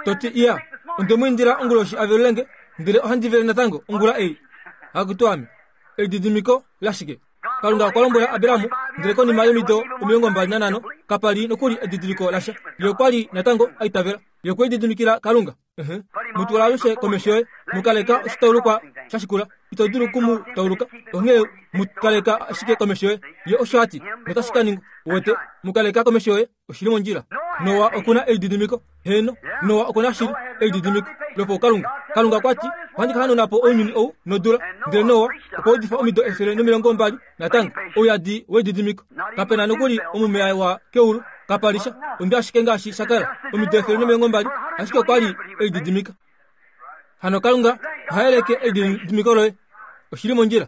To ti, Iya, onde mu indila onguloshi a velule nge, ndele ohandi vele natango ongula ei. Akutu ame! Elididimiko lashike? Kalunga okwa lombwela Abraham, ndele konima yomido 25 kapa li nokuli edidiliko lasha. Ye okwa li natango a itavela. Ye okwe lididimikila Kalunga. Uh-huh. Mu twala alushe komesho yoye. Mu kaleka oshitaulukwa sha shikula. Ito dulu ku mu tauluka. Onghee mu kaleka ashike komesho yoye. Ye osho a ti, notashi ka ningwa. Uwete? Mu kaleka komesho yoye. Oshi li mondjila. Noa oku na elididimiko. Heeno, Noa oku na shili elididimiko lopaukalunga. Kalunga okwa ti, Ohandi ka hanauna po ounyuni ou nodula. Ndele Noa okwa udifa omido 125 ouyadi welididimiko. Kape na nokuli omume wa keulu, kapa li sha, ondwi ashike ngaashi sha kala omido 120, ashike okwa li e lididimika. Hano Kalunga oha yeleke elididimiko loye. Oshi li mondjila.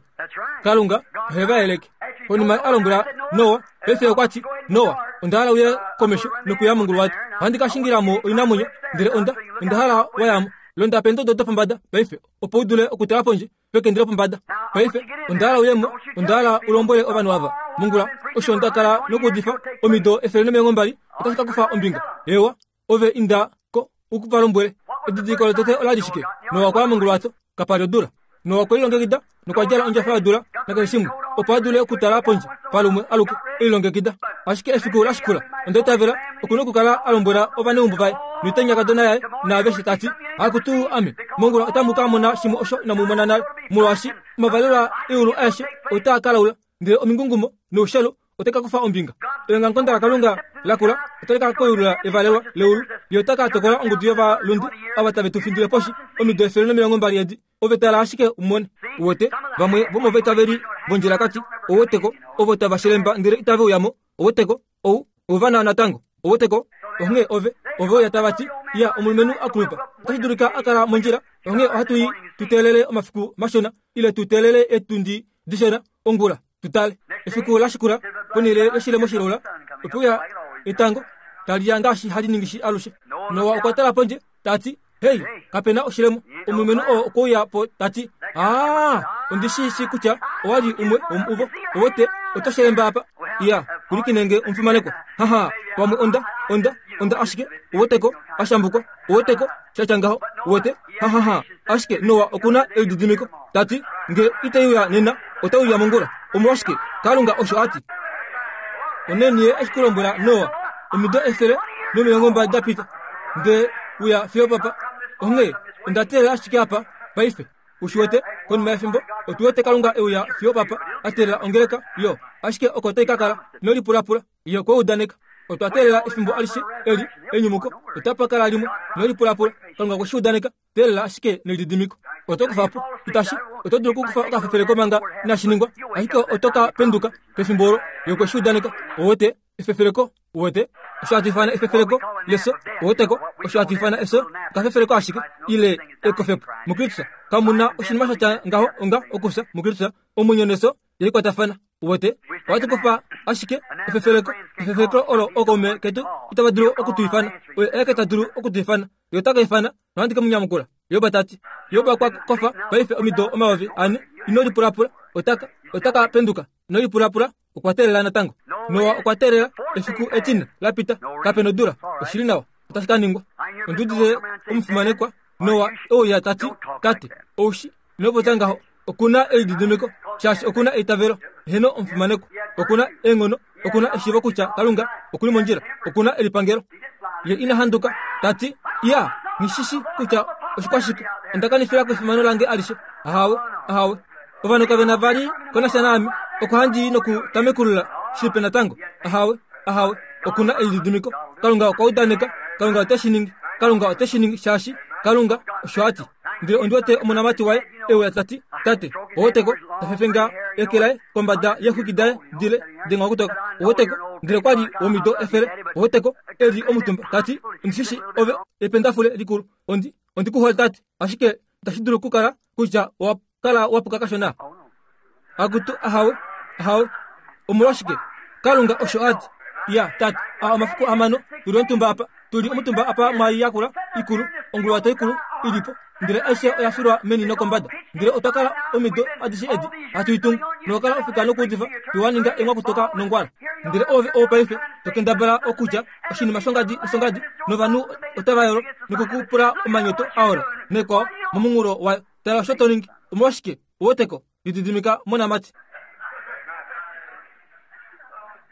Kalunga ohe va yeleke. Konima a lombwela Noa, paife okwa ti, Noa, onda hala uye komesho nokuya monguluwato. Ohandi ka shingila mo oinamwenyo, ndele onda, onda hala wa ya mo. Londa peendodo dopombada paife, opo u dule okutala pondje pekende lopombada. Paife, onda hala uye mo, onda hala u lombwele ovanhu ava, mongula, osho nda kala nokuudifa omido 120, otashi ka kufa ombinga. Eewa, Ove inda ko u va lombwele. Edidiliko lotete ola li shike? Noa okwa ya monguluwato, kapa li odula. Noa okwe lilongekida nokwa djala ondjafa yodula nakeshe shimwe, opo a dule okutala pondje palumwe aluke, e lilongekida. Ashike efiku la shikula, onda itavela, oku na okukala a lombwela ovaneumbo vaye noitanyakadona yaye naaveshe ta ti, Akutu ame, mongula otamu ka mona shimwe osho inamu mona nale, molwaashi omavalelwa eulu aeshe otaa ka laula, ndele omingungumo noushelu otai ka kufa ombinga. Eongamukonda laKalunga la kula otali ka koyulula evalelwa leulu. Ye ota ka tokola ongudu yovalunde ava tave tu findile poshi omido 120 edi. Ove tala ashike u mone. Uwete, vamwe vomovaitaveli vondjilakati, ouweteko, ovo tava shelemba ndele itave uya mo. Ouweteko, ou, ovana natango. Ouweteko? Onghee ove, ove uya tava ti, Ya, omulumenhu a kulupa. Otashi dulika a kala mondjila, onghee ohatu i tu teelele omafiku mashona, ile tu teelele etundi dishona ongula. Tu tale. Efiku la shikula, ponhele yoshilemo shilaula, ope uya etango tali ya ngaashi hali ningi shi alushe. Noa okwa tala pondje, ta ti, Hei, kape na oshilemo. Omulumenhu oo okwe uya po ta ti, Aa, ondi shi shii kutya owa li umwe womuvo. Owete, oto shelemba apa. Iya, pwilikine nge omufimanekwa. Haha, pamwe onda, onda, onda ashike, uweteko, a shambukwa, uweteko, sha tya ngaho, uwete, hahaha. Ashike Noa oku na elididimiko, ta ti, Nge itai uya nena, otai uya mongula. Omolwashike? Kalunga osho a ti. Oneni ye eshi ku lombwela Noa, omido 120 da pita, nde uya fiyo papa. Onghee onda teelela ashike apa paife. U shi wete, konima yefimbo, otu wete Kalunga e uya fiyo papa, a teelela ongeleka, yo. Ashike oko tai ka kala. Ino lipulapula. Ye okwe udaneka. Otwa teelela efimbo alishe eli, enyumuko, otapa kala limwe. Ino lipulapula. Kalunga okwe shi udaneka. Teelela ashike nelididimiko. Oto kufa po. Itashi, oto dulu okukufa okafefeleko manga inashi ningwa, ashike oto ka penduka pefimbo olo. Ye okwe shi udaneka. Uwete, efefeleko, uwete, osho hatu ifana efefeleko lefyo, uweteko, osho hatu ifana efyo, okafefeleko ashike, ile ekofepo. MuKristus, kamu na oshinima sha tya ngaho onga okufya. MuKristus, omwenyo nefyo ye likwatafana. Uwete, ohatu kufa ashike efefeleko, efefeleko olo ookaume ketu itava dulu oku tu ifana. Oye aeke ta dulu oku tu ifana. Ye ota ka ifana, nohandi ke mu nyamukula. Job ta ti. Job okwa kofa paife omido 4000. Ino lipulapula. Ota ka, ota ka penduka. Ino lipulapula. Okwa teelela natango. Noa okwa teelela efiku etine la pita. Kape nodula. Oshi li nawa. Otashi ka ningwa. Ondi udite omufimanekwa Noa e uya ta ti, Tate, ou shi, ino popya ngaho. Oku na elididimiko, shaashi oku na eitavelo. Heeno, omufimanekwa. Oku na eenghono. Oku na eshiivo kutya Kalunga oku li mondjila. Oku na elipangelo. Ye ina handuka, ta ti, Iya, nghi shi shi kutya oshikwashike. Onda kanifila ko efimano lange alishe. Ahawe, ahawe. Ovanhu kave na vali ko nasha naame. Oko handi i nokutamekulula shipe natango. Ahawe, ahawe. Oku na elididimiko. Kalunga okwa udaneka. Kalunga ote shi ningi. Kalunga ote shi ningi shaashi Kalunga osho a ti. Ndele ondi wete omonamati waye e uya ta ti, Tate, oweteko, ta fefenga eke laye kombada yeexwiki daye dile denga okutoka. Oweteko, ndele kwa li womido efele. Oweteko, e li omutumba, ta ti, Ondi shi shii ove ependafule likulu. Ondi, ondi ku hole, tate, ashike itashi dulu okukala kutya owa kala wa puka kashona. Akutu, ahawe, ahawe. Omolwashike? Kalunga osho a ti. Ya, tate, a omafiku amano, tu li omutumba apa, tu li omutumba apa mwa yakula ikulu, onguluwato ikulu i li po, ndele aishe oya filwa meni nokombada. Ndele otwa kala omido adishe edi hatu i tungu, nokukala ofika nokuudifa, twa ninga enghwakutoka nongwala. Ndele ove ou paife to kendabala okutya oshinima shongadi noshongadi, novanhu otava yolo noku ku pula omanyoto a ola nekwao momunghulo wayo. Tala osho to ningi. Omolwashike, uweteko, lididimika, monamati.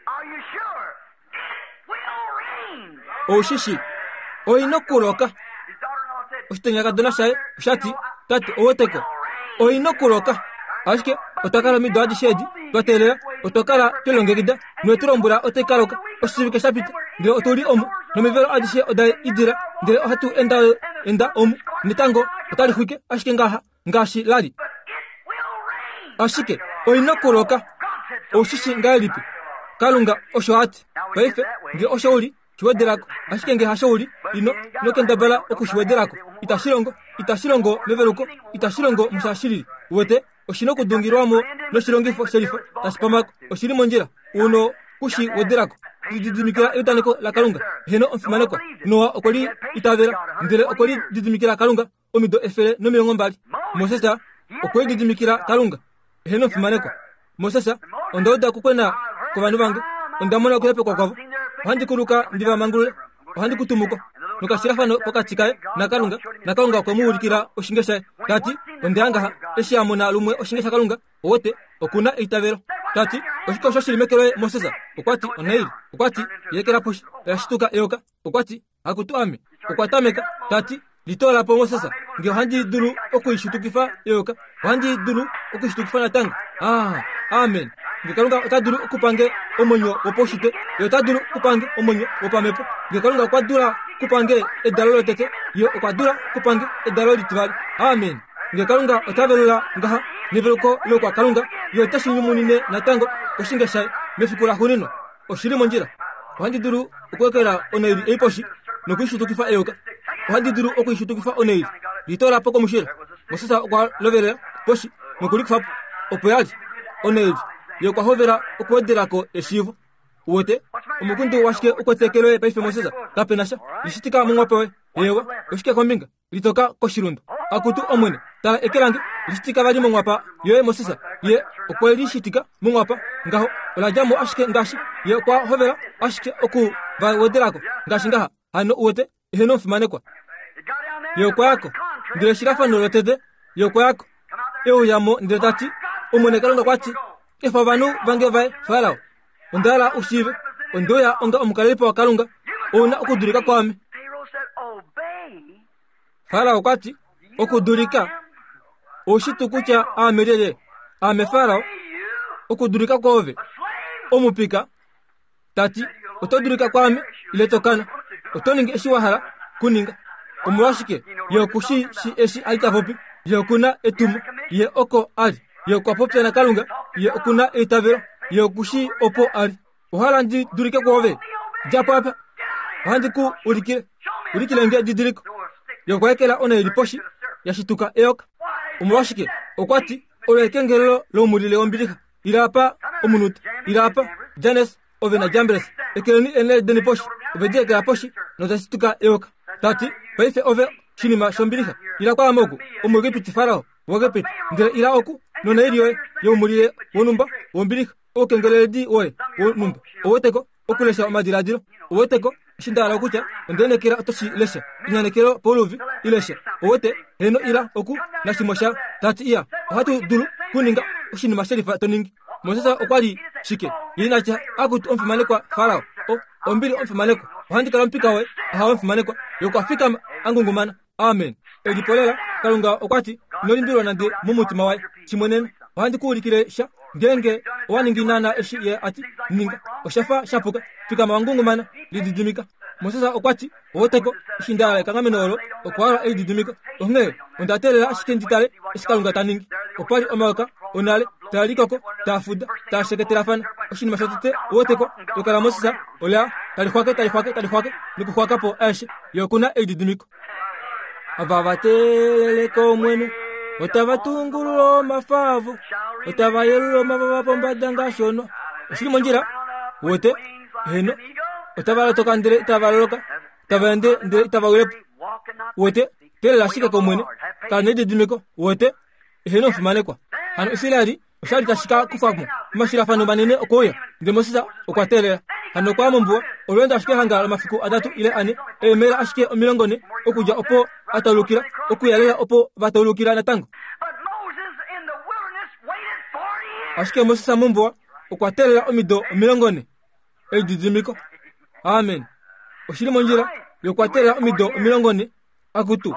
Are you sure? It will rain. Ou shi shii, oi nokuloka. His daughter-in-law said, Oshitenyakadona shaye osha ti, Tate, uweteko, oi nokuloka. Ashike otwa kala omido adishe edi twa teelela, otwa kala twe longekida, nowe tu lombwela otai ka loka oshivike sha pita, ndele otu li omu, nomivelo adishe oda idila, ndele ohatu enda enda omu, netango otali xwike ashike ngaha ngaashi la li. But it will rain. Ashike oi nokuloka. Ou shi shii ngahelipi? Kalunga osho a ti. Paife, nge osho u li, shi wedela ko. Ashike nge hasho u li, ino, ino kendabala oku shi wedela ko. Itashi longo. Itashi longo meveluko. Itashi longo musha shilili. Uwete? Oshi nokudungilwa mo noshilongifo shelifa tashi pamako. Oshi li mondjila. U no ku shi wedela ko. Lididimikila eudaneko laKalunga. Heeno, omufimanekwa. Noa okwe li itavela, ndele okwe lididimikila Kalunga omido 120. Moses okwe lididimikila Kalunga. Heeno, omufimanekwa. Moses, onda uda okukwena kwovanhu vange, onda mona okuhepekwa kwavo. Ohandi kuluka ndi va mangulule, ohandi ku tumu ko. Nokashilafano pokati kaye naKalunga, naKalunga okwe mu ulikila oshinge shaye, ta ti, Onde ya ngaha. Eshi a mona lumwe oshinge shaKalunga, owote, oku na eitavelo. Ta ti, Oshike osho shi li meke loye, Moses? Okwa ti, Onaili. Okwa ti, I ekela poshi. Oya shituka eyoka. Okwa ti, Akutu ame! Okwa tameka, ta ti, Litoola po Moses, nge ohandi dulu oku i shitukifa eyoka, ohandi dulu oku i shitukifa natango. Ah, amen. Nge Kalunga ota dulu okupa nge omwenyo wopaushitwe, Ye ota dulu okupa nge omwenyo wopamhepo. Nge Kalunga okwa dula okupa nge edalo lotete, Ye okwa dula okupa nge edalo litivali. Amen. Nge Kalunga ota velula ngaha neveluko loukwakalunga, Ye ote shi nyumunine natango koshinge shaye mefiku laxuuninwa. Oshi li mondjila. Ohandi dulu okuekela onaili ei poshi noku i shitukifa eyoka. Ohandi dulu oku i shitukifa onaili. Litoola po komushila. Moses okwa lovelela poshi noku li kufa po. Opo ya li onaili. Ye okwa hovela okuwedela ko eshiivo. Uwete? Omukundu washike u kwete eke loye paife Moses? Kape na sha. Lishitika momwape woye. Eewa. Oshike kombinga? Litoka koshilundu. Akutu Omwene, tala eke lange, lishitika vali monghwapa yoye Moses. Ye okwe li shitika monghwapa ngaho, ola dja mo ashike ngaashi ye okwa hovela ashike oku va wedela ko ngaashi ngaha. Hano uwete, eheno omufimanekwa. Ye okwa ya ko. Ndele eshilafano lotete, ye okwa ya ko. E uya mo ndele ta ti, Omwene Kalunga okwa ti, Efa ovanhu vange vaye, Farao. Onda hala u shiive, onde uya onga omukalelipo waKalunga. Ou na okudulika kwaame. Farao okwa ti, Okudulika? Ou shi tuu kutya aame lyelye? Aame Farao. Okudulika kwoove, omupika. Ta ti, Oto dulika kwaame, ile to kana. Oto ningi eshi wa hala kuninga. Omolwashike? Ye oku shi shi eshi a li ta popi. Ye oku na etumo. Ye oko a li. Ye okwa popya naKalunga. Ye oku na eitavelo. Ye oku shii opo a li. Owa hala ndi dulike kwoove? Dja po apa. Ohandi ku ulikile. Ulikile nge edidiliko. Ye okwa ekela onhaili poshi, ya shituka eyoka. Omolwashike? Okwa ti, Olo ekengelelo loumulile wombilixa. Ila apa, omunute. Ila apa, Janes, ove naJambres. Ekeleni eenhaili deni poshi. Ove di ekela poshi, noda shituka eyoka. Ta ti, Paife ove oshinima shombilixa. Ila kwaame oku, Omuegipiti Farao. waEgipiti, ndele ila oku nonaili yoye youmulile wonhumba wombilixa, oukengeleledi woye wonhumba. Ouweteko? Okulesha omadiladilo. Ouweteko? Eshi nda hala okutya, onda inekela oto shi lesha. Inyanekelo pouluvi, i lesha. Ouwete? Heeno, ila oku nashimwe sha ta ti, Iya, ohatu dulu kuninga oshinima shelifa to ningi. Moses okwa li shike? Ye ina tya, Akutu omufimanekwa Farao, o, ombili omufimanekwa, ohandi kala omupika woye. Ahawe omufimanekwa. Ye okwa fikama a ngungumana. Amen. Elipolela, Kalunga okwa ti, ino limbililwa nande momutima waye. Shimwenena, ohandi ku ulikile sha. Ngeenge owa ningi naanaa eshi Ye a ti ninga, osha fa sha puka. Fikama wa ngungumana, lididimika. Moses okwa ti, Oweteko, eshi nda hala ekanghameno olo, okwa hala elididimiko. Onghee onda teelela ashike ndi tale eshi Kalunga ta ningi. Opa li omayoka onale taa likoko, taa fuda, taa sheketelafana. Oshinima shotete, oweteko, eyoka laMoses ola tali xwake, tali xwake, tali xwake, nokuxwaka po aeshe. Ye oku na elididimiko. Ava va teelele kOmwene otava tungulula omafa avo, otava yelula omavava pombada ngaashi ono. Oshili mondjila? Wete? Heno. Otava lotoka ndele itava loloka, tava ende ndele itava wile po. Wete? Teelela ashike kOmwene. Kala nelididimiko. Wete? Eheno omufimanekwa. Hano Israeli osha li tashi ka kufa mo omashilafano manene okuuya. Ndele Moses okwa teelela. Hano okwa ya mombuwa, olweendo ashike hanga lomafiku atatu ile ane, eemaila ashike 40 okudja opo a taulukila, okuya lela opo va taulukila natango. But Moses in the wilderness waited 40 years. Ashike Moses mombuwa okwa teelela omido 40. Elididimiko. Amen. Oshi li mondjila. Ye okwa teelela omido 40. Akutu,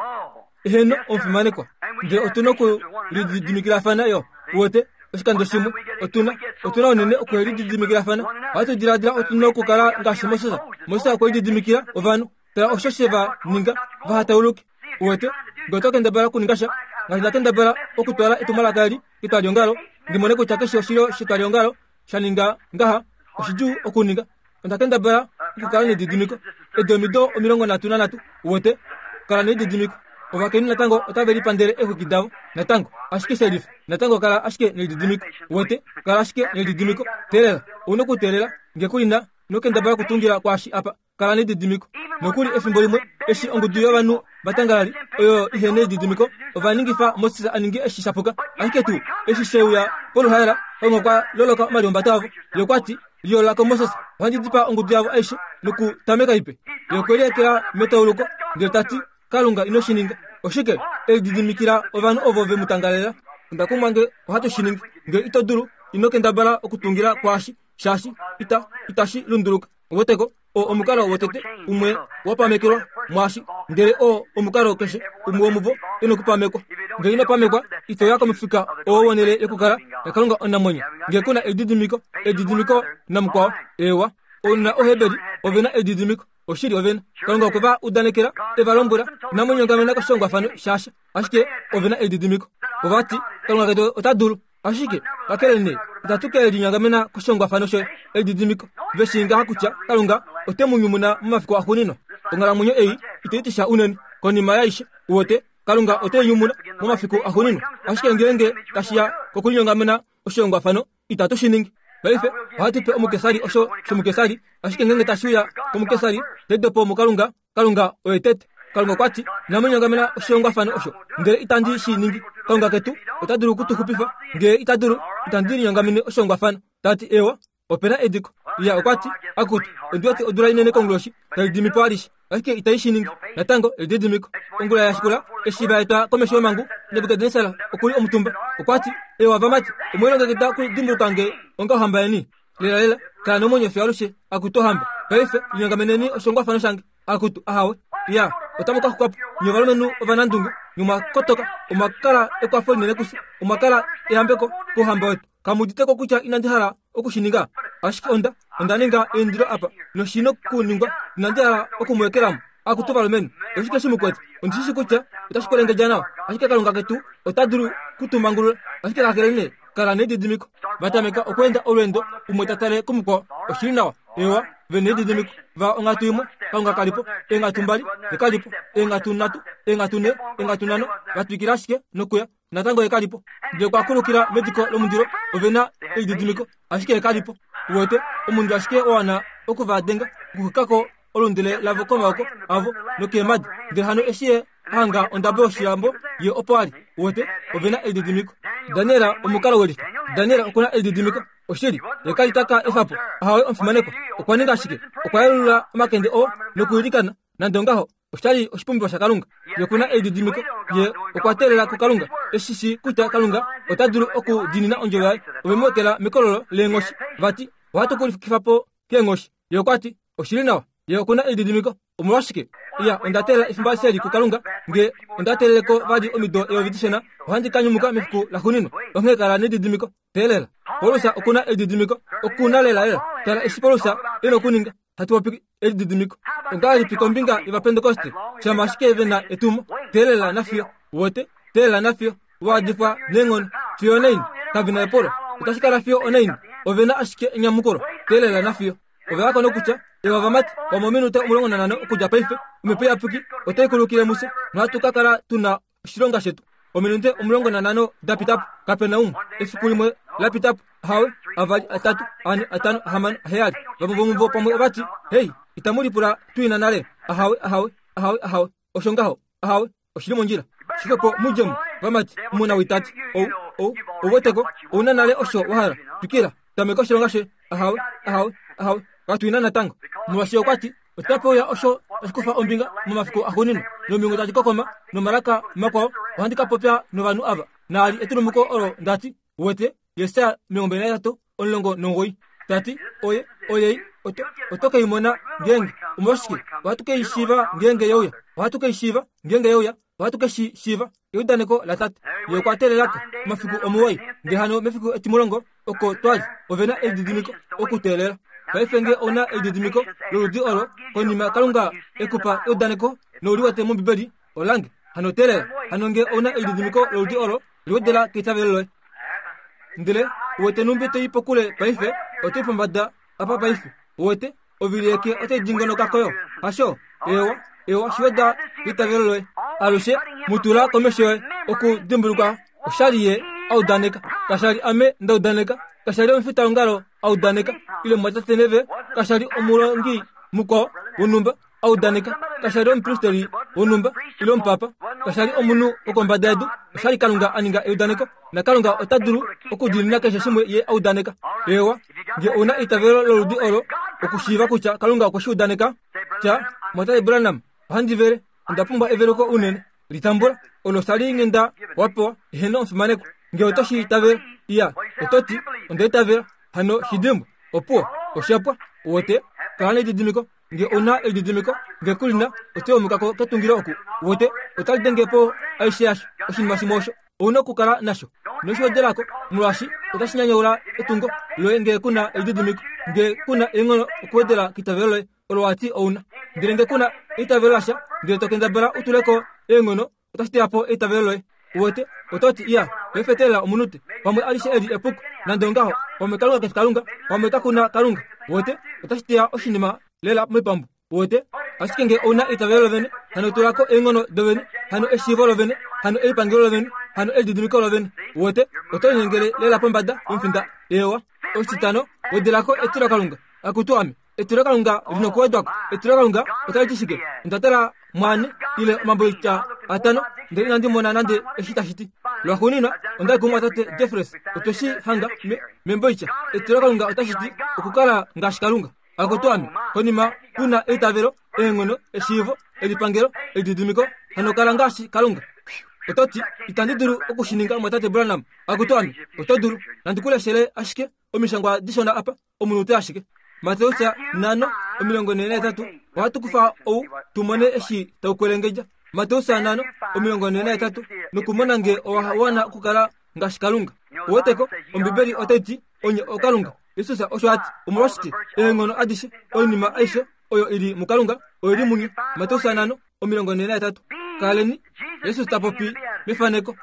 eheno omufimanekwa, ndele otu na okulididimikilafana yo. Uwete, oshikando shimwe otu na otu na unene okulididimikilafana. Ohatu diladila otu na okukala ngaashi Moses. Moses okwe lididimikila ovanhu. Tala osho she va ninga vaha tauluke. Uwete, ngee oto kendabala okuninga sha ngaashi nda kendabala okutwala etumwalaka eli ketwaliongalo, ndi mone kutya keshe oshilyo shetwaliongalo sha ninga ngaha, oshidjuu okuninga. Onda kendabala okukala nedidimiko edi omido 33, uwete, kala nelididimiko. Ovakainhu natango otave lipandele eexwiki davo, natango, ashike shelifa. Natango kala ashike nelididimiko, uwete, kala ashike nelididimiko. Teelela, ou na okuteelela. Nge ku li na, ino kendabala okutungila kwaashi apa. Kala nelididimiko. Nokuli efimbo limwe, eshi ongudu yovanhu vatangalali oyo ihe nelididimiko, ova ningifa Moses a ninge eshi sha puka. Ashike tuu eshi she uya poluhaela, Kalunga okwa loloka omalihumbato avo. Ye okwa ti, Liyoolola ko Moses, ohandi dipaa ongudu yavo aishe nokutameka ipe. Ye okwe liekela metauluko, ndele ta ti, Kalunga ino shi ninga. Oshike? E lididimikila ovanhu ovo ve mu tangalela. Onda kumwa nge ohatu shi ningi. Nge ito dulu, ino kendabala okutungila kwaashi, shaashi ita, itashi lunduluka. Weteko, oo omukalo wotete umwe wa pamekelwa mwaashi, ndele oo omukalo keshe umwe womuvo e nokupamekwa. Nge ino pamekwa, ito ya komufika oo wonhele yokukala yaKalunga omunamwenyo. Nge ku na elididimiko, elididimiko namukwao. Eewa, ounona Oheberi ove na elididimiko. Oshili ove na. Kalunga okwe va udanekela, e va lombwela, Inamu linyongamena koshihongwafano shasha. Ashike ove na elididimiko. Ova ti, Kalunga ketu ota dulu. Ashike, kakele nee, itatu ke linyongamena koshihongwafano shoye. Elididimiko, ve shii ngaha kutya Kalunga ote mu nyumuna momafiku axuuninwa. Onghalamwenyo ei itai ti sha unene. Konima yaaishe, uwete, Kalunga ote i nyumuna momafiku axuuninwa. Ashike ngeenge tashi ya kokulinyongamena oshihongwafano, itatu shi ningi. Paife ohatu pe omukesari osho shomukesari, ashike ngeenge tashi uya komukesari, tete po muKalunga, Kalunga oye tete. Kalunga okwa ti, Inamu linyongamena oshihongwafano osho, ndele itandi shi ningi. Kalunga ketu ota dulu oku tu xupifa. Ngee ita dulu, itandi linyongamene oshihongwafano. Ta ti, Eewa, ope na ediko. Iya, okwa ti, Akutu, ondi wete odula inene konguloshi, tai dimi po alishe. Ashike itai shi ningi. Natango, elididimiko. Ongula ya shikula, eshi va etwa komesho yomhangu, Nebukadnesar oku li omutumba. Okwa ti, Eewa, vamati, omwe lilongekida okudimbuluka nge onga ohamba yeni? Lelalela, kala nomwenyo fiyo alushe, akutu ohamba. Paife, linyongameneni oshihongwafano shange. Akutu, ahawe. Ya, otamu ka xuka po, nye ovalumenhu ovanandunge, nye omwa kotoka, omwa kala ekwafo linene kufye, omwa kala eyambeko kouhamba wetu. Kamu udite ko kutya inandi hala oku shi ninga? Ashike onda, onda ninga eindilo apa, noshi nokuningwa. Inandi hala oku mu ekela mo. Akutu valumenhu, oshike shi mu kwete? Ondi shi shi kutya otashi kwelengedja nawa, ashike Kalunga ketu ota dulu ku tu mangulula. Ashike kakele nee, kala nelididimiko. Va tameka okweenda olweendo, umwe ta tale kumukwao. Oshi li nawa. Eewa, ve nelididimiko. Va onghatu imwe, Kalunga ka li po. Eenghatu mbali, ye ka li po. Eenghatu nhatu, eenghatu nhe, eenghatu nhano, va twikila ashike nokuya. Natango ye ka li po. Ndele okwa kulukila mediko lomundilo. Ove na elididimiko, ashike ye ka li po. Uwete, omundu ashike wa wana oku va denga, okuxwika ko olundele lavo komaoko avo nokeemhadi. Ndele hano eshi ye a hanga ondabo yoshilambo, ye opo a li. Uwete, ove na elididimiko. Daniel omukalo welifa. Daniel oku na elididimiko. Oshili, ye ka li ta ka efa po. Ahawe, omufimanekwa. Okwa ninga shike? Okwa yelula omakende oo nokuilikana. Nande ongaho, osha li oshipumbiwa shaKalunga. Ye oku na elididimiko. Ye okwa teelela kuKalunga, e shi shii kutya Kalunga ota dulu okudiinina ondjovo yaye. Ove mu ekela mekololo leenghoshi, va ti, Ohatu ku lifikifa po keenghoshi. Ye okwa ti, Oshi li nawa. Ye oku na elididimiko. Omolwashike? Iya, onda teelela efimbo alishe eli kuKalunga. Nge onda teelele ko vali omido eyovi dishona, ohandi ka nyumuka mefiku laxuuninwa. Onghee kala nelididimiko. Teelela. Paulus oku na elididimiko. Oku na lelalela. Tala eshi Paulus e nokuninga. Hatu popi elididimiko. Ongahelipi kombinga yOvapentekoste? Shama ashike ve na etumo, teelela nafiyo. Uwete? Teelela nafiyo. Wa adifwa neenghono. Fiyo onaini? Kave na epulo. Otashi kala fiyo onaini? Ove na ashike enyamukulo. Teelela nafiyo. Ove va kona kutya, Ewa vamati, omominute 15 okudja paife, Omhepo Iyapuki otai kulukile mufye, nohatu ka kala tu na oshilonga shetu. Ominute 15 da pita po, kape na umwe. Efiku limwe la pita po, ahawe, avali, atatu, ane, atano, ahamano, aheyali. Vamwe vomuvo pamwe ova ti, Hei, itamu lipula tu ina nale? Ahawe, ahawe, ahawe, ahawe. Osho ngaho. Ahawe, oshi li mondjila. Shike po mudje mo, vamati, omu na witati. Ou, ou, ou weteko, ou na nale osho wa hala. Twikila, tameka oshilonga shoye. Ahawe, ahawe, ahawe. Katu ina natango. Molwaashi okwa ti, Otape uya osho tashi kufa ombinga momafiku axuuninwa, nomilungu tadi kokoma, nomalaka makwao, ohandi ka popya novanhu ava. Naali etulumuko olo nda ti, Uwete, Jesaja 23, 19, ta ti, Oye, oyei, oto, oto ke i mona ngeenge. Omolwashike? Ohatu ke i shiiva ngeenge ye uya. Ohatu ke i shiiva ngeenge ye uya. Ohatu ke shi shiiva. Eudaneko laTate. Ye okwa teelelako omafiku omuwoi, ndele hano mefiku etimulongo oko twa li. Ove na elididimiko okuteelela. Paife nge ou na elididimiko loludi olo, konima Kalunga e ku pa eudaneko nou li wete mOmbibeli, olange. Hano teelela. Hano nge ou na elididimiko loludi olo, liwedela keitavelo loye. Ndele uwete nhumbi to i pokule paife, oto i pombada apa paife. Uwete, ovili yeke otai dingonoka koyo. Hasho? Eewa, eewa, shiweda keitavelo loye. Alushe mu tula komesho yoye, okudimbuluka oshali ye a udaneka. Kasha li ame nda udaneka, kasha li omufitaongalo a udaneka, ile mumwatate Neve, kasha li omulongi mukwao wonhumba a udaneka, kasha li omupristeri wonhumba ile omupapa, kasha li omunhu wokombada yedu, osha li Kalunga a ninga eudaneko, na Kalunga ota dulu okudiinina keshe shimwe ye a udaneka. Eewa, nge ou na eitavelo loludi olo, okushiiva kutya Kalunga okwe shi udaneka, tya, Mwatate Branham, ohandi vele, onda pumbwa eveluko unene. Litambula, olo osha li nghenda wa pewa, eheno omufimanekwa. Nge oto shi itavela, iya, oto ti, onda itavela, hano shi dimbwa. Opuwo, osha pwa. Uwete? Kala nelididimiko. Nge ou na elididimiko, nge ku li na, oto yomuka ko ketungilo oku. Uwete? Otali denge po aishe yasho, oshinima shimwe osho. Ou na okukala nasho. Ino shi wedela ko, molwaashi otashi nyanyaula etungo loye nge ku na elididimiko, nge ku na eenghono okuwedela keitavelo loye olo wa ti ou na. Ndele nge ku na eitavelo lasha, ndele to kendabala u tule ko eenghono, otashi teya po eitavelo loye. Uwete? Oto ti, Iya, paife teelela omunute. Pamwe alishe eli epuko. Nande ongaho, pamwe Kalunga ke fi Kalunga, pamwe kaku na Kalunga. Uwete? Otashi teya oshinima lela moipambu. Uwete? Ashike nge ou na eitavelo lovene, hano tula ko eenghono dovene, hano eshiivo lovene, hano elipangelo lovene, hano elididimiko lovene. Uwete? Oto linyengele lela pombada yomufinda. Eewa. Oshititano, wedela ko etilokalunga. Akutu ame. Etilokalunga li nokuwedwa ko. Etilokalunga otali ti shike? Onda tala mwaane ile omamboitya atano ndele inandi mona nande eshi tashi ti. Lwaxuuninwa onda yi kumumwatate Jeffries. Otwe shi hanga me, memboitya. Etilokalunga otashi ti okukala ngaashi Kalunga. Akutu ame, konima u na eitavelo, eenghono, eshiivo, elipangelo, elididimiko, hano kala ngaashi Kalunga. Oto ti, itandi dulu oku shi ninga, mumwatate Branham. Akutu ame, oto dulu. Nandi ku leshele ashike omishangwa dishona apa. omunute ashike. Mateus 5, 43, Ohatu kufa ou tu mone eshi tau kwelengedja. Mateus 5, 43, nokumona nge owa wana okukala ngaashi Kalunga. Uweteko, Ombibeli otai ti, Onye okalunga. Jesus osho a ti. Omolwashike? Eenghono adishe, oinima aishe oyo i li muKalunga, oi li munye. Mateus 5, 43. Kaleni, Jesus ta popi mefaneko.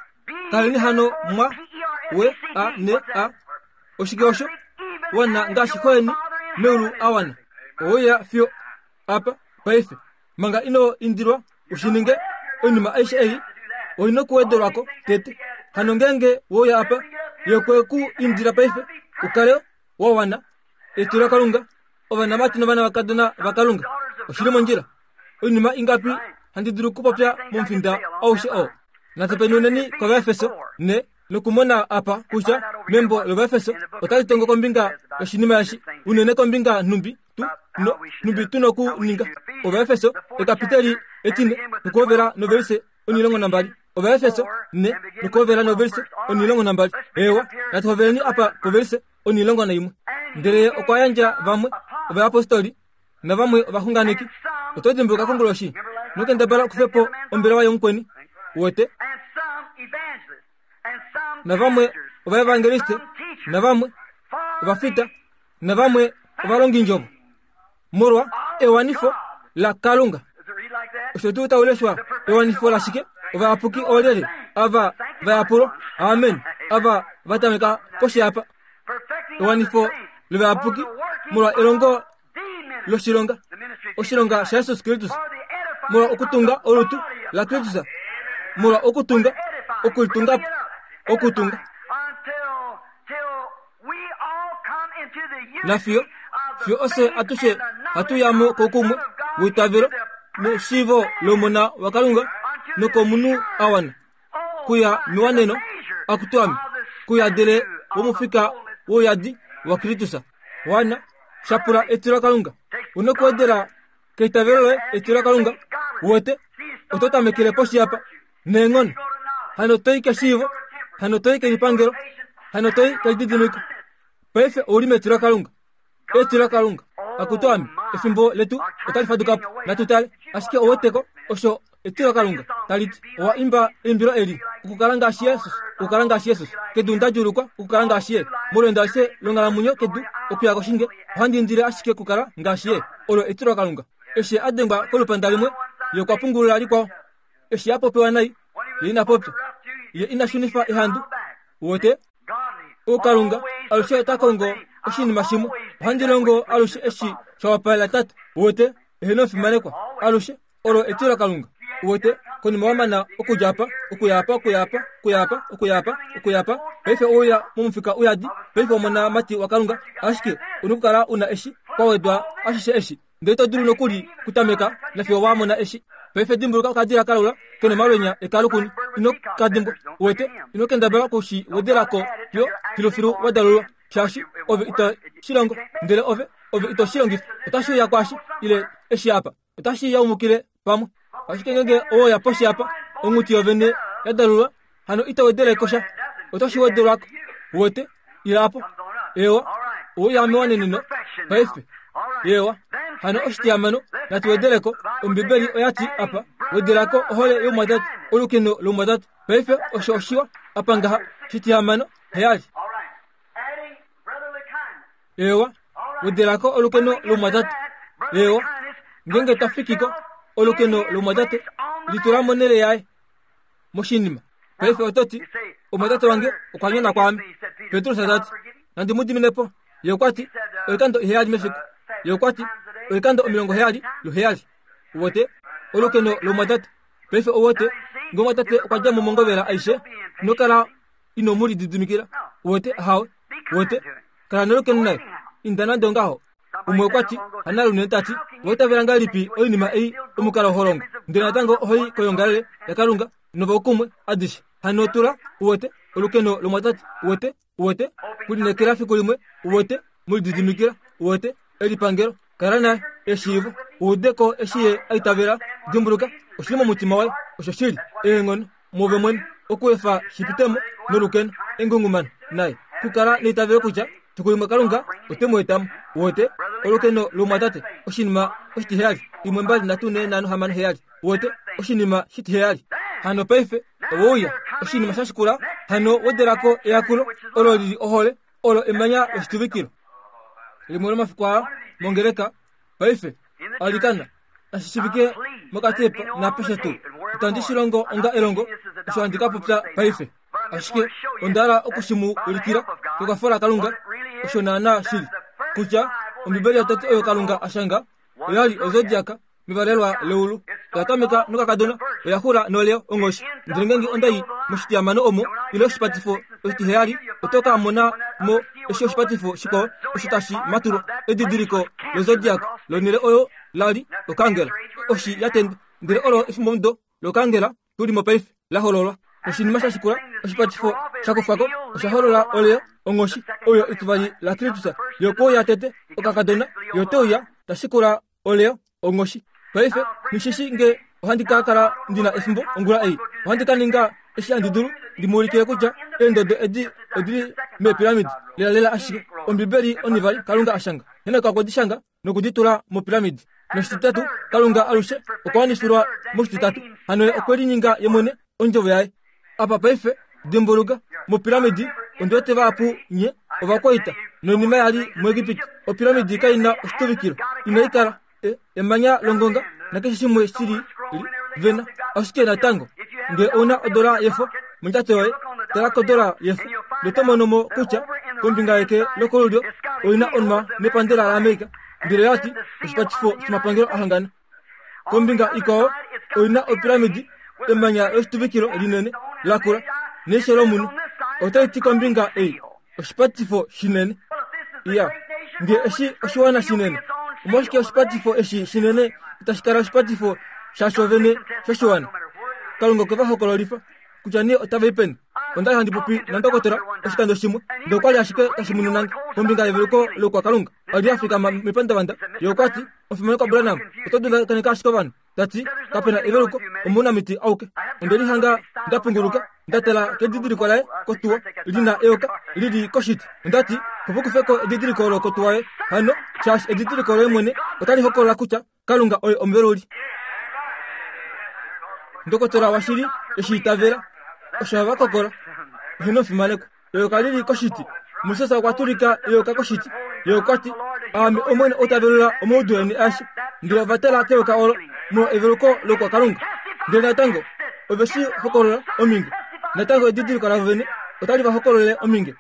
Kaleni hano mwa, we, a, ne, a. Oshike osho? Wana ngaashi xoyeni meulu a wana. Ouya fiyo apa paife. Manga ino indilwa u shi ninge, oinima aishe ei oi nokuwedelwa ko tete. Hano ngeenge wouya apa, ye okwe ku indila paife u kale wa wana. Etilo Kalunga, ovanamati novanakadona vaKalunga, oshi li mondjila. Oinima ingapi handi dulu okupopya momufinda aushe oo? Natu penuneni kOvaefeso ne nokumona apa kutya membo lOvaefeso otali tongo kombinga yoshinima eshi, unene kombinga nhumbi tu no nhumbi tu nokuninga. Ovaefeso ekapiteli etine nokuhovela novelise 12. Ovaefeso ne nokuhovela novelise 12. Eewa, natu hoveleni apa povelise 11. Ndele ye okwa yandja vamwe ovayapostoli navamwe ovaxunganeki. Oto dimbuluka konguloshi nokendabala okufe po ombelewa yomukweni wete navamwe ovaevangeliste navamwe ovafita navamwe ovalongindjovo. Molwa ewanifo laKalunga. Osho tuu tau leshwa ewanifo lashike? Ovayapuki oolyelye? Ava va yapulwa. Amen. Ava va tameka poshi apa. Ewanifo lovayapuki molwa elongo loshilonga, oshilonga shaJesus Kristus, molwa okutunga olutu laKristus, molwa okutunga, okulitunga po, okutunga. Nafiyo fiyo ofye atushe hatu ya mo koukumwe weitavelo neshiivo lOmona waKalunga nokomunhu a wana kuya mewaneno akutu ame kuyadele womufika wouyadi waKristus. Wana shapula etilo laKalunga. U nokuwedela keitavelo loye etilo laKalunga. Uwete, oto tamekele poshi apa. Neenghono. Hano toi keshiivo, hano toi kelipangelo, hano toi kelididimiko. Paife ou li metilo laKalunga. Etilo laKalunga. Akutu ame, efimbo letu otali faduka po. Natu tale. Ashike ou weteko osho etilo laKalunga tali ti. Owa imba eimbilo eli, Okukala ngaashi Jesus, okukala ngaashi Jesus. Kedu nda djuulukwa okukala ngaashi Ye. Molweendo alishe longhalamwenyo kedu okuya koshinge, ohandi indile ashike okukala ngaashi Ye. Olo etilo laKalunga. Eshi a dengwa kolupanda limwe, Ye okwa pungulula likwao. Eshi a popiwa nai, ye ina popya. Ye ina shunifa ehandu. Uwete? Ukalunga alushe ota kongo oshinima shimwe. Ohandi longo alushe eshi sha wapalela Tate. Uwete? Eheno fimanekwa. Alushe olo etilo laKalunga. Uwete? Konima wa mana okudja apa, okuya apa, okuya apa, okuya apa, okuya apa, okuya apa, paife ouya momufika uyadi, paife omonamati waKalunga, ashike u nokukala u na eshi, kwa wedwa ashishe eshi. Ndele ito dulu nokuli kutameka nafiyo wa mona eshi. Paife dimbuluka okadila kalaula ke nomalwenya ekalukuni. Ino ka dimbwa. Uwete? Ino kendabala oku shi wedela ko fiyo filufilu wa dalulwa, shaashi ove ito shi longo. Ndele ove, ove ito shi longifa. Otashi uya kwaashi, ile eshi apa. Otashi yaumukile pamwe. Ashike ngeenge owe uya poshi apa, onghuti yovene ya dalulwa, hano ito wedele ko sha. Otashi wedelwa ko. Uwete? Ila apo. Eewa. Owe uya mewaneneno paife. Eewa. Hano oshitiyamano, natu wedele ko. Ombibeli oya ti apa, wedela ko ohole youmwatate, olukeno loumwatate. Paife osho oshiwa apa ngaha. Shitihamano, heyali. Eewa, wedela ko olukeno lomumwatate. Eewa, ngeenge ta fiki ko olukeno lomumwatate, litula monhele yaye moshinima. Paife oto ti, Omumwatate wange okwa nyona kwaame. Petrus ta ti, Nandi mu dimine po. Ye okwa ti, Oikando iheyali mefiku. Ye okwa ti, Oikando 70 luheyali. Uwete? Olukeno lomumwatate. Paife uwete, nge omumwatate okwa dja mo mongovela aishe, ino kala ino mu lididimikila. Uwete? Ahawe. Uwete? Kala nolukeno naye. Inda nande ongaho. Umwe okwa ti, Hanalume ta ti, owa itavela ngahelipi oinima ei omukalo ho longo, ndele natango oho i koyoongalele yaKalunga novaukumwe adishe? Hano tula, uwete, olukeno lomwatate, uwete, uwete, kulineekela fiku limwe, uwete, mu lididimikila, uwete, elipangelo, kala naye, eshiivo, u ude ko eshi ye a itavela, dimbuluka, oshi li momutima waye, osho shili, eenghono, muove mwene, okuefa shi pite mo nolukeno, engungumano, naye, kukala neitavelo kutya fiku limwe Kalunga ote mu eta mo. Uwete? Olukeno lomumwatate, oshinima oshitiheyali, 1 2 3 4 5 6 7. Uwete? Oshinima shitiheyali. Hano paife, owe uya, oshinima sha shikula, hano wedela ko eyakulo, olo li li ohole, olo emanya loshituvikilo. Limwe lomafiku aa, mongeleka, Paife, alikana, nashi shivike mokatepa naapeshe tuu. Itandi shi longo onga elongo, osho handi ka popya paife. Ashike onda hala oku shi mu ulikila kekwafo laKalunga, osho naanaa shi li, kutya Ombibeli yotete oyo Kalunga a shanga oya li ozodiaka mevalelwa leulu. Oya tameka nokakadona, oya xula noleo onghoshi. Ndele ngeenge onda i moshitiyamano omo, ile oshipatifo oshitiheyali, oto ka mona mo eshi oshipatifo shikwao osho tashi matulwa, edidiliko lozodiac lonhele oyo la li okangela, oshi ya tendwa. Ndele olo efimbomudo lokangela tu li mo paife, la hololwa. Oshinima sha shikula, oshipatifo sha kufwa ko, osha holola oleo, onghoshi, oyo etivali laKristus, yokuuya tete, okakadona, yo te uya, ta shikula oleo, onghoshi. Paife, nghi nge ohandi ka kala ndi na efimbo ongula ei. Ohandi ka ninga eshi handi dulu ndi mu ulikile kutya eendodo edi odi li meepiramidi, lelalela ashike. Ombibeli onivali Kalunga a shanga. Henok okwe di shanga noku di tula mopiramidi. Noshititatu, Kalunga alushe okwa wanifilwa moshititatu. Hano Ye okwe lininga Ye mwene Ondjovo Yaye. Apa paife, dimbuluka, mopiramidi, ondi wete vahapu nye ovakwaita. Noinima ya li muEgipiti, opiramidi kai na oshituvikilo, inai kala e, emanya longonga nakeshe shimwe shi li vena. Ashike natango, nge ou na odola yefo mondjato yoye, tala kodola yefo, noto mono mo kutya kombinga yeke lokolulyo oi na onwa nepandela laAmerica, ndele ya ti oshipatifo shomapangelo a hangana. Kombinga ikwao oi na opiramidi, emanya loshituvikilo linene lakula neisho lomunhu. Otai ti kombinga ei oshipatifo shinene. Iya, nge eshi oshiwana shinene, omolwashike oshipatifo eshi shinene itashi kala oshipatifo shasho vene shoshiwana? Kalunga okwe va hokololifa kutya nee otava i peni. Onda li handi popi nandokotola oshikando shimwe, ndele okwa li ashike tashi mununange kombinga yeveluko loukwakalunga. Oli a fikama mepandavanda, ye okwa ti, Omufimanekwa Branham, oto dundakanifa ashike ovanhu. Ta ti, Kape na eveluko, omounamiti auke. Onde lihanga nda punguluka, nda tala kedidiliko laye kotuwa, li na eyoka li li koshiti. Onda ti, Opo kufe ko edidiliko olo kotuwa yoye hano, shaashi edidiliko loye mwene otali hokolola kutya Kalunga oye omuveluli. Ndokotola washili eshi itavela osho hava kokola. Eheno omufimanekwa. Eyoka li li koshiti. Moses okwa tulika eyoka koshiti. Ye okwa ti, Aame Omwene ou ta velula omaudu eni aeshe. Ndele ova tala keyoka olo molwa eveluko loukwakalunga. Ndele natango ove shi hokolola ominge. Natango edidiliko lavo vene otali va hokololele ominge.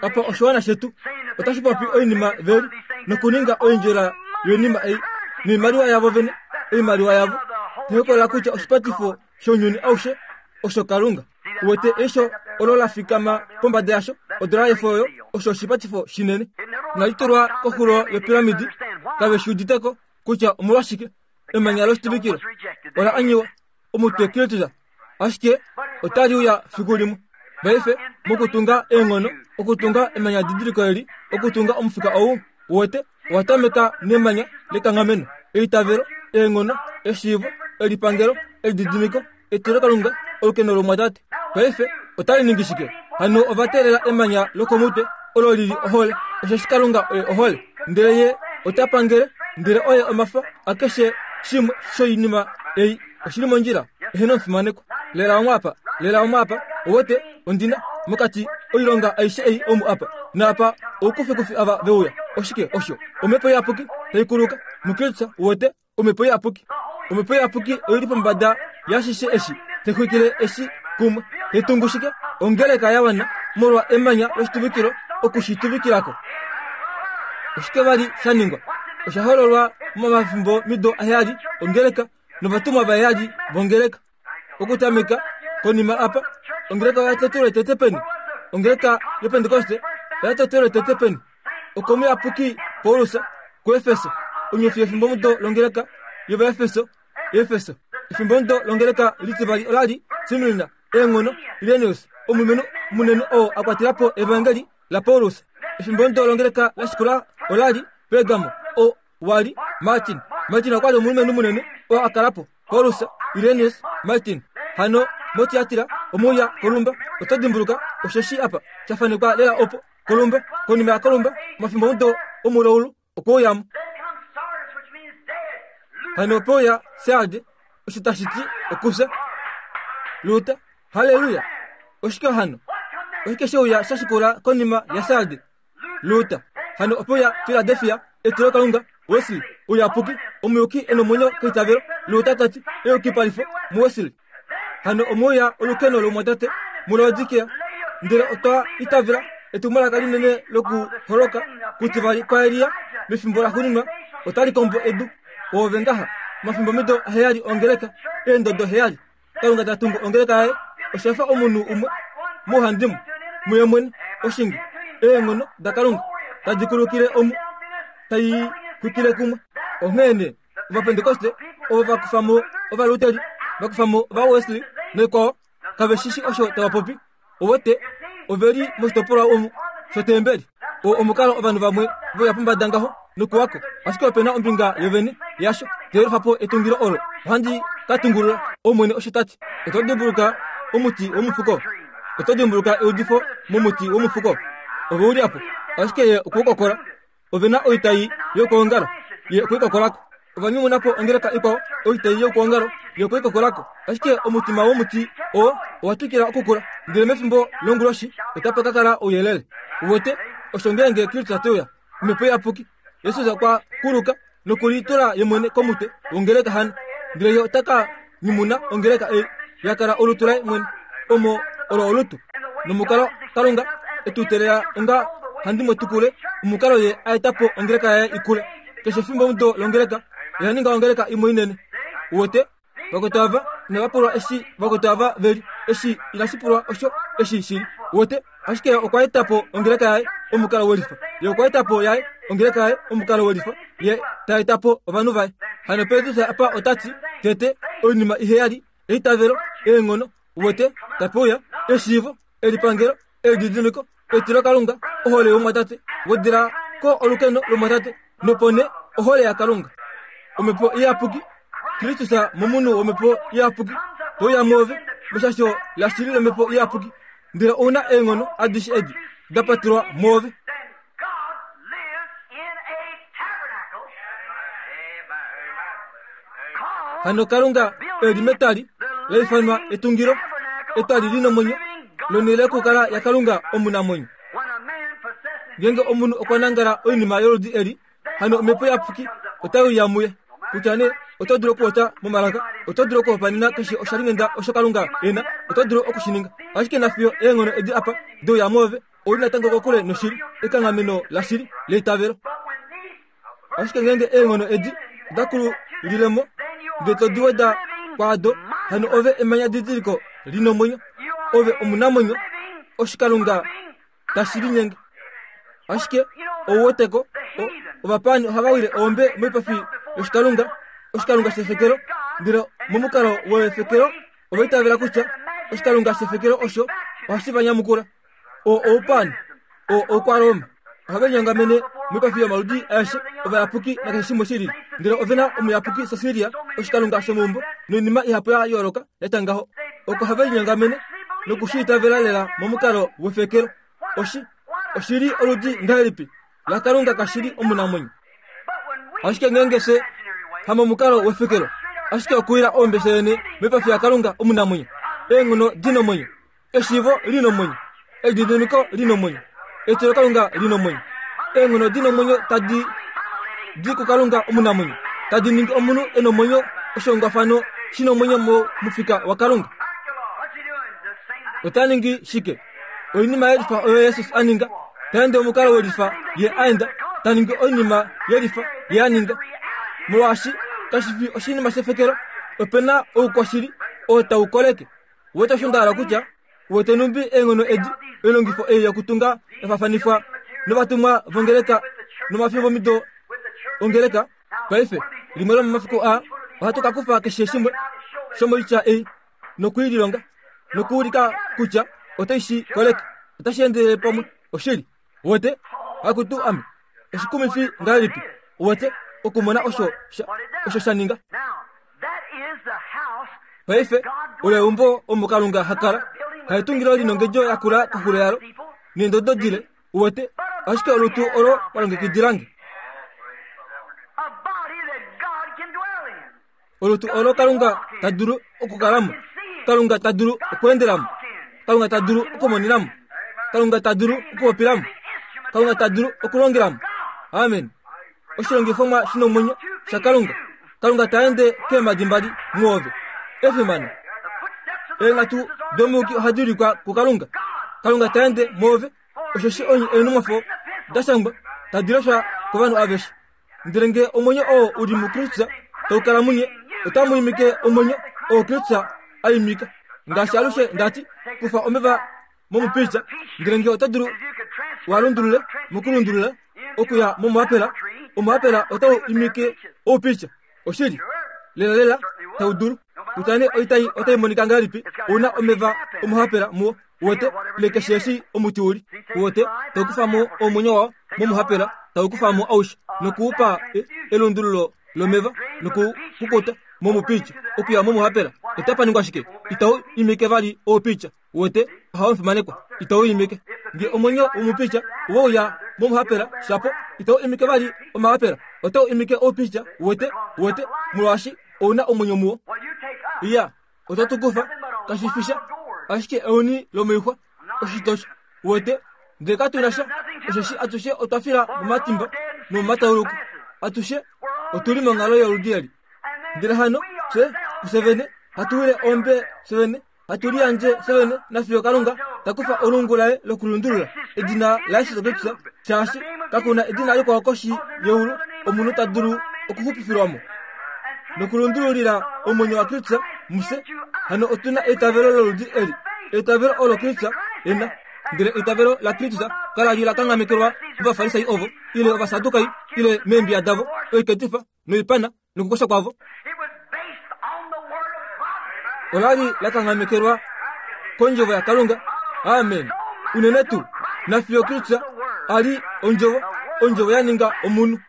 Apa oshiwana shetu otashi popi oinima veli nokuninga oindjela yoinima ei noimaliwa yavo vene, oimaliwa yavo tai hokolola kutya oshipatifo shounyuni aushe osho Kalunga. Uwete eisho olo la fikama pombada yasho, odola yefo oyo, osho oshipatifo shinene. Inali tulwa koxulo yopiramidi, kave shi udite ko kutya omolwashike emanya loshituvikilo ola anyiwa omutwe Kristus, ashike otali uya fiku limwe. Paife, mokutunga eenghono, okutunga emanya didiliko eli, okutunga omufika ou, uwete, owa tameka nemanya lekanghameno, eitavelo, eenghono, eshiivo, elipangelo, elididimiko, etilokalunga, olukeno lomwatate. Paife otali ningi shike? Hano ova teelela emanya lokomutwe, olo li li ohole, osheshi Kalunga oye ohole. Ndele Ye ota pangele, ndele oye omafa akeshe shimwe shoinima ei. Oshi li mondjila, eheno omufimanekwa. Lela omu apa, lela omu apa, owete, ondina, mokati, oilonga aishe ei omu apa. Naapa oukufikufi ava ve uya. Oshike osho? Omhepo Iyapuki tai kuluka muKristus, uwete, Omhepo Iyapuki. Omhepo Iyapuki oi li pombada yashishe eshi, tai xwikile eshi kumwe, tai tungu shike? Ongeleka ya wana molwa emanya loshituvikilo oku shi tuvikila ko. Oshike vali sha ningwa? Osha hololwa momafimbo mido aheyali ongeleka novatumwa vaheyali vongeleka. Okutameka konima apa, ongeleka oya totelwe tete peni? Ongeleka yOpentekoste oya totelwe tete peni? Okomuyapuki Paulus kuEfeso, onyofi yefimbomudo longeleka yOvaefeso, Efeso. Efimbomudo longeleka litivali ola li Smyrna, eenghono, Irenaeus, omulumenhu munene oo a kwatela po evangeli laPaulus. Efimbomudo longeleka la shikula ola li Pergamo, oo wa li Martin. Martin okwa li omulumenhu munene oo a kala po. Paulus, Irenaeus, Martin. Hano moTiatira omuuya kolumba, oto dimbuluka osheshi apa sha fanekwa lela opo kolumba, konima yakolumba, omafimbomudo omulaulu okwe uyamo. Hano ope uya Sarde, osho tashi ti okufya. Luther, halleluya! Oshike hano? Oshike she uya sha shikula konima yaSarde? Luther. Hano ope uya Filadelfia, etilokalunga, Wesley, ouyapuki, omuyuki e nomwenyo keitavelo, Luther ta ti, eyukipalifo muWesley. Hano omwe uya olukeno lomumwatate muLaodikea, ndele otwa itavela etumwalaka linene lokuholoka kutivali kwaElia mefimbo laxuuninwa otali kombo edu. Oove ngaha, omafimbomido aheyali ongeleka, eendodo heyali. Kalunga ta tungu ongeleka yaye, osha fa omunhu umwe mouhandimwe, muye mwene, oshinge, eenghono daKalunga tadi kulukile omu, tai xwikile kumwe. Onghee nee, Ovapentekoste ovo va kufa mo Ovaluteri, va kufa mo Ovawesley naikwao, kave shi shi osho tava popi. Owete, ove li moshitopolwa omu shotembeli. Oo omukalo ovanhu vamwe ve uya pombada ngaho nokuwako, ashike ope na ombinga yovene yasho tai lufa po etungilo olo. Ohandi ka tungulula, Omwene osho ta ti. Oto dimbuluka omuti womufuko? Oto dimbuluka eudifo momuti womufuko? Ove u li apo, ashike ye okwe u kokola. Ove na oitai yokwoongalo ye okwe i kokola ko. Ova nyumuna po ongeleka ikwao, oitai yokwoongalo. Ye okwe i kokola ko. Ashike omutima womuti oo owa twikila okukula, ndele mefimbo longuloshi otapa ka kala ouyelele. Uwete, osho ngeenge Kristus te uya, Omhepo Iyapuki, Jesus okwa kuluka nokulitula ye mwene komutwe wongeleka hano, ndele ye ota ka nyumuna ongeleka ei ya kala olutu laye mwene, omo olo olutu. Nomukalo Kalunga e tu teelela onga handi mo tukule, omukalo ye a eta po ongeleka yaye i kule. Keshe efimbo omudo longeleka oya ninga ongeleka imwe inene. Uwete? Vakwetu ava inava pulwa eshi vakwetu ava ve li, eshi inashi pulwa osho eshi shi li. Uwete? Ashike okwa eta po ongeleka yaye omukalo welifa. Ye okwa eta po yaye ongeleka yaye omukalo welifa. Ye ta eta po ovanhu vaye. Hano Petrus apa ota ti, tete, oinima iheyali, eitavelo, eenghono, uwete, tape uya, eshiivo, elipangelo, elididimiko, etilokalunga, ohole yomumwatate, wedela ko olukeno lomumwatate, nopo nee ohole yaKalunga. Omhepo Iyapuki, Kristus momunhu wOmhepo Iyapuki, te uya mwoove meshasho lashili lOmhepo Iyapuki, ndele ou na eenghono adishe edi da patelwa mwoove. Hano Kalunga e li metali la ifanwa etungilo, etali li nomwenyo, lonhele yokukala yaKalunga omunamwenyo. Ngeenge omunhu okwa nangala oinima yoludi eli, hano omhepo iyapuki otai uya muye. Kutya nee oto dulu okuota momalaka, oto dulu okuhopanena keshe oshalinghenda osho Kalunga e na, oto dulu oku shi ninga. Ashike nafiyo eenghono edi apa de uya mwoove, ou li natango kokule noshili, ekanghameno lashili leitavelo. Ashike ngeenge eenghono edi oda kululile mo, ndele to di weda kwaado, hano ove emanya didiliko li nomwenyo, ove omunamwenyo, oshikalunga tashi linyenge. Ashike ou wete ko, ovapaani ohava wile oombe moipafi yoshikalunga, oshikalunga shefekelo, ndele momukalo wefekelo ova itavela kutya oshikalunga shefekelo osho ohashi va nyamukula. Oo oupaani, oo oukwaroma. Ohave linyongamene moipafi yomaludi aeshe ovayapuki nakeshe shimwe shi lili, ndele ove na omuyapuki Cecilia, oshikalunga shomeumbo, noinima ihapu ya yooloka ya tya ngaho. Oko have linyongamene noku shi itavela lela momukalo wefekelo. Oshi, oshi li oludi ngahelipi laKalunga kashili omunamwenyo? Ashike ngeenge fye hamomukalo wefekelo, ashike okuwila oombe fye vene moipafi yaKalunga omunamwenyo, eenghono di nomwenyo, Eshiivo li nomwenyo, elididimiko li nomwenyo, etilokalunga li nomwenyo, eenghono di nomwenyo tadi di kuKalunga omunamwenyo, tadi ningi omunhu e nomwenyo oshihongwafano shi nomwenyo momufika waKalunga. Ota ningi shike? Oinima yelifa oyo Jesus a ninga, ta ende omukalo welifa ye a enda, ta ningi oinima yelifa ye a ninga. Molwaashi kashi fi oshinima shefekelo, ope na oukwashili oo tau koleke. Wete osho nda hala kutya, wete numbi eenghono edi, oilongifo ei yokutunga ya faafanifwa novatumwa vongeleka nomafimbomido ongeleka. Paife, limwe lomomafiku aa, ohatu ka kufa keshe shimwe shomoitya ei noku i lilonga, nokuulika kutya otai shi koleke. Otashi endelele pamwe. Oshili. Wete? Akutu ame. Oshikumifi ngahelipi, wete, okumona osho sha, osho sha ninga. Paife, olo eumbo omo Kalunga ha kala. Haetungilo linongedjo ya kula koxulo yalo, neendodo dile, uwete, ashike olutu olo wa longekidila nge. Olutu olo Kalunga ta dulu okukala mo, Kalunga ta dulu okweendela mo, Kalunga ta dulu okumonena mo, Kalunga ta dulu okupopila mo, Kalunga ta dulu okulongela mo. Amen. Oshilongifomwa shi nomwenyo shaKalunga. Kalunga ta ende keemhadi mbali muove. Efimano. Eenghatu domuyuki ohadi ulikwa kuKalunga. Kalunga ta ende muove, osheshi onye eenhumwafo da shangwa tadi leshwa kovanhu aveshe. Ndele nge omwenyo oo u li muKristus tau kala munye, otamu imike omwenyo oo Kristus a imika. Ngaashi alushe nda ti, kufa omeva momupilja, ndele nge oto dulu wa lundulule mokulundulula okuya momuapela, omuapela otau imike oupilja. Oshili, lelalela tau dulu. Kutya nee oitai otai monika ngahelipi, ou na omeva omuhapela muwo, uwete, ile keshe eshi omuti u li, uwete, tau kufa mo omwenyo wao momuhapela, tau kufa mo aushe noku u pa e, elundululo lomeva nokukukuta momupilja okuya momuhapela. Otapa ningwa shike? Itau imike vali oupilja. Uwete, ohau fimanekwa, itau imike. Nge omwenyo womupicha we uya momuhapela, shapo, itau imike vali omahapela, otau imike oupicha, uwete, uwete, molwaashi ou na omwenyo muwo. Iya, otatu kufa, kashi fi sha, ashike euni lomoixwa, oshitosho. Uwete? Ndele katu na sha, osheshi atushe otwa fila momatimba nomomatauluko. Atushe otu li monghalo yoludi eli. Ndele hano, fye, kufye vene, hatu wile ombe fye vene, hatu liyandje fye vene nafiyo Kalunga ta kufa olungu laye lokulundulula edina laJesus Kristus, shaashi kaku na edina likwao koshi yeulu omunhu ta dulu okuxupifilwa mo. Nokulundululila omwenyo waKristus mufye, hano otu na eitavelo loludi eli, eitavelo olo Kristus e na. Ndele eitavelo laKristus kala li la kanghamekelwa mOvafarisai ovo, ile Ovasadukai, ile meembiya davo, oiketifa noipana nokukosha kwavo. Ola li la kanghamekelwa kondjovo yaKalunga. Amen. Unene tuu nafiyo Kristus a li ondjovo, ondjovo ya ninga omunhu.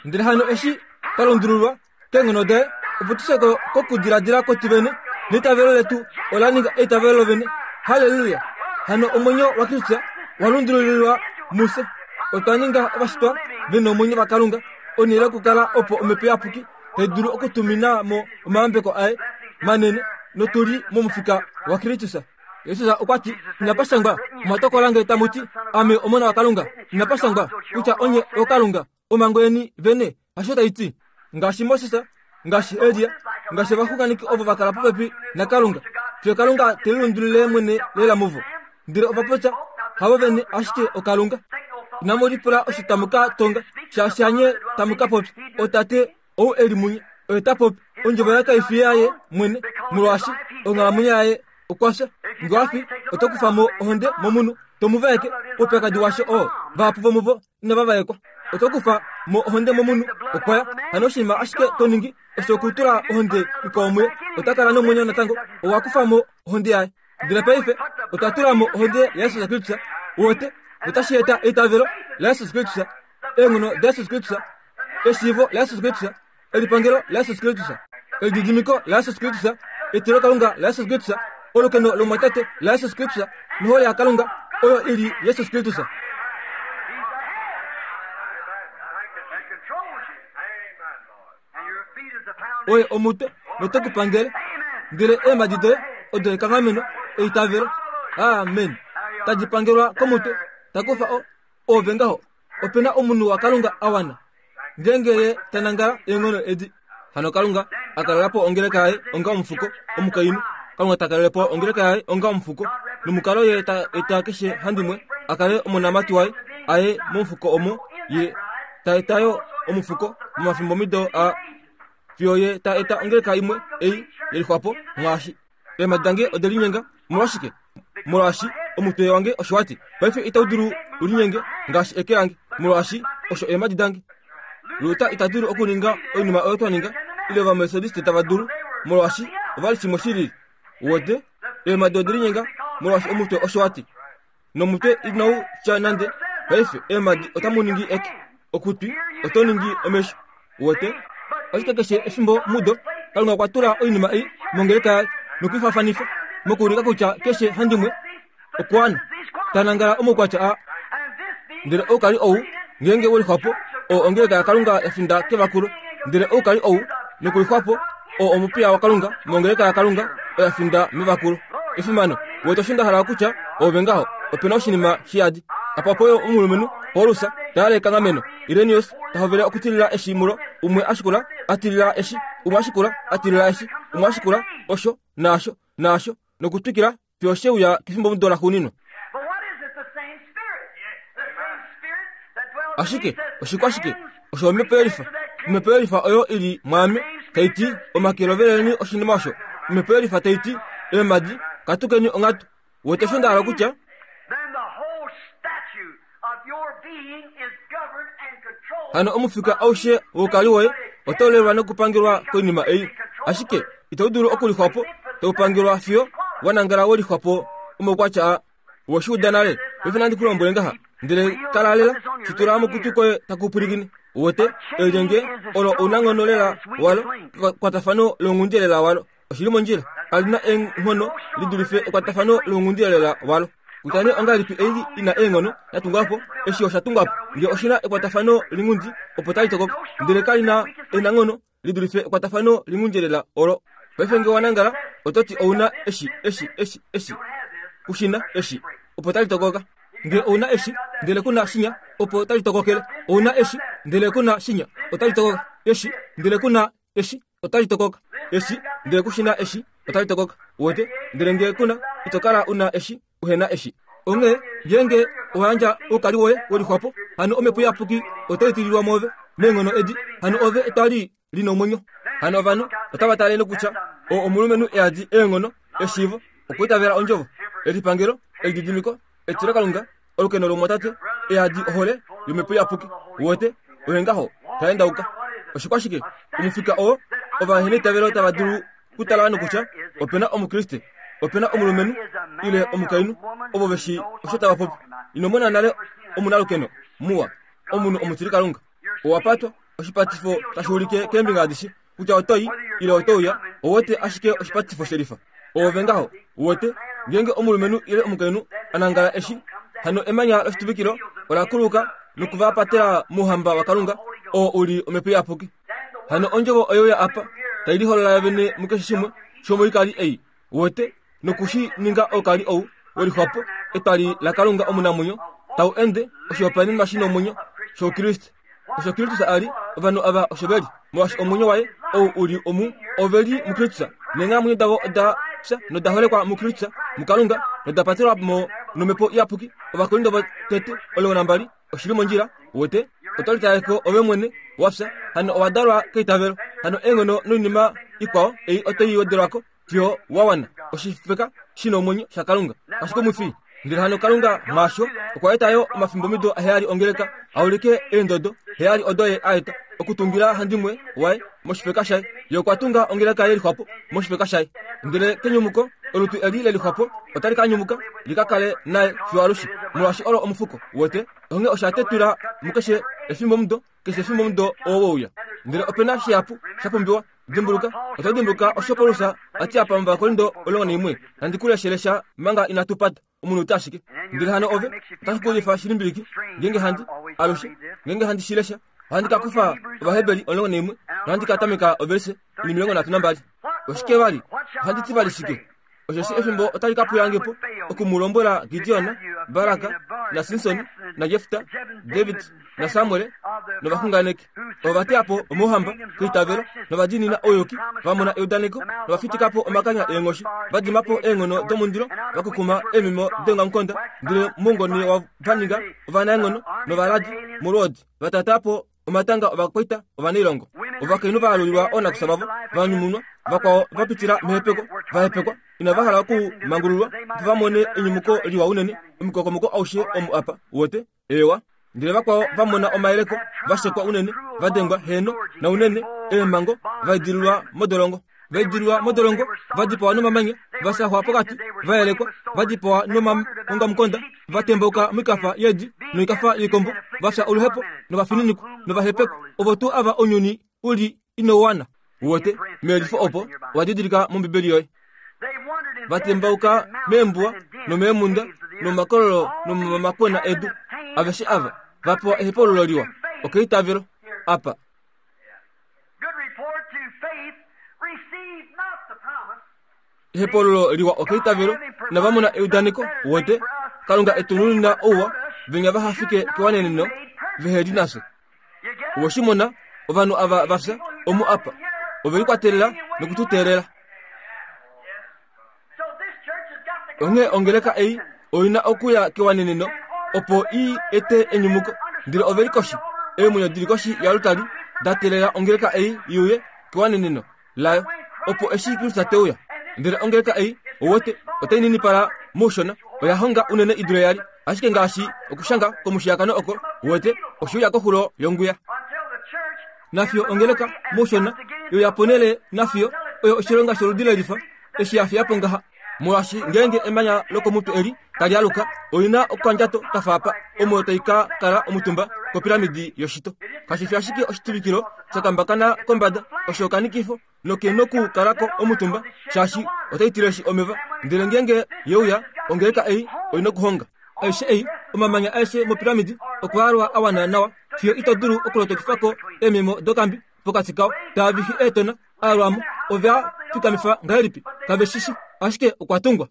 Ndele hano eshi twa lundululwa keenghono daye, opo tu fye kokudiladila kwetu vene, neitavelo letu ola ninga eitavelo lovene. Halleluya! Hano omwenyo waKristus wa lundululilwa mufye. Otwa ninga ovashitwa ve nomwenyo vaKalunga, onhele yokukala opo Omhepo Iyapuki tai dulu okutumina mo omayambeko aye manene, notu li momufika waKristus. Jesus okwa ti, Inapa shangwa, omwa tokola nge tamu ti, Ame Omona waKalunga. Inapa shangwa kutya onye ookalunga. Omhango yeni vene hasho tai ti, ngaashi Moses, ngaashi Elia, ngaashi ovaxunganeki ovo va kala popepi naKalunga, fiyo Kalunga te lilundulile mwene lela muvo. Ndele ova popya havo vene ashike oKalunga. Inamu lipula osho tamu ka tonga, shaashi hanye tamu ka popya. Otate ou e li munye oye ta popi. Ondjovo yaye kai fi yaye mwene, molwaashi onghalamwenyo yaye okwa fya. Nge wa fi, oto kufa mo ohonde momunhu, to mu vaeke oupyakadi washo oo. Vahapu vomuvo inava vaekwa. Oto kufa mo ohonde momunhu, okwa ya. Hano oshinima ashike to ningi osho okutula ohonde ikwao muye, ota kala nomwenyo natango. Owa kufa mo ohonde yaye. Ndele paife otwa tula mo ohonde yaJesus Kristus, uwete, notashi eta eitavelo laJesus Kristus, eenghono daJesus Kristus, eshiivo laJesus Kristus, elipangelo laJesus Kristus, elididimiko laJesus Kristus, etilokalunga laJesus Kristus, olukeno lomwatate laJesus Kristus nohole yaKalunga oyo i li Jesus Kristus. Oye omutwe note ku pangele, ndele eemhadi doye odo ekanghameno eitavelo. Amen. Tadi pangelwa komutwe, ta kufa o ove ngaho. Ope na omunhu waKalunga a wana, ngeenge ye ta nangala eenghono edi. Hano Kalunga a kalela po ongeleka yaye onga omufuko, omukainhu. Kalunga ta kalele po ongeleka yaye onga omufuko, nomukalo ye ta eta keshe handimwe a kale omonamati waye a ye momufuko omo ye ta eta yo omufuko momafimbomido a fiyo ye ta eta ongeleka imwe ei yelixwapo mwaashi. Eemhadi dange ode linyenga. Omolwashike? Molwaashi omutwe wange osho wa ti. Paife itau dulu u linyenge ngaashi eke lange, molwaashi osho eemhadi dange. Luther ita dulu okuninga oinima oyo twa ninga, ile Ovametodiste tava dulu, molwaashi ova li shimwe shi lili. Uwete? Eemhadi ode linyenga molwaashi omutwe osho wa ti. Nomutwe inau tya nande, Paife eemhadi otamu ningi eke, okutwi oto ningi omesho. Uwete? Ashike keshe efimbo mudo, Kalunga okwa tula oinima ei mongeleka yaye nokuifaafanifa, mokuulika kutya keshe handimwe okwa ta nangala omaukwatya aa. Ndele oukali ou, ngeenge we lixwapo, oo ongeleka yaKalunga ya finda kevakulo. Ndele oukali ou nokulixwapo, oo omupiya waKalunga mongeleka yaKalunga oya finda mevakulo. Efimano! Wete osho nda hala okutya? Oove ngaho, ope na oshinima shiyadi. Apa opo yo omulumenhu, Paulus, ta yale ekanghameno. Irenaeus ta hovele okutilila eshi mulo, umwe a shikula, a tilila eshi, umwe a shikula, a tilila eshi, umwe a shikula, osho, naasho, naasho, nokutwikila fiyo she uya kefimbomudo laxuuninwa. Ashike oshikwashike osho omhepo yelifa? Omhepo yelifa oyo i li mwaame tai ti, Omake loveleni oshinima osho. Omhepo yelifa tai ti, Eemhadi, katukeni onghatu. Wete osho nda hala okutya? Hano omufika aushe woukali woye otau lelwa nokupangelwa koinima ei, ashike itau dulu okulixwapo, tau pangelwa fiyo wa nangala we lixwapo omaukwatya a Owe shi uda nale, paife nandi ku lombwele ngaha, ndele kala lela, shi tula mokutwi koye taku pwilikine. Uwete, elyenge olo ounanghono lela walo, ekwatafano lounghundi lela walo. Oshi li mondjila. Kali na eenghono li dulife ekwatafano lounghundi lela walo. Kutya nee ongahelipi ei i na eenghono ya tungwa po, eshi osha tungwa po. Nge oshi na ekwatafano linghundi, opo tali tokoka. Ndele kali na enanghono li dulife ekwatafano linghundi olo. Paife nge wa nangala, oto ti ou na eshi, eshi, eshi, eshi. Ku shi na, eshi. Opo tali tokoka. Nge ou na eshi, ndele ku na shinya, opo tali tokokele. Ou na eshi, ndele ku na shinya, otali tokoka. Eshi, ndele ku na eshi, otali tokoka. Eshi, ndele ku shi na eshi, otali tokoka. Uwete? Ndele nge ku na, ito kala u na eshi, uhe na eshi. Onghee, ngeenge owa yandja oukali woye welixwapo, hano Omhepo Iyapuki otai tililwa mwoove, meenghono edi, hano ove etwali li nomwenyo. Hano ovanhu otava tale nokutya, oo omulumenhu e yadi eenghono, eshiivo, okwiitavela ondjovo, elipangelo, elididimiko, etilokalunga, olukeno lomumwatate, e yadi ohole yOmhepo Iyapuki. Uwete, oye ngaho ta endauka. Oshikwashike? Omufika oo ovaheneitavelo tava dulu kutala nokutya ope na Omukriste, ope na omulumenhu ile omukainhu ovo ve shii osho tava popi. Ino mona nale omunalukeno muwa, omunhu omutilikalunga. Owa patwa, oshipatifo tashi ulike keembinga adishe kutya oto i ile oto uya, ou wete ashike oshipatifo shelifa. Oove ngaho, uwete, ngeenge omulumenhu ile omukainhu a nangala eshi, hano emanya loshituvikilo ola kuluka noku va patela mouhamba waKalunga, oo u li Omhepo Iyapuki. Hano ondjovo oye uya apa, tai liholola yovene mukeshe shimwe shomoikali ei, uwete, noku shi ninga oukali ou welixwapo, etwali laKalunga omunamwenyo, tau ende, oshihopaenenwa shi nomwenyo shOukriste. Osho Kristus a li, ovanhu ava osho ve li, molwaashi omwenyo waye ou u li omu, ove li muKristus, neenghalamwenyo davo oda fya noda holekwa muKristus, muKalunga, noda patelwa mo nOmhepo Iyapuki. Ovakorinto votete 12 oshi li mondjila, uwete. Oto litale ko ove mwene, wa fya, hano owa dalwa keitavelo. Hano eenghono noinima ikwao ei oto i wedelwa ko fiyo wa wana oshifeka shi nomwenyo shaKalunga. Ashike omufi. Ndele hano Kalunga mwaasho okwa eta yo omafimbomido aheyali ongeleka a ulike eendodo heyali odo ye a eta okutungila handimwe waye moshifeka shaye. Ye okwa tunga ongeleka ye lixwapo moshifeka shaye. Ndele kenyumuko olutu eli le lixwapo otali ka nyumuka li ka kale naye fiyo alushe, molwaashi olo omufuko. Uwete? Onghee osha tetula mukeshe efimbomudo, keshe efimbomudo oo we uya. Ndele ope na shihapu sha pumbiwa. Dimbuluka, oto dimbuluka osho Paulus a ti apa mOvakorinto 11, Nandi ku leshele sha manga inatu pata, omunute ashike. Ndele hano ove, otashi ku lifa shilimbiliki, ngeenge handi, alushe, ngeenge handi shi lesha, ohandi ka kufa Ovaheberi 11 nohandi ka tameka ovelise 32. Oshike vali? Ohandi ti vali shike? Osheshi efimbo otali ka pwilange po oku mu lombwela Gideon, Barak naSimson naJefta, David naSamuel novaxunganeki. Ovo va teya po omauhamba keitavelo nova diinina ouyuki, va mona eudaneko nova fitika po omakanya eenghoshi, va dima po eenghono domundilo, va kukuma eemhimo deongamukonda, ndele moungone va ninga ovanaenghono novaladi molwoodi, va taataa po omatanga ovakwaita ovanailongo. Ovakainhu va alulilwa oonakufya vavo, va nyumunwa, vakwao va pitila mehepeko, va hepekwa, inava hala okumangululwa, opo va mone enyumuko liwa unene, omukokomoko aushe omu apa, uwete, eewa. Ndele vakwao va mona omayeleko, va shekwa unene, va dengwa, heeno, naunene, eemhango, va idililwa modolongo. Va idililwa modolongo, va dipawa nomamanya, va saxwa pokati, va yelekwa, va dipawa nomaongamukonda, va tembauka moikafa yeedi noikafa yoikombo, va fya oluhepo novafininikwa novahepekwa, ovo tuu ava ounyuni u li inau wana. Uwete, meyelifo opo owa didilika mOmbibeli yoye. Va tembauka meembuwa nomeemhunda nomomakololo nomomakwena edu, aveshe ava va pewa ehepaululo liwa okeitavelo apa. Ehepaululo liwa okeitavelo inava mona eudaneko, uwete, Kalunga e tu nunina ouwa, venya vaha fike kewaneneno vehe li nafye. Owe shi mona, ovanhu ava va fya omu apa, ove likwatelela noku tu teelela. Onghee ongeleka ei oi na okuya kewaneneno opo i ete enyumuko. Ndele ove li koshi, eemwenyo di li koshi yalutali da teelela ongeleka ei i uye kewaneneno layo, opo eshi Kristus te uya. Ndele ongeleka ei, ouwete, otai ninipala moushona, oya honga unene i dule yali. Ashike ngaashi okushanga komushiyakano oko, uwete, oshe uya koxulo yongwiya. Nafiyo ongeleka moushona yo ya ponele nafiyo oyo oshilonga sholudi lelifa eshi ya fiya po ngaha. Molwaashi ngeenge emanya lokomutwe eli tali aluka, oli na okandjato ka fa apa, omo tai ka kala omutumba. kopiramidi yoshito. Kashi fi ashike oshituvikilo sha kambakana kombada, osho okanikifo noke nokukala ko omutumba, shaashi otai tileshi omeva. Ndele ngeenge ye uya, ongeleka ei oi nokuhonga. Aishe ei, omamanya aeshe mopiramidi okwa alwa a wana nawa fiyo ito dulu okulotokifa ko eememo dokambi pokati kao. Taa vihi eetona, a yalwa mo. Ove a fikamifa ngahelipi? Kave shi shi, ashike okwa tungwa.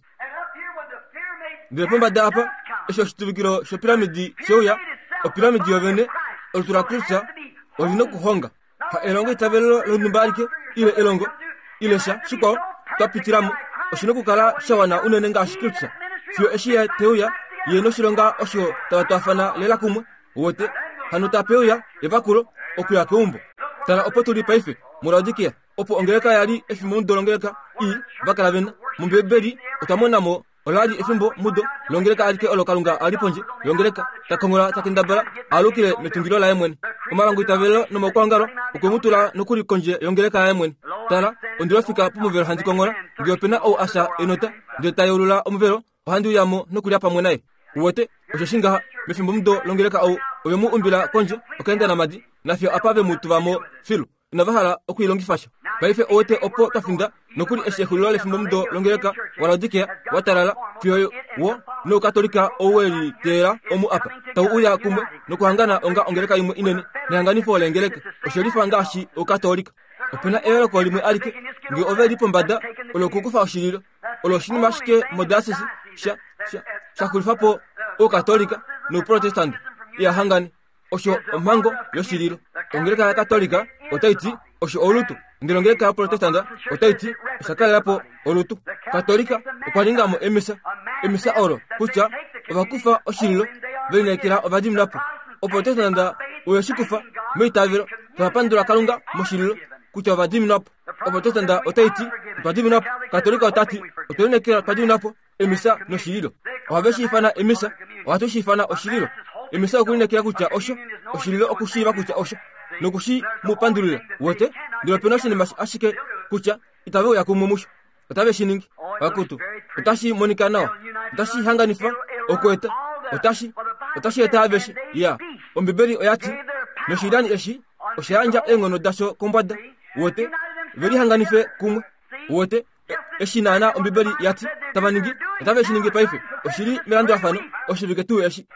Ndele pombada apa, eshi oshituvikilo shopiramidi she uya, opiramidi yovene, olutu laKristus, oli nokuhonga. Ha elongo itavelelo lonhumba alike, ile elongo, ile sha shikwao twa pitila mo, oshi nokukala sha wana unene ngaashi Kristus, fiyo eshi Ye te uya, Ye noshilonga osho tava twaafana lela kumwe. Uwete? Hano tape uya evakulo okuya keumbo. Tala opo tu li paife, muLaodikia, opo ongeleka ya li efimbomudo longeleka i va kala ve na. MOmbibeli otwa mona mo ola li efimbo mudo longeleka alike olo Kalunga a li pondje yongeleka, ta kongola ta kendabala a alukile metungilo laye mwene. Omalongoitavelo nomaukwaongalo okwe mu tula nokuli kondje yongeleka yaye mwene. Tala, ondi lofika pomuvelo handi kongola, nge ope na ou a fya enota, ndele ta yeulula omuvelo, ohandi uya mo nokulya pamwe naye. Uwete, osho shi ngaha, mefimbomudo longeleka ou, ove mu umbila kondje, okaenda namadi, nafiyo apa ve mu tuva mo filu. Inava hala oku i longifa sha. Paife owete opo twa finda, nokuli eshi exulilo lefimbomudo longeleka waLaodikea wa talala, fiyo wo nOukatolika ou we li teela omu apa, tau uya kumwe nokuhangana onga ongeleka imwe inene nehanganifo leengeleka. Oshe lifa ngaashi Oukatolika. Ope na eyooloko limwe alike, nge ove li pombada, olo okukufa oshililo. Olo oshinima ashike modiocese sha, sha, sha xulifa po Oukatolika nOuprotestante iha hangane. Osho omhango yoshililo. Ongeleka yaKatolika otai ti osho olutu, ndele ongeleka yaProtestanta otai ti osha kalela po olutu. Katolika okwa ninga mo emisa, emisa olo kutya ova kufa oshililo ve lineekela ova dimina po. Oprotestanta oye shi kufa meitavelo, tava pandula Kalunga moshililo kutya ova diminwa po. Oprotestanta otai ti otwa diminwa po. Katolika ota ti otwe lineekela otwa diminwa po. Emisa noshililo. Ohave shi ifana emisa, ohatu shi ifana oshililo. Emisa okulineekela kutya osho, oshililo okushiiva kutya osho, noku shi mu pandulila. Wete? Ndele ope na oshinima ashike kutya itave uya kumwe musho. Otave shi ningi. Akutu, otashi monika nawa. Otashi hanganifa okueta. Otashi, otashi eta aveshe. Ya. Ombibeli oya ti, Noshilani eshi osha yandja eenghono dasho kombwada. Wete? Ve lihanganife kumwe. Wete? Eshi naana Ombibeli ya ti tava ningi, otave shi ningi paife. Oshi li melandulafano, oshivike tuu eshi.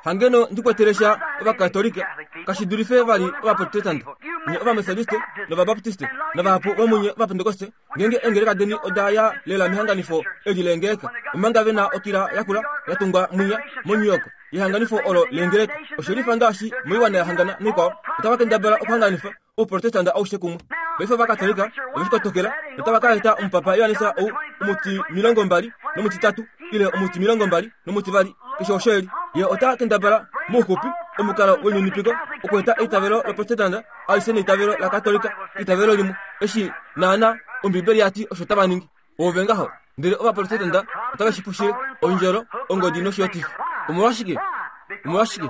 Hangeno ndi kwetele sha Ovakatolika, kashi dulife vali Ovaprotestante, nye Ovametodiste nOvabaptiste, navahapu vomunye Ovapentekoste, ngeenge eengeleka deni oda ya lela mehanganifo eli leengeleka, omanga ve na okila yakula ya tungwa mwinya moNew York yehanganifo olo leengeleka. Oshe lifa ngaashi moiwana ya hangana naikwao, otava kendabala okuhanganifa Ouprotestante aushe kumwe. Paife Ovakatolika ove shi kotokela notava ka eta omupapa Johannes ou omutimilongombali nomutitatu ile omutimilongombali nomutivali, keshe osho e li. Ye ota kendabala mouxupi omukalo weninipiko okueta eitavelo loProtestante alishe neitavelo laKatolika eitavelo limwe, eshi naana Ombibeli ya ti osho tava ningi. Ove ngaho. Ndele Ovaprotestante otave shi pushile ondjolo, ongodi noshiyotifi. Omolwashike? Omolwashike?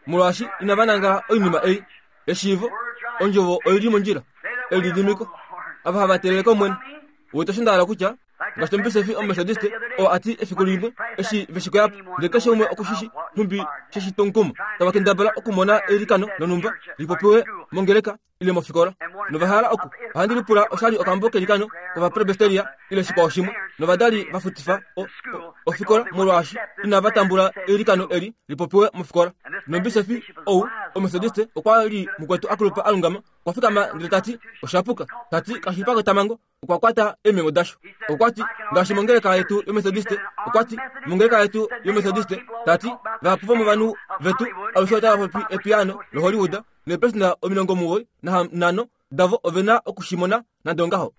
Molwaashi inava nangala oinima ei. Eshiivo, ondjovo oi li mondjila. Elididimiko, ava hava teelele kOmwene. Wete osho nda hala kutya? Ngaashi omubisofi Omumethodiste oo a ti efiku limwe eshi ve shi koya po, ndele keshe umwe oku shi shi nhumbi she shi tomukumo, tava kendabala okumona eilikano lonhumba li popiwe mongeleka ile mofikola. Nova hala oku, ohandi lipula osha li okambo kelikano kOvapresbiteria ile shikwao shimwe, novadali va futifa o, o, ofikola molwaashi inava tambula eilikano eli li popiwe mofikola. Nomubisofi ou Omethodiste okwa li mukwetu a kulupa a lungama, okwa fikama ndele ta ti, Osha puka. Ta ti, Kashi li pakotamhango. Okwa kwata eemhengo dasho. Okwa ti, Ngaashi mongeleka yetu yOmethodiste, okwa ti, mongeleka yetu yOmethodiste, ta ti, vahapu vomovanhu vetu alushe otava popi epiyaano loHollywood, neepersenda 95 davo ove na oku shi mona nande ongaho.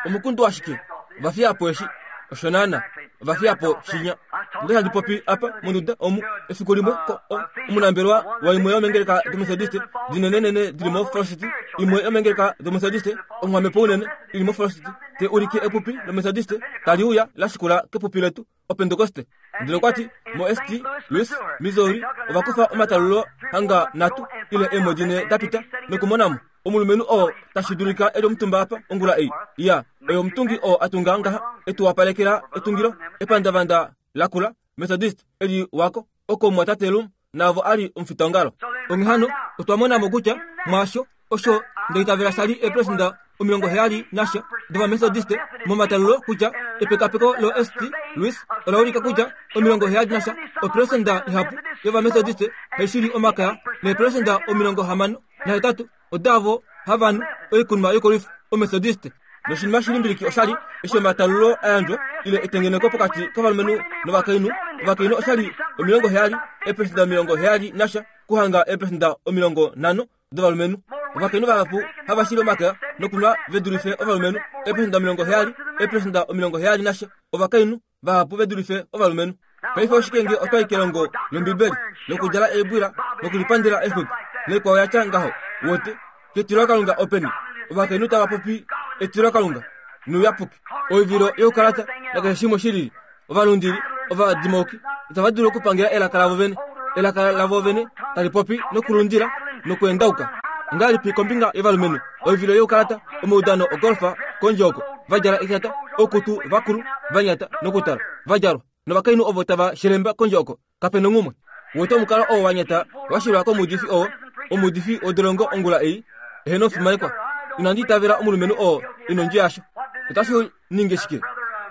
Omukundu washike? Ova fiya po eshi. Osho naana. Ova fiya po shinya. Onda handi popi apa monduda omu efiku limwe ko o, omunambelewa waimwe yomengeleka domethodiste dinenenene dili moFalls City, imwe yomengeleka domethodiste onghwamepo unene ili moFalls City, te ulike epupi lomethodiste tali uya la shikula kepupi letu. Opentekoste. Ndele okwa ti, moSt. Louis, Missouri, ova kufa omatalulo hanga nhatu ile eemwedi nhe da pita, nokumona mo omulumenhu oo tashi dulika e li omutumba apa ongula ei. Ya, oye omutungi oo a tunga ngaha, e tu wapalekela etungilo, epandavanda lakula, Methodist, e li wako, oko omumwatate Lum. naavo a li omufitaongalo. Onghee hano, otwa mona mo kutya mwaasho osho nda itavela sha li eeperesenda 70 nasha dOvametodiste momatalulo kutya epekapeko loSt. Louis ola ulika kutya 70 nasha operesenda ihapu yOvametodiste hai shili omakaya neeperesenda 68 odaavo hava nu oikunwa yokolwifa Ometodiste. Noshinima shilimbiliki osha li eshi omatalulo a yandjwa ile etengeneko pokati kovalumenhu novakainhu, ovakainhu osha li 70 eeperesenda 70 nasha kuhanga eeperesenda 50 dovalumenhu. Ovakainhu vahapu hava shili omakaya nokunwa ve dulife ovalumenhu, eeperesenda 70, eeperesenda 70 nasha ovakainhu vahapu ve dulife ovalumenhu. Paife oshike nge otwa i kelongo lOmbibeli nokudjala eebwila nokulipandela eexwiki naikwao ya tya ngaho? Wote, ketilokalunga openi ovakainhu tava popi etilokalunga nouyapuki, oivilo youkalata nakeshe shimwe shi lili? Ovalundili ovadimouki itava dulu okupangela elaka lavo vene, elaka lavo vene tali popi nokulundila nokweendauka. Ongahelipi kombinga yovalumenhu? Oivilo youkalata, omaudano ogolfa kondje oko, va djala etata, oukutu vakulu, va nyata nokutala, va djalwa, novakainhu ovo tava shelemba kondje oko, kape nonghumwe. Wete omukalo oo wa nyata wa shilwa komuudifi oo, omuudifi wodolongo ongula ei, eheno omufimanekwa. Inandi itavela omulumenhu oo e nondjo yasho. Otashi ninge shike?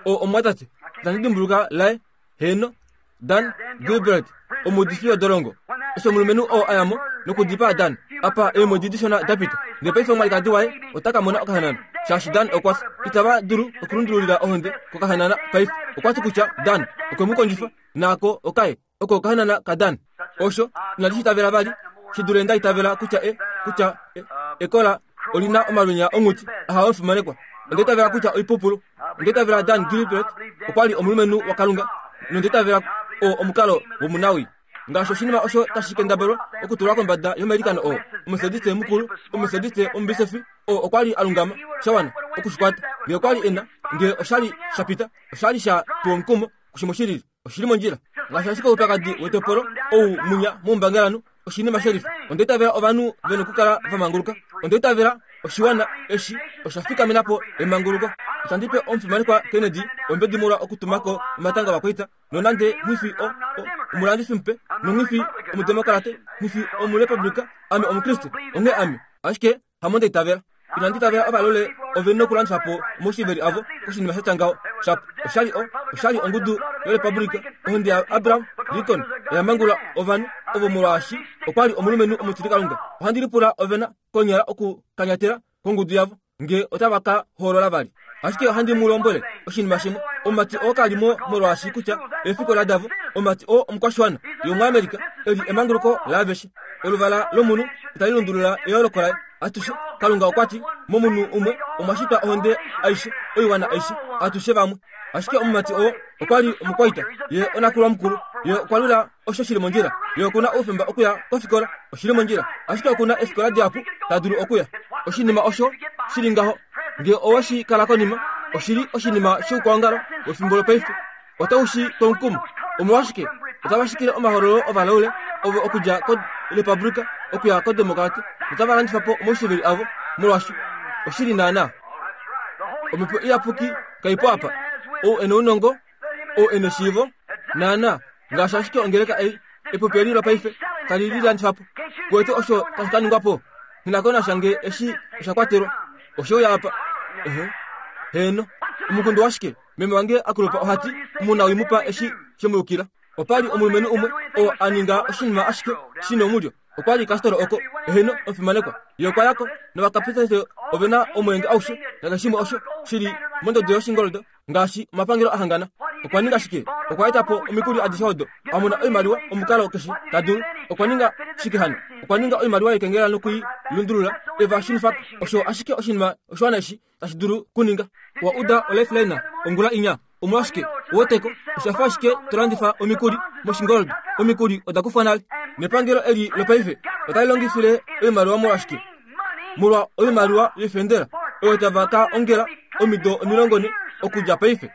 O, omumwatate, itandi dimbuluka laye, heeno, Dan Gilbert, omuudifi wodolongo. Eshi omulumenhu oo a ya mo nokudipaa Dan, apa eemwedi dishona da pita, ndele paife omwalikadi waye ota ka mona okahanana, shaashi Dan okwa fya. Itava dulu okulundululila ohonde kokahanana paife. Okwa ti kutya Dan okwe mu kondjifa, naako okaye, oko okahanana kaDan. Osho inandi shi itavela vali, shi dule nda itavela kutya e, kutya e, ekola oli na omalwenya onghuti aha omufimanekwa. Onda itavela kutya oipupulu. Onda itavela Dan Gilbert okwa li omulumenhu waKalunga, nonda itavela oo omukalo womunawii. Ngaashi oshinima osho tashi kendabelwa okutulwa kombada yomailikano oo, Omumetodiste mukulu, Omumetodiste omubisofi, oo okwa li a lungama sha wana oku shi kwata. Nge okwa li e na, nge osha li sha pita, osha li sha tuwa omukumo kushimwe shilili. Oshi li mondjila. Ngaashi ashike oupyakadi wetopolo ou munya moumbangalanhu, oshinima shelifa. Onda itavela ovanhu ve nokukala va manguluka. Onda itavela oshiwana eshi osha fikamena po emanguluko. Itandi pe omufimanekwa Kennedy ombedi molwa okutuma ko omatanga ovakwaita, nonande nghi fi o, o, omulandifi mupe, nonghi fi omudemokarate, nghi fi omurepublika, ame Omukriste, onghee ame, ashike Hamo nda itavela. Inandi itavela ovalole ove nokulandifa po omaushiiveli avo koshinima sha tya ngaho. Shapo, osha li o, osha li ongudu yorepublika, ohonde yaAbraham Lincoln oya mangulula ovanhu ovo molwaashi okwa li omulumenhu omutilikalunga. Ohandi lipula ove na konyala okukanyatela kongudu yavo nge otava ka hoolola vali. Ashike ohandi mu lombwele oshinima shimwe, omumati oo ka li mo molwaashi kutya eefikola davo, omumati oo omukwashiwana yomuAmerica e li emanguluko laaveshe. Oluvala lomunhu itali lundulula eyooloko laye. Atushe, Kalunga okwa ti, momunhu umwe omwa shitwa ohonde aishe, oiwana aishe, atushe vamwe. Ashike omumati oo okwa li omukwaita, ye onakulwa mukulu, ye okwa lwila osho shi li mondjila. Ye oku na oufemba okuya kofikola, oshi li mondjila, ashike oku na eefikola dihapu ta dulu okuya. Oshinima osho shi li ngaho, nge owe shi kala konima, oshi li oshinima shoukwaongalo wefimbo lopaife. Otau shi tomukumo. Omolwashike otava shikile omahololo ovalaule ovo okudja korepublika okuya kodemokrati notava landifa po omaushiveli avo molwasho oshi li naanaa. Omhepo Iyapuki kai po apa. Ou e nounongo, ou e neshiivo, naanaa ngaashi ashike ongeleka ei, epupi eli lopaife tali lilandifa po. Kuwete osho tashi ka ningwa po? Nghi na ko nasha nge eshi osha kwatelwa. Oshe uya apa. Ehe. Heeno. Omukundu washike? Meme wange a kulupa oha ti, Omunawii mu pa eshi she mu yukila. Opa li omulumenhu umwe oo a ninga oshinima ashike shi nomulyo. Okwa li kastolo oko, eheno, omufimanekwa. Ye okwa ya ko, novakapitaste ove na omweenge aushe nakeshe osho shi li mondodo yoshingoldo, ngaashi omapangelo a hangana. Okwa ninga shike? Okwa eta po omikuli adishe odo, a mona oimaliwa omukalo keshe ta dulu. Okwa ninga shike hano? Okwa ninga oimaliwa yekengela noku i lundulula, e va shunifa ko. Osho ashike oshinima oshiwana eshi tashi dulu kuninga. Wa uda oLifeline ongula inya? Omolwashike, uweteko, osha fa ashike to landifa omikuli moshingoldo. Omikuli oda kufwa nale. Nepangelo eli lopaife otali longifile oimaliwa molwashike? Molwa oimaliwa yoifendela oyo tava ka ongela omido 40 okudja paife.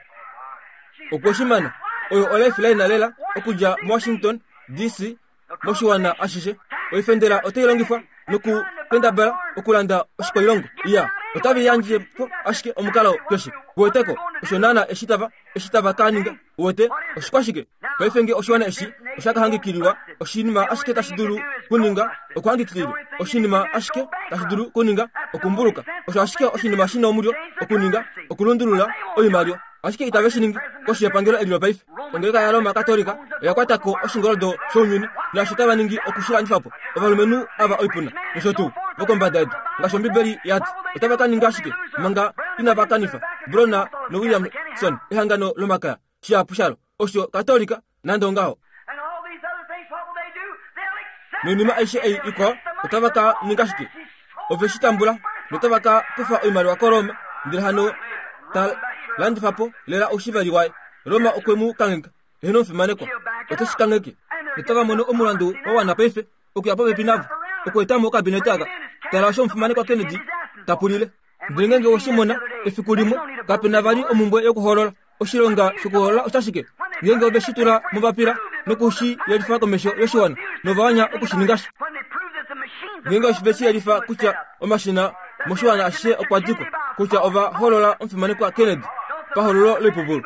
Okwe shi mana. Oyo oLifeline lela okudja moWashington, DC, moshiwana ashishe. Oifendela otai longifwa nokukendabala okulanda oshikwailongo. Iya, otave yandje po ashike omukalo keshe. Kuweteko, osho naana eshi tava. eshi tava ka ninga. Uwete, oshikwashike? Paife nge oshiwana eshi osha ka hangikililwa, oshinima ashike tashi dulu kuninga okuhangikililwa. Oshinima ashike tashi dulu kuninga okumbuluka. Osho ashike oshinima shi na omulyo okuninga, okulundulula oimaliwa. Ashike itave shi ningi koshi yepangelo eli lopaife. Ongeleka yaRoma Katolika oya kwata ko oshingoldo shounyuni, naasho tava ningi oku shi landifa po. Ovalumenhu ava oipuna, nosho tuu, vokombada yedu, ngaashi Ombibeli ya ti, otava ka ninga ashike manga inava kanifa Brona noWilliamson, ehangano lomakaya, shihapu shalo, osho Katolika, nande ongaho. Noinima aishe ei ikwao otava ka ninga shike? Ove shi tambula notava ka kufa oimaliwa koRoma, ndele hano ta landifa po lela oushiveli waye. Roma okwe mu kangheka. Eheno omufimanekwa, ote shi kangheke. Notava mono omulandu wa wana paife okuya popepi navo, okueta mo okabinete aka. Tala osho omufimanekwa Kennedy ta pulile. Ndele ngeenge owe shi mona, efiku limwe, kape na vali omumbwe yokuhoolola. Oshilonga shokuhoolola oshashike? Ngeenge ove shi tula mobapila noku shi yelifa komesho yoshiwana, nova anya oku shi ninga sha. Ngeenge ove shi yelifa kutya omashina moshiwana ashishe okwa dikwa, kutya ova hoolola omufimanekwa Kennedy pahoololo loipupulu.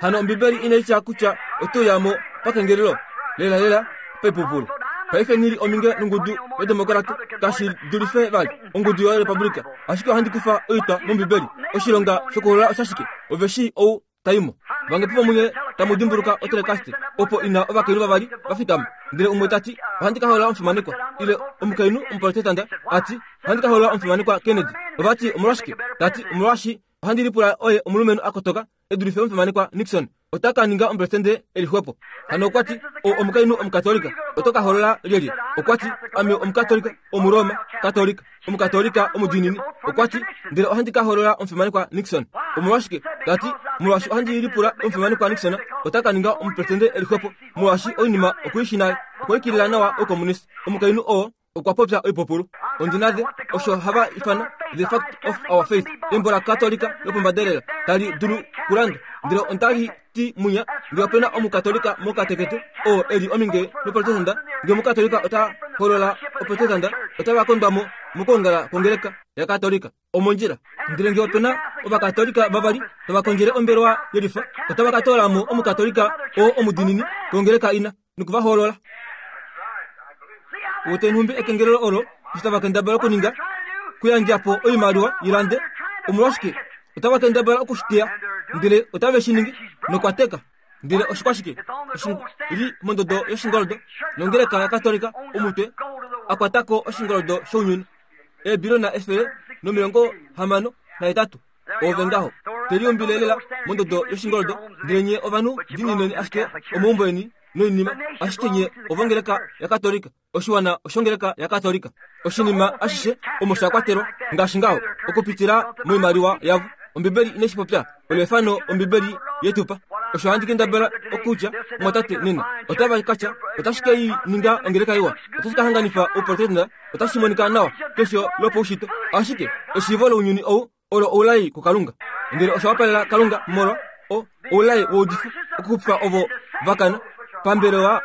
Hano Ombibeli inai tya kutya ote uya mo pakengelelo, lelalela paipupulu. Paife nghi li ominge nongudu yOdemokrate, kashi dulife vali. ongudu yoRepublika. Ashike ohandi kufa oitwa mOmbibeli. Oshilonga shokuhoolola oshashike? Ove shii ou ta i mo. Vangapi vomunye tamu dimbuluka otelekaste opo ina ovakainhu vavali va fikama, ndele umwe ta ti, Ohandi ka hoolola omufimanekwa, ile omukainhu Omuprotestanta a ti, Ohandi ka hoolola omufimanekwa Kennedy. Ova ti, Omolwashike? Ta ti, Omolwaashi ohandi lipula oye omulumenhu a kotoka e dulife omufimanekwa Nixon. Ota ka ninga omupresidente e li xwepo. Hano okwa ti, O omukainhu Omukatolika, oto ka hoolola lyelye? Okwa ti, Ame Omukatolika, Omuroma Katolika, Omukatolika omudiinini. Okwa ti, Ndele ohandi ka hoolola omufimanekwa Nixon. Omolwashike? Ta ti, Molwaashi ohandi lipula omufimanekwa Nixon ota ka ninga omupresidente e li xwepo, molwaashi oinima oku i shii nale. Okwa ikilila nawa oukomunisi. Omukainhu oo okwa popya oipupulu. Ondi na the, osho hava ifana The Fact of Our Faith, embo laKatolika lopombadelela tali dulu kulandwa. Ndele onda li ti munya, nge ope na Omukatolika mokatekete oo e li ominge noProtestanta, nge Omukatolika ota holola Oprotestanta, otava kondwa mo mokwoongala kwongeleka yaKatolika. Omondjila. Ndele nge ope na Ovakatolika vavali tava kondjele ombelewa yelifa, otava ka toola mo Omukatolika oo omudiinini kongeleka ina noku va hoolola. Wete nhumbi ekengelelo olo eshi tava kendabala okuninga kuyandja po oimaliwa i lande. Omolwashike otava kendabala oku shi teya, ndele otave shi ningi nokwa teka. Ndele oshikwashike? Oshi li mondodo yoshingoldo nongeleka yaKatolika omutwe a kwata ko oshingoldo shounyuni. Eebilona 168. Oove ngaho te liumbile lela mondodo yoshingoldo, ndele nye ovanhu diinineni ashike omaumbo eni noinima, ashike nye ovongeleka yaKatolika, oshiwana oshongeleka yaKatolika. Oshinima ashishe omo sha kwatelwa, ngaashi ngaho, okupitila moimaliwa yavo. Ombibeli inai shi popya, olo efano Ombibeli ye tu pa. Osho handi kendabala okutya, mumwatate, nena. Otava ka tya, Otashi ke i ninga ongeleka iwa. Otashi ka hanganifa Ouprotestanta. Otashi monika nawa kesho lopaushitwe. Ashike eshiivo lounyuni ou olo oulai kuKalunga. Ndele osha wapalela Kalunga molwa o, oulai woudifi okuxupifa ovo va kana pambelewa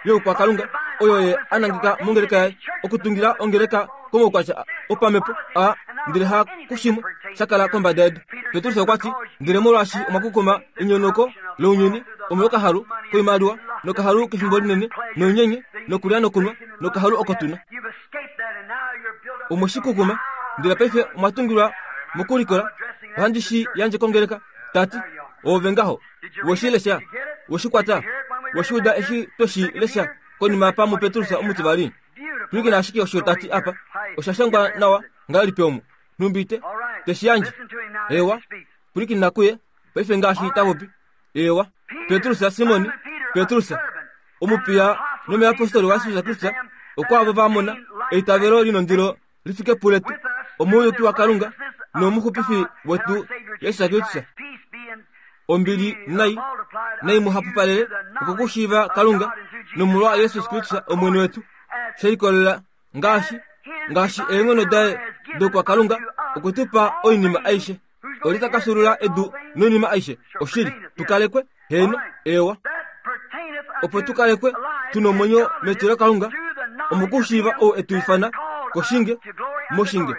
youkwakalunga oyo ye a nangeka mongeleka yaye okutungila ongeleka komaukwatya opamhepo a ndele ha kushimwe sha kala kombada yedu. Petrus okwa ti, Ndele molwaashi omwa kukuma enyonauko lounyuni omolwokahalu koimaliwa nokahalu kefimbo linene nounyenye nokulya nokunwa nokahalu oko tu na. Omwe shi kukuma, ndele paife omwa tungilwa mokulikola. Ohandi shi yandje kongeleka, ta ti, Oove ngaho. We shi lesha? We shi kwata? We shi uda eshi twe shi lesha konima apa muPetrus omutivali? Pwilikina ashike osho ta ti apa. Osha shangwa nawa ngahelipi omu? Nhumbi te, te shi yandje? Eewa, pwilikina kuye paife ngaashi ta popi. Eewa, Petrus, Simon, Petrus, omupiya nomuyapostoli waJesus Kristus, okwaavo va mona eitavelo li nondilo li fike puletu, omuuyuki waKalunga nomuxupifi wetu Jesus Kristus. Ombili nai nai mu hapupalele okokushiiva Kalunga nomolwa Jesus Kristus Omwene wetu, she likolelela ngaashi ngaashi eenghono daye dokwakalunga okwe tu pa oinima aishe. Olye ta ka fyuulula edu noinima aishe? Oshili, tu kalekwe, heeno, eewa, opo tu kalekwe tu nomwenyo metilokalunga, omokushiiva ou e tu ifana koshinge moshinge.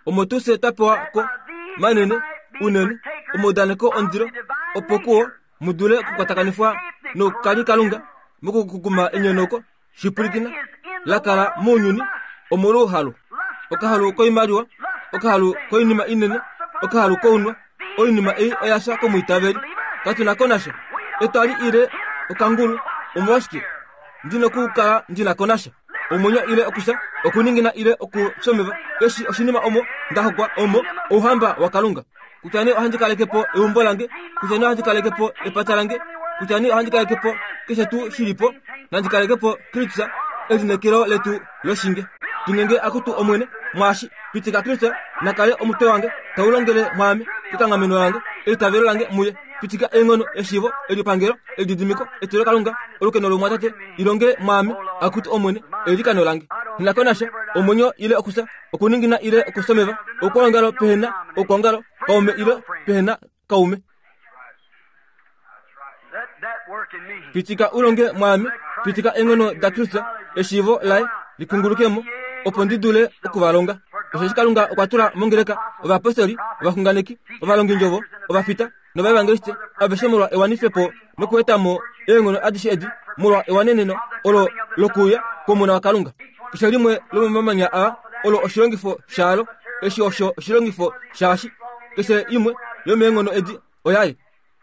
Omo tuu fye twa pewa ko manene unene omaudaneko ondilo, opo kuo mu dule okukwatakanifwa noukalikalunga mokukukuma enyonauko shipwilikina la kala mounyuni omolwouhalu okahalu koimaliwa okahalu koinima inene okahalu kounwa oinima ei oya fya komwiitaveli katu na ko nasha etwali ile okangulu omolwashike ndi nokukala ndi na ko nasha omwenyo ile okufya okuningina ile okufya eshi oshinima omo nda hokwa omo ouhamba wakalunga kutya nee ohandi kaleke po eumbo lange kutya nee ohandi kaleke po epata lange kutya nee ohandi kaleke po keshe tuu shi li po nandi kaleke po kristus elineekelo letu loshinge tungenge akutu omwene mwaashi pitika kristus na kale omutwe wange tau longele mwaame kekanghameno lange eitavelo lange muye pitika eenghono eshiivo elipangelo elididimiko etilokalunga olukeno lomwatate ilonge mwaame akutu omwene eilikano lange nako nasha omwenyo ile okufya okuningina ile okusomeva okwoongalo pehena okwoongalo kaume ile pehena kaume pitika u longe mwaame pitika eenghono dakristus eshiivo laye likungulukemo opo ndi dule oku va longa osheshi kalunga okwa tula mongeleka ovapostoli ovaxunganeki ovalongindjovo ovafita novaevangeliste aveshe molwa ewanifepo nokueta mo eenghono adishe edi molwa ewaneneno olo lokuuya kwomona wakalunga keshe limwe lomomamanya aa olo oshilongifo shaalo eshi osho oshilongifo shaashi keshe imwe yomeenghono edi oyaye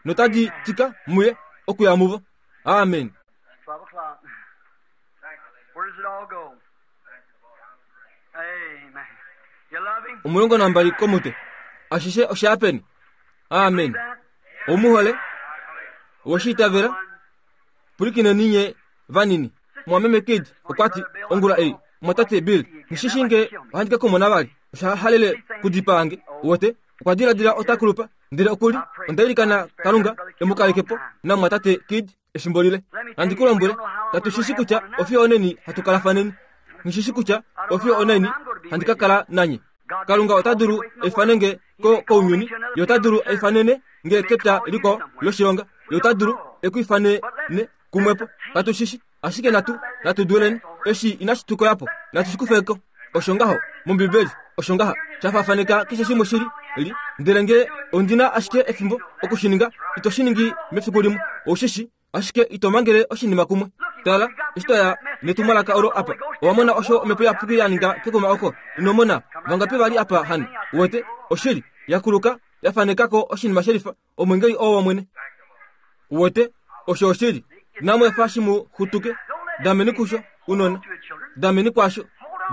notadi tika muye okuya muvo amen 12 komutwe ashishe osha peni amen omu hole oweshi itavela pwilikineni nye vanini mwameme kid okwa ti ongula ei mwatate bill nghishishi nge ohandi ka kumona vali osha halele kudipaa nge uwete okwa diladila ota kulupa ndele okuli onda ilikana kalunga e mu kaleke po namwatate kid efimbo lile nandi ku lombwele katu shi shi kutya ofiyo oneni hatu kalafaneni nghi shi kutya ofiyo oneni handi ka kala nanye kalunga ota dulu eifane nge ko kounyuni ye ota dulu eifanene nge kepya likwao loshilonga ye ota dulu e ku ifanene kumwepo katu shi shi ashike natu natu duleni eshi inashi tu koya po natu shi kufe ko osho ngaho mombibeli osho ngaha sha faafaneka keshe shimwe shili li ndele nge ondi na ashike efimbo oku shi ninga ito shi ningi mefiku limwe ou shi shi ashike ito mangele oshinima kumwe tala eshi twa ya netumwalaka olo apa owa mona osho omhepo iyapuki ya ninga kekuma oko ino mona vangapi vali apa hano uwete oshili ya kuluka ya faneka ko oshinima shelifa omwengeli oo womwene uwete osho oshili namwefa shi mu xutuke dameni kusho unona dameni kwasho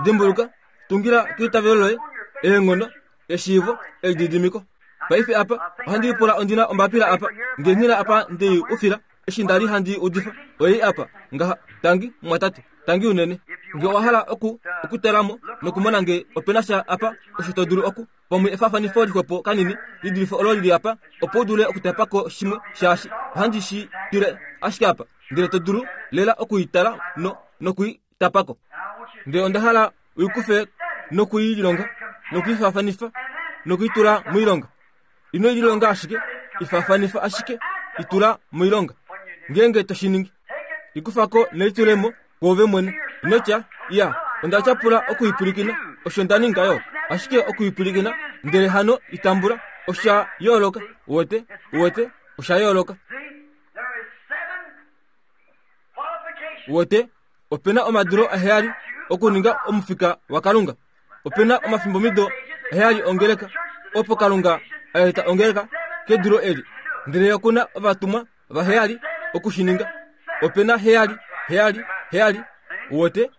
dimbuluka tungila keitavelo loye eenghono eshiivo elididimiko paife apa ohandi lipula ondina ombapila apa nge nghina apa ndei ufila eshi nda li handi udifa oyei apa ngaha tangi mumwatate tangi unene nge owa hala oku okutala mo nokumona nge opena sha apa osho to dulu oku pamwe efaafanifo lixwepo kanini li dulife olo lili apa opo u dule okutapa ko shimwe shaashi ohandi shi tile ashike apa ndele to dulu lela oku i tala no noku i tapa ko ndele onda hala u i kufe noku i lilonga noku i faafanifa noku i tula moilonga ino i lilonga ashike i faafanifa ashike i tula moilonga ngeenge to shi ningi i kufa ko nelitulemo kwoove mwene ino tya iya onda tyapula oku i pwilikina osho nda ninga yo ashike oku i pwilikina ndele hano i tambula osha yooloka uwete uwete osha yooloka Uwete ope na omadulo aheyali okuninga omufika wakalunga ope na omafimbomido aheyali ongeleka opo kalunga a eta ongeleka kedulo eli ndele oku na ovatumwa vaheyali oku shi ninga ope na heyali heyali heyali uwete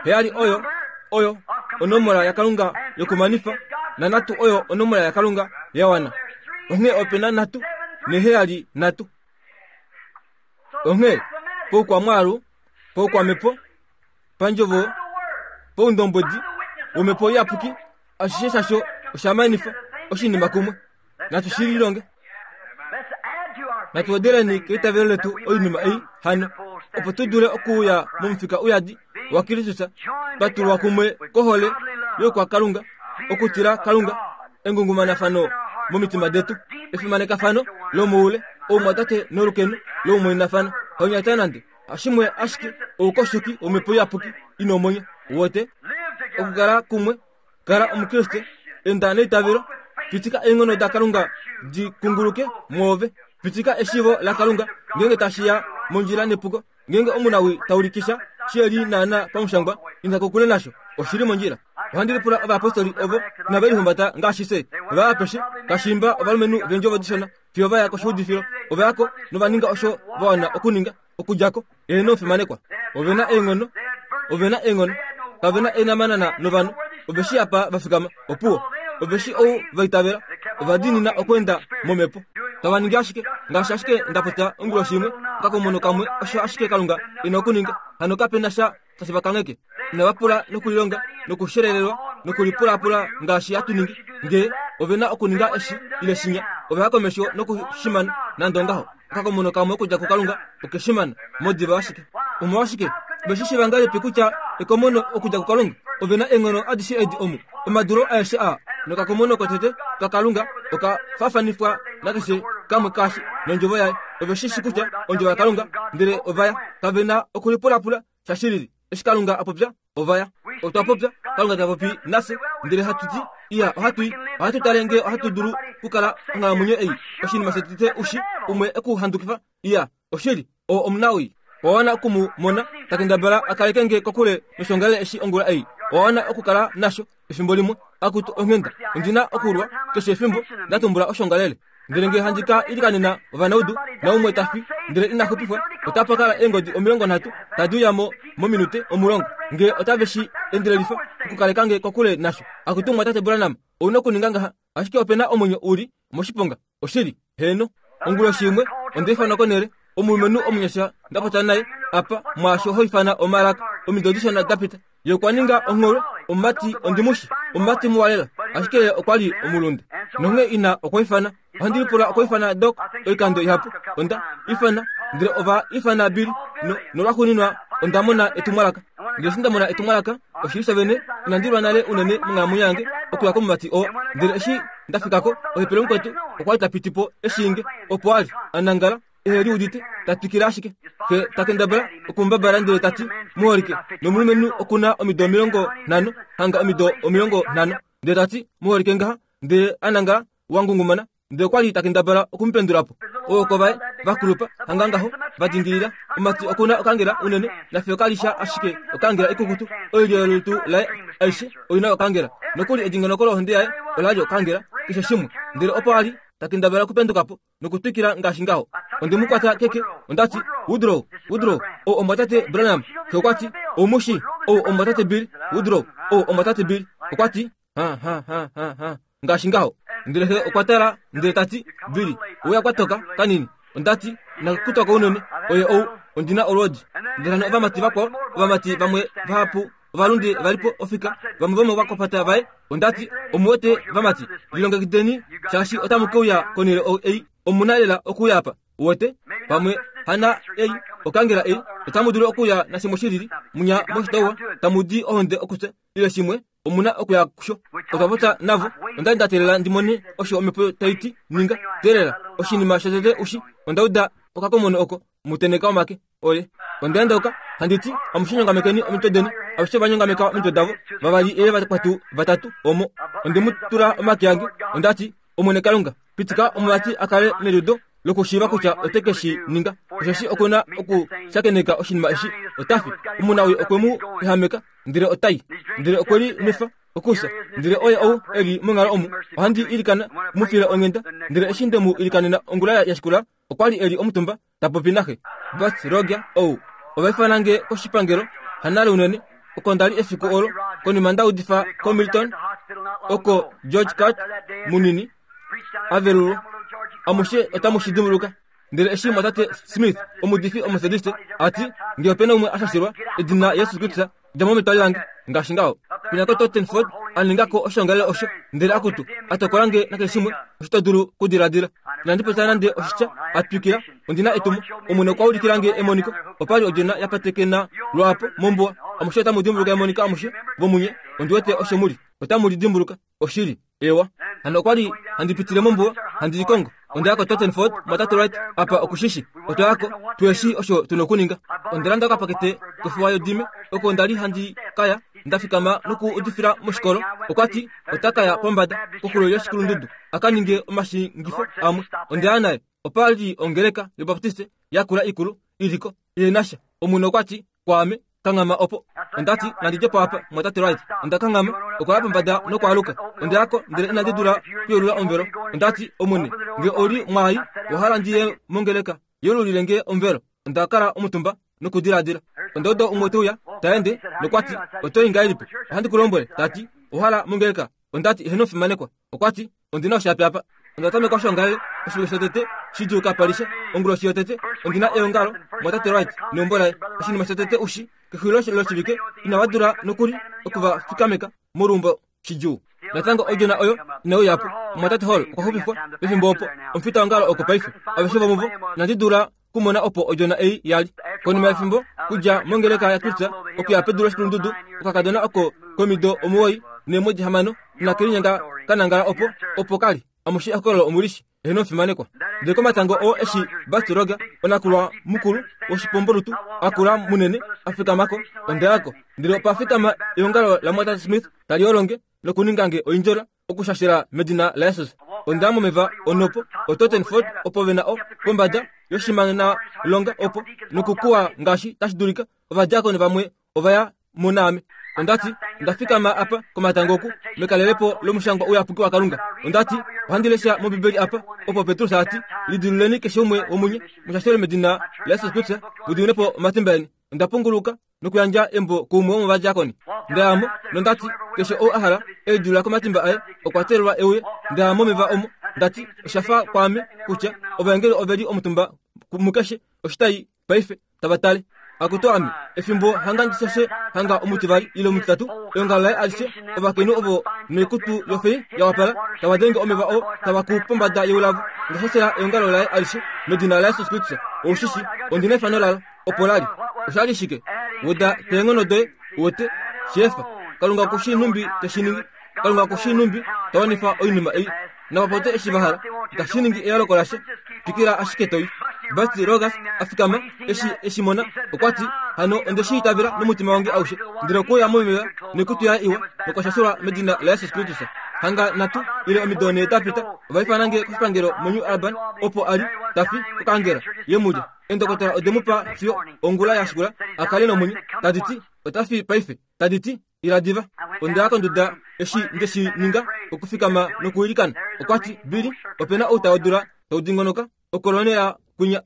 heyali oyo oyo onomola yakalunga yokumanifa nanhatu oyo onomola yakalunga ya wana onghee ope na nhatu neheyali nhatu onghee poukwamwaalu poukwamhepo pandjovo poundombwedi womhepo iyapuki ashishe shasho osha manifa oshinima kumwe natu shi lilonge natu wedeleni keitavelo letu oinima ei hano opo tu dule okuuya momufika uyadi wakristus twa tulwa kumwe kohole youkwakalunga okutila kalunga engungumanafano momitima detu efimanekafano lomoule oumwatate nolukeno loumwainafano haunyata nande hashimwe ashike oukoshoki womhepo iyapuki ina omwenyo. Uwete? Okukala kumwe, kala Omukriste, enda neitavelo, pitika eenghono daKalunga di kunguluke mwoove, pitika eshiivo laKalunga ngeenge tashi ya mondjila nepuko. Ngeenge omunawii ta ulikisha shi li naanaa pamushangwa, inda kokule nasho. Oshi li mondjila. Ohandi lipula ovayapostoli ovo inave lihumbata ngaashi fye. Ova ya apeshe, kashiimba ovalumenhu veendjovo dishona, fiyo va ya koshuudifilo. Ova ya ko nova ninga osho va wana okuninga, okudja ko. Eheno omufimanekwa. Ove na eenghono. Ove na eenghono. Kave na eenamanana novanhu. Ove shii apa va fikama. Opuwo. Ove shii ou va itavela. Ova diinina okweenda momhepo. Tava ningi ashike ngaashi ashike nda popya onguloshi imwe, okakomono kamwe osho ashike Kalunga e na okuninga. Hano kape na sha tashi va kangheke. Inava pula nokulilonga nokushelelelwa nokulipulapula ngaashi hatu ningi. Nge ove na okuninga eshi ile shinya, ova ya komesho nokushimana nande ongaho. Okakomono kamwe okudja kuKalunga okeshimana modiva ashike. Omolwashike ve shi shiiva ngahelipi kutya ekomono okudja kuKalunga? Ove na eenghono adishe edi omu, omadulo aeshe aa, nokakomono kotete kaKalunga oka faafanifwa nakeshe kamwe kaashi nondjovo yaye. Ove shi shi kutya ondjovo yaKalunga, ndele ova ya. Kave na okulipulapula sha shilili. Eshi Kalunga a popya, ova ya. Otwa popya, Kalunga ta popi nafye, ndele hatu ti, Iya, ohatu i. Ohatu tale ngee ohatu dulu kukala onghalamwenyo ei. Oshinima shotete u shi, umwe e ku handukifa. Iya, oshili, oo omunawii. Owa wana oku mu mona ta kendabala a kaleke nge kokule noshongalele eshi ongula ei. Owa wana okukala nasho efimbo limwe. Akutu onghenda, ondi na okulwa keshe efimbo nda tumbula oshongalele. Ndele nge handi ka ilikanena ovanaudu, naumwe ta fi, ndele ina xupifwa, otapa kala eengodi 30 tadi uya mo mominute 10, nge otave shi endelelifa okukaleka nge kokule nasho. Akutu Mumwatate Branham, ou na okuninga ngaha, ashike ope na omwenyo u li moshiponga. Oshili. Heeno. Onguloshi imwe, onda ifanwa konhele, omulumenhu omunyasha nda popya naye apa, mwaasho ho ifana omalaka, omido dishona da pita. Ye okwa ninga ongholwe, omumati ondimushi, omumati muwa lela, ashike ye okwa li omulunde. Nonghee ina okwa ifana, ohandi lipula okwa ifana Doc oikando ihapu, onda ifana, ndele ova ifana Billy, no, nolwaxuuninwa onda mona etumwalaka. Ndele eshi nda mona etumwalaka, oshili shavene, inandi lwa nale unene monghalamwenyo yange okuya komumati oo. Ndele eshi nda fika ko, ohepele mukwetu okwa li ta piti po e shii nge, opo a li, a nangala, ehe liudite, ta twikile ashike. Xe ta kendabala okumbabala ndele ta ti, Muholike, nomulumenhu oku na omido 50, hanga omido 50. Ndele ta ti, Muholike ngaha, ndele a nangala, wa ngungumana, ndele okwa li ta kendabala oku mu pendula po. Ooko vaye va kulupa, hanga ngaho, va dingilila. Omati oku na okangela unene, nafiyo ka li sha ashike okangela ikukutu. Oilyo yolutu laye aishe oi na okangela. Nokuli edingonoko lohonde yaye ola li okangela, keshe shimwe. Ndele opo a li ta kendabala okupenduka po, nokutwikila ngaashi ngaho. Onde mu kwata keke, onda ti, Woodrow, Woodrow, ou omumwatate Branham. Xe okwa ti, Ou mu shii? Ou omumwatate Bill Woodrow. Ou omumwatate Bill. Okwa ti, Ha, ha, ha, ha, ha, ngaashi ngaho. Ndele xe okwa tala, ndele ta ti, Billy, ouya kwa toka kanini. Onda ti, Nakutoka unene, oye ou, ondi na olwoodi. Ndele hano ovamati vakwao, ovamati vamwe vahapu ovalunde va li po ofika, vamwe vomovakwapata vaye. Onda ti, Omu wete, vamati, lilongekideni, shaashi otamu ke uya konhele ei. Omu na lela okuuya apa. Uwete? Pamwe hana ei, okangela ei, otamu dulu okuuya nashimwe shi lili, munya moshitauwa, tamu di ohonde okufya, ile shimwe, omu na okuya kusho. Otwa popya navo. Onda li nda teelela ndi mone osho omhepo tai ti, ninga. Teelela. Oshinima shotete ushi, onda uda okakomono oko, mu tenheka omake. Oye. Onda endauka, handi ti, Amushe nyongamekeni omitwe deni. Aveshe va nyongameka omitwe davo, vavali ile vakwatu vatatu omo. Onde mu tula omake ange. Onda ti, Omwene Kalunga, pitika omumati a kale neliudo lokushiiva kutya ote ke shi ninga, osheshi oku na okushakeneka oshinima eshi. Ota fi. Omunawii okwe mu ehameka, ndele ota i. Ndele okwe li nwefa okufya. Ndele oye ou e li monghalo omu. Ohandi ilikana, mu file onghenda. Ndele eshi nde mu ilikanena ongula ya shikula, okwa li e li omutumba ta popi naxe. Bert Roger ou ova ifana nge koshipangelo hanale unene oko nda li efiku olo konima nda udifa koMilton oko George Cart munini a velulwa. Amushe otamu shi dimbuluka. Ndele eshi mwatate Smith, omuudifi Omethodiste, a ti, Nge ope na umwe a shashilwa edina Jesus Kristus, dja mo metwali lange, ngaashi ngaho. Penya koTottenford a ninga ko oshoongalele osho, ndele akutu, a tokola nge nakeshe shimwe osho to dulu kudiladila. Inandi popya nande oshitya, a twikila, ondi na etumo. Omwene okwa ulikila nge emoniko, opa li odjona ya patekena lwaapo mombuwa. Amushe otamu dimbuluka emoniko amushe vomunye, ondi wete osho mu li. Otamu li dimbuluka. Oshili. Ewa. Hano okwa li handi pitile mombuwa, handi likongo. Onda ya koTottenford, mwatate Wright apa oku shi shi. Otwa ya ko, tu eshi osho tu na okuninga. Onda landa okapakete kofuwa yodime, oko nda li handi ka ya. nda fikama noku udifila moshikolo, okwa ti ota ka ya pombada koxulo yoshikulundudu a ka ninge omashingifo amwe. Onda ya naye. Opa li ongeleka yObaptiste yakula ikulu i li ko, ile nasha. Omwene okwa ti kwaame, Kanghama opo. Onda ti, Nandi dje po apa, Mumwatate Wright. Onda kanghama. Okwa ya pombada nokwaaluka. Onda ya ko, ndele inandi dula kuyelula omuvelo. Onda ti, Omwene, nge ou li mwaai, owa hala ndi ye mongeleka, yelulile nge omuvelo. Onda kala omutumba nokudiladila. Onda uda umwe te uya, ta ende, nokwa ti, Oto i ngahelipi? Ohandi ku lombwele, ta ti, owa hala mongeleka? Onda ti, Eheno omufimanekwa. Okwa ti, Ondi na oshapi apa. Onda tameka oshoongalele oshivike shotete shidjuu kapa li sha. Onguloshi yotete, ondi na eongalo mwatate Wright neumbo laye. Oshinima shotete ushi, kexulilo loshivike inava dula nokuli oku va fikameka moluumbo shidjuu. Natango odjona oyo inai uya po. Omumwatate Hall okwa xupifwa pefimbo opo. Omufitaongalo oko paife. Aveshe vomuvo inandi dula kumona opo odjona ei ya li. Konima yefimbo, kudja mongeleka yaTulsa okuya pedu loshikulundudu, okakadona oko komido 96 inake linyenga ka nangala opo, opo ka li. Amushe ehokololo omu li shi. Eheno omufimanekwa. Ndele komatango oo eshi Busty Roger, onakulwa mukulu woshipombolutu a kula munene, a fikama ko, onda ya ko. Ndele opa fikama eongalo laMwatate Smith tali olonge nokuninga nge oindjola, okushashela medina laJesus. Onda ya momeva onhopo, oTottenford opo ve na o, pombada yoshimanalonga opo, nokukuwa ngaashi tashi dulika. Ovadiakoni vamwe ova ya mo naame. Onda ti, Onda fikama apa komatango oku, mekalelepo lomushangwa uyapuki waKalunga. Onda ti, Ohandi lesha mOmbibeli apa, opo Petrus a ti, Lidiluleni keshe umwe womunye, mu shashelwe medina laJesus Kristus, mu diminwe po omatimba eni. Onda punguluka nokuyandja embo kuumwe womovadiakoni. Nda ya mo, nonda ti, Keshe ou a hala, e lidilula komatimba aye, okwa teelelwa e uye. Nda ya momeva omo, nda ti, Osha fa kwaame kutya ovaengeli ove li omutumba mukeshe oshitai paife, tava tale. Akutu ame, efimbo hanga ndi shashe hanga omutivali ile omutitatu, eongalo laye alishe, ovakainhu ovo noikutu yofei ya wapala, tava denge omeva oo, tava kuu pombada yeulavo. Onda shashela eongalo laye alishe medina laJesus Kristus. Ou shi shi, ondi na efano lalo. Opo la li. Osha li shike? Weda keenghono doye, uwete, shi efa. Kalunga oku shii nhumbi te shi ningi. Kalunga oku shii nhumbi ta wanifa oinima ei. Nava popye eshi va hala. Itashi ningi eyooloko lasha. Twikila ashike to i. Busty Rogers a fikama, eshi e shi mona, okwa ti, Hano onde shi itavela nomutima wange aushe. Ndele okwe uya momeva noikutu yaye iwa, nokwa shashelwa medina laJesus Kristus. Hanga nhatu ile omido nhee da pita, ova ifana nge koshipangelo moNew Albany, opo a li ta fi kokaangela ye mu lya. Eendokotola ode mu pa fiyo ongula ya shikula a kale nomwenyo, tadi ti, Ota fi paife. Tadi ti, Ila diva. Onda ya konduda eshi nde shi ninga, okufikama nokuilikana. Okwa ti, Billy, ope na outa wodula tau dingonoka okolonela kwinya.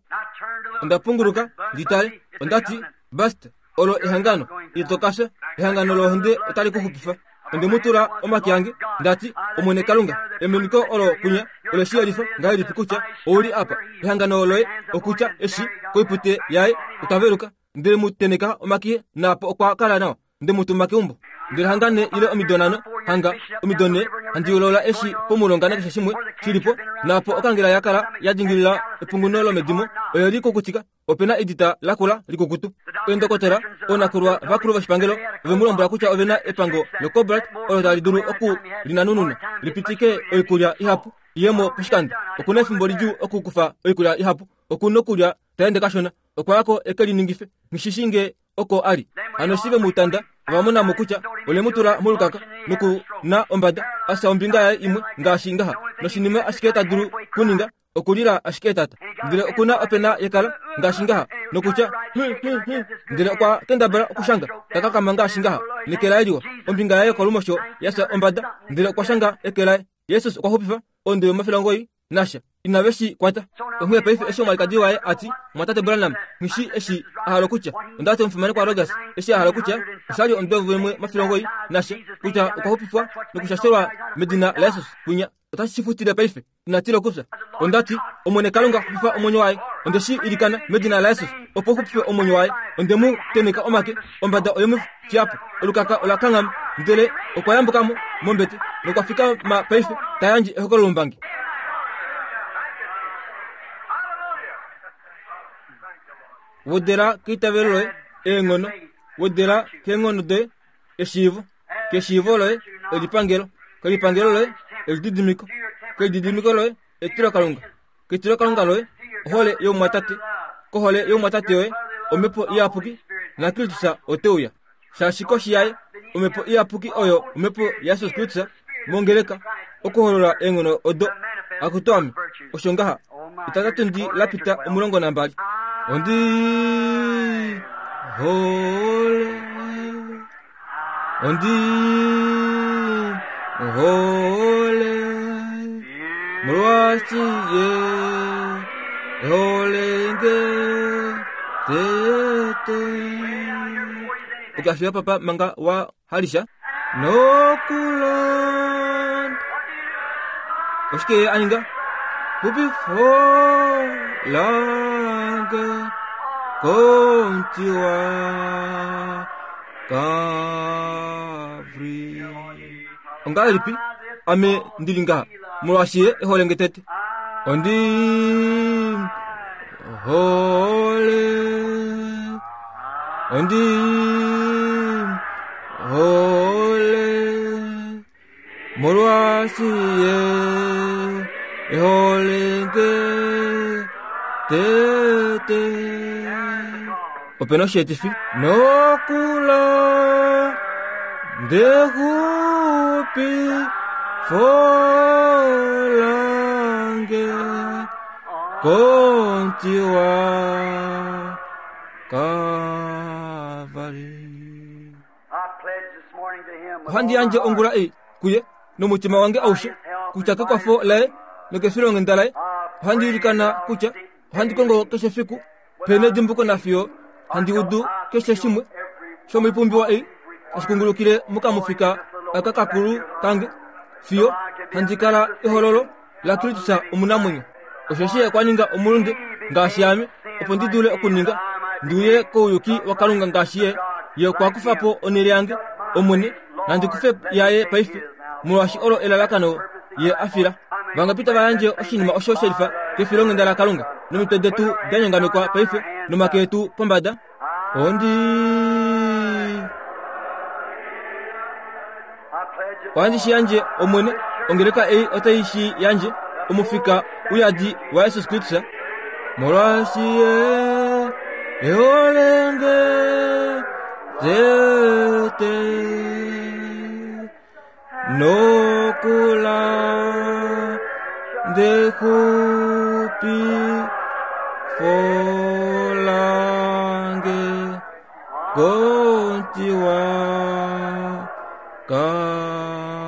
Onda punguluka ndi tale. Onda ti, Bast, olo ehangano. Ito ka fya. Ehangano lohonde otali ku xupifa. Onde mu tula omake ange, nda ti, Omwene Kalunga, emoniko olo kwinya ole shi yelifa ngahelipi kutya ou li apa. Ehangano loye, okutya, eshi, koipute yaye, otwa veluka. Ndele mu teneka omake, naapo okwa kala nawa. Nde mu tuma keumbo. Ndele hanga ne ile omido nhano, hanga omido ne, handi yolola eshi pomulonga nakeshe shimwe shi li po, naapo okangela ya kala ya dingilila epunguno lomedimo, oye li kukutika, ope na edita lakula likukutu. Eendokotola, oonakulwa vakulu voshipangelo, ove mu lombwela kutya ove na epango locobalt olo tali dulu oku li nanununa li pitike oikulya ihapu iye mo poshikando. Oku na efimbo lidjuu okukufa oikulya ihapu, oku nokulya ta ende kashona. Okwa ya ko e ke liningife, nghi shi nge oko a li. Hano eshi ve mu tanda, ova mona mo kutya ole mu tula molukaka noku na ombada, a fya ombinga yaye imwe ngaashi ngaha. Noshinima ashike ta dulu kuninga okulila ashike etata. Ndele oku na opena yekala ngaashi ngaha, nokutya, Hum, hum, hum. Ndele okwa kendabala okushanga, ta kakama ngaashi ngaha, neke laye liwa, ombinga yaye yokolumosho ya fya ombada, ndele okwa shanga eke laye. Jesus okwa xupifa onde yomafilangoyi nasha inave shi kwata. Onghee paife eshi omwalikadi waye a ti, Mwatate Branham, nghi shii eshi a hala okutya. Onda ti omufimanekwa Rogers eshi a hala okutya, osha li omudo vimwe mafilongoi nasha, kutya okwa xupifwa nokushashelwa medina laJesus kwinya. Otashi shi futile paife. Ina tila okufya. Onda ti, Omwene Kalunga, xupifa omwenyo waye. Onde shi ilikana medina laJesus, opo u xupife omwenyo waye. Onde mu tenheka omake, ombada oye mu fiya po. Olukaka ola kanghama, ndele okwa yambuka mo mombete nokwa fikama paife ta yandje ehokololombangi. Wedela keitavelo loye eenghono, wedela keenghono doye eshiivo, keshiivo loye elipangelo, kelipangelo loye elididimiko, kelididimiko loye etilokalunga, ketilokalunga loye ohole youmwatate, kohole youmwatate yoye omhepo iyapuki, naKristus ote uya. Shaashi koshi yaye Omhepo Iyapuki oyo Omhepo yaJesus Kristus mongeleka okuholola eenghono odo. Akutu ame, osho ngaha. Etatatundi la pita 12. Ondi hole. Ondi hole. Molwaashi ye holenge tete. Okafiya papa manga wa halisha nokulonda. Oshike ye a ninga? Xupifo lange komuti wa Kalvari. Ongahelipi ame ndi li ngaha molwaashi ye e hole nge tete? Ondi hole, ondi hole, molwaashi ye e hole nge tete. Ope na osheetifi nokula ndexupi folange komuti wa Kalvari. Ohandi yandje ongula ei kuye nomutima wange aushe kutya kekwafo laye nokefilonghenda laye ohandi ilikana kutya ohandi kongo keshe fiku pe nedimbuko nafiyo handi udu keshe shimwe shomoipumbiwa ei tashi kungulukile mokamufika aka kakulu kange fiyo handi kala ehololo laKristus omunamwenyo. Osheshi ye okwa ninga omulunde ngaashi ame, opo ndi dule okuninga ndi uye kouyuki waKalunga ngaashi ye. Ye okwa kufa po onhele yange, Omwene, nandi kufe yaye paife, molwaashi olo elalakano ye a fila. Vangapi tava yandje oshinima osho shelifa kefilonghenda laKalunga, nomitwe detu da nyongamekwa paife, nomake etu pombada? Ondi ohandi shi yandje, Omwene, ongeleka ei otai shi yandje, omufika uyadi waJesus Kristus, molwaashi ye e hole nge tete nokula ndexupi folange komuti wa Kalvari.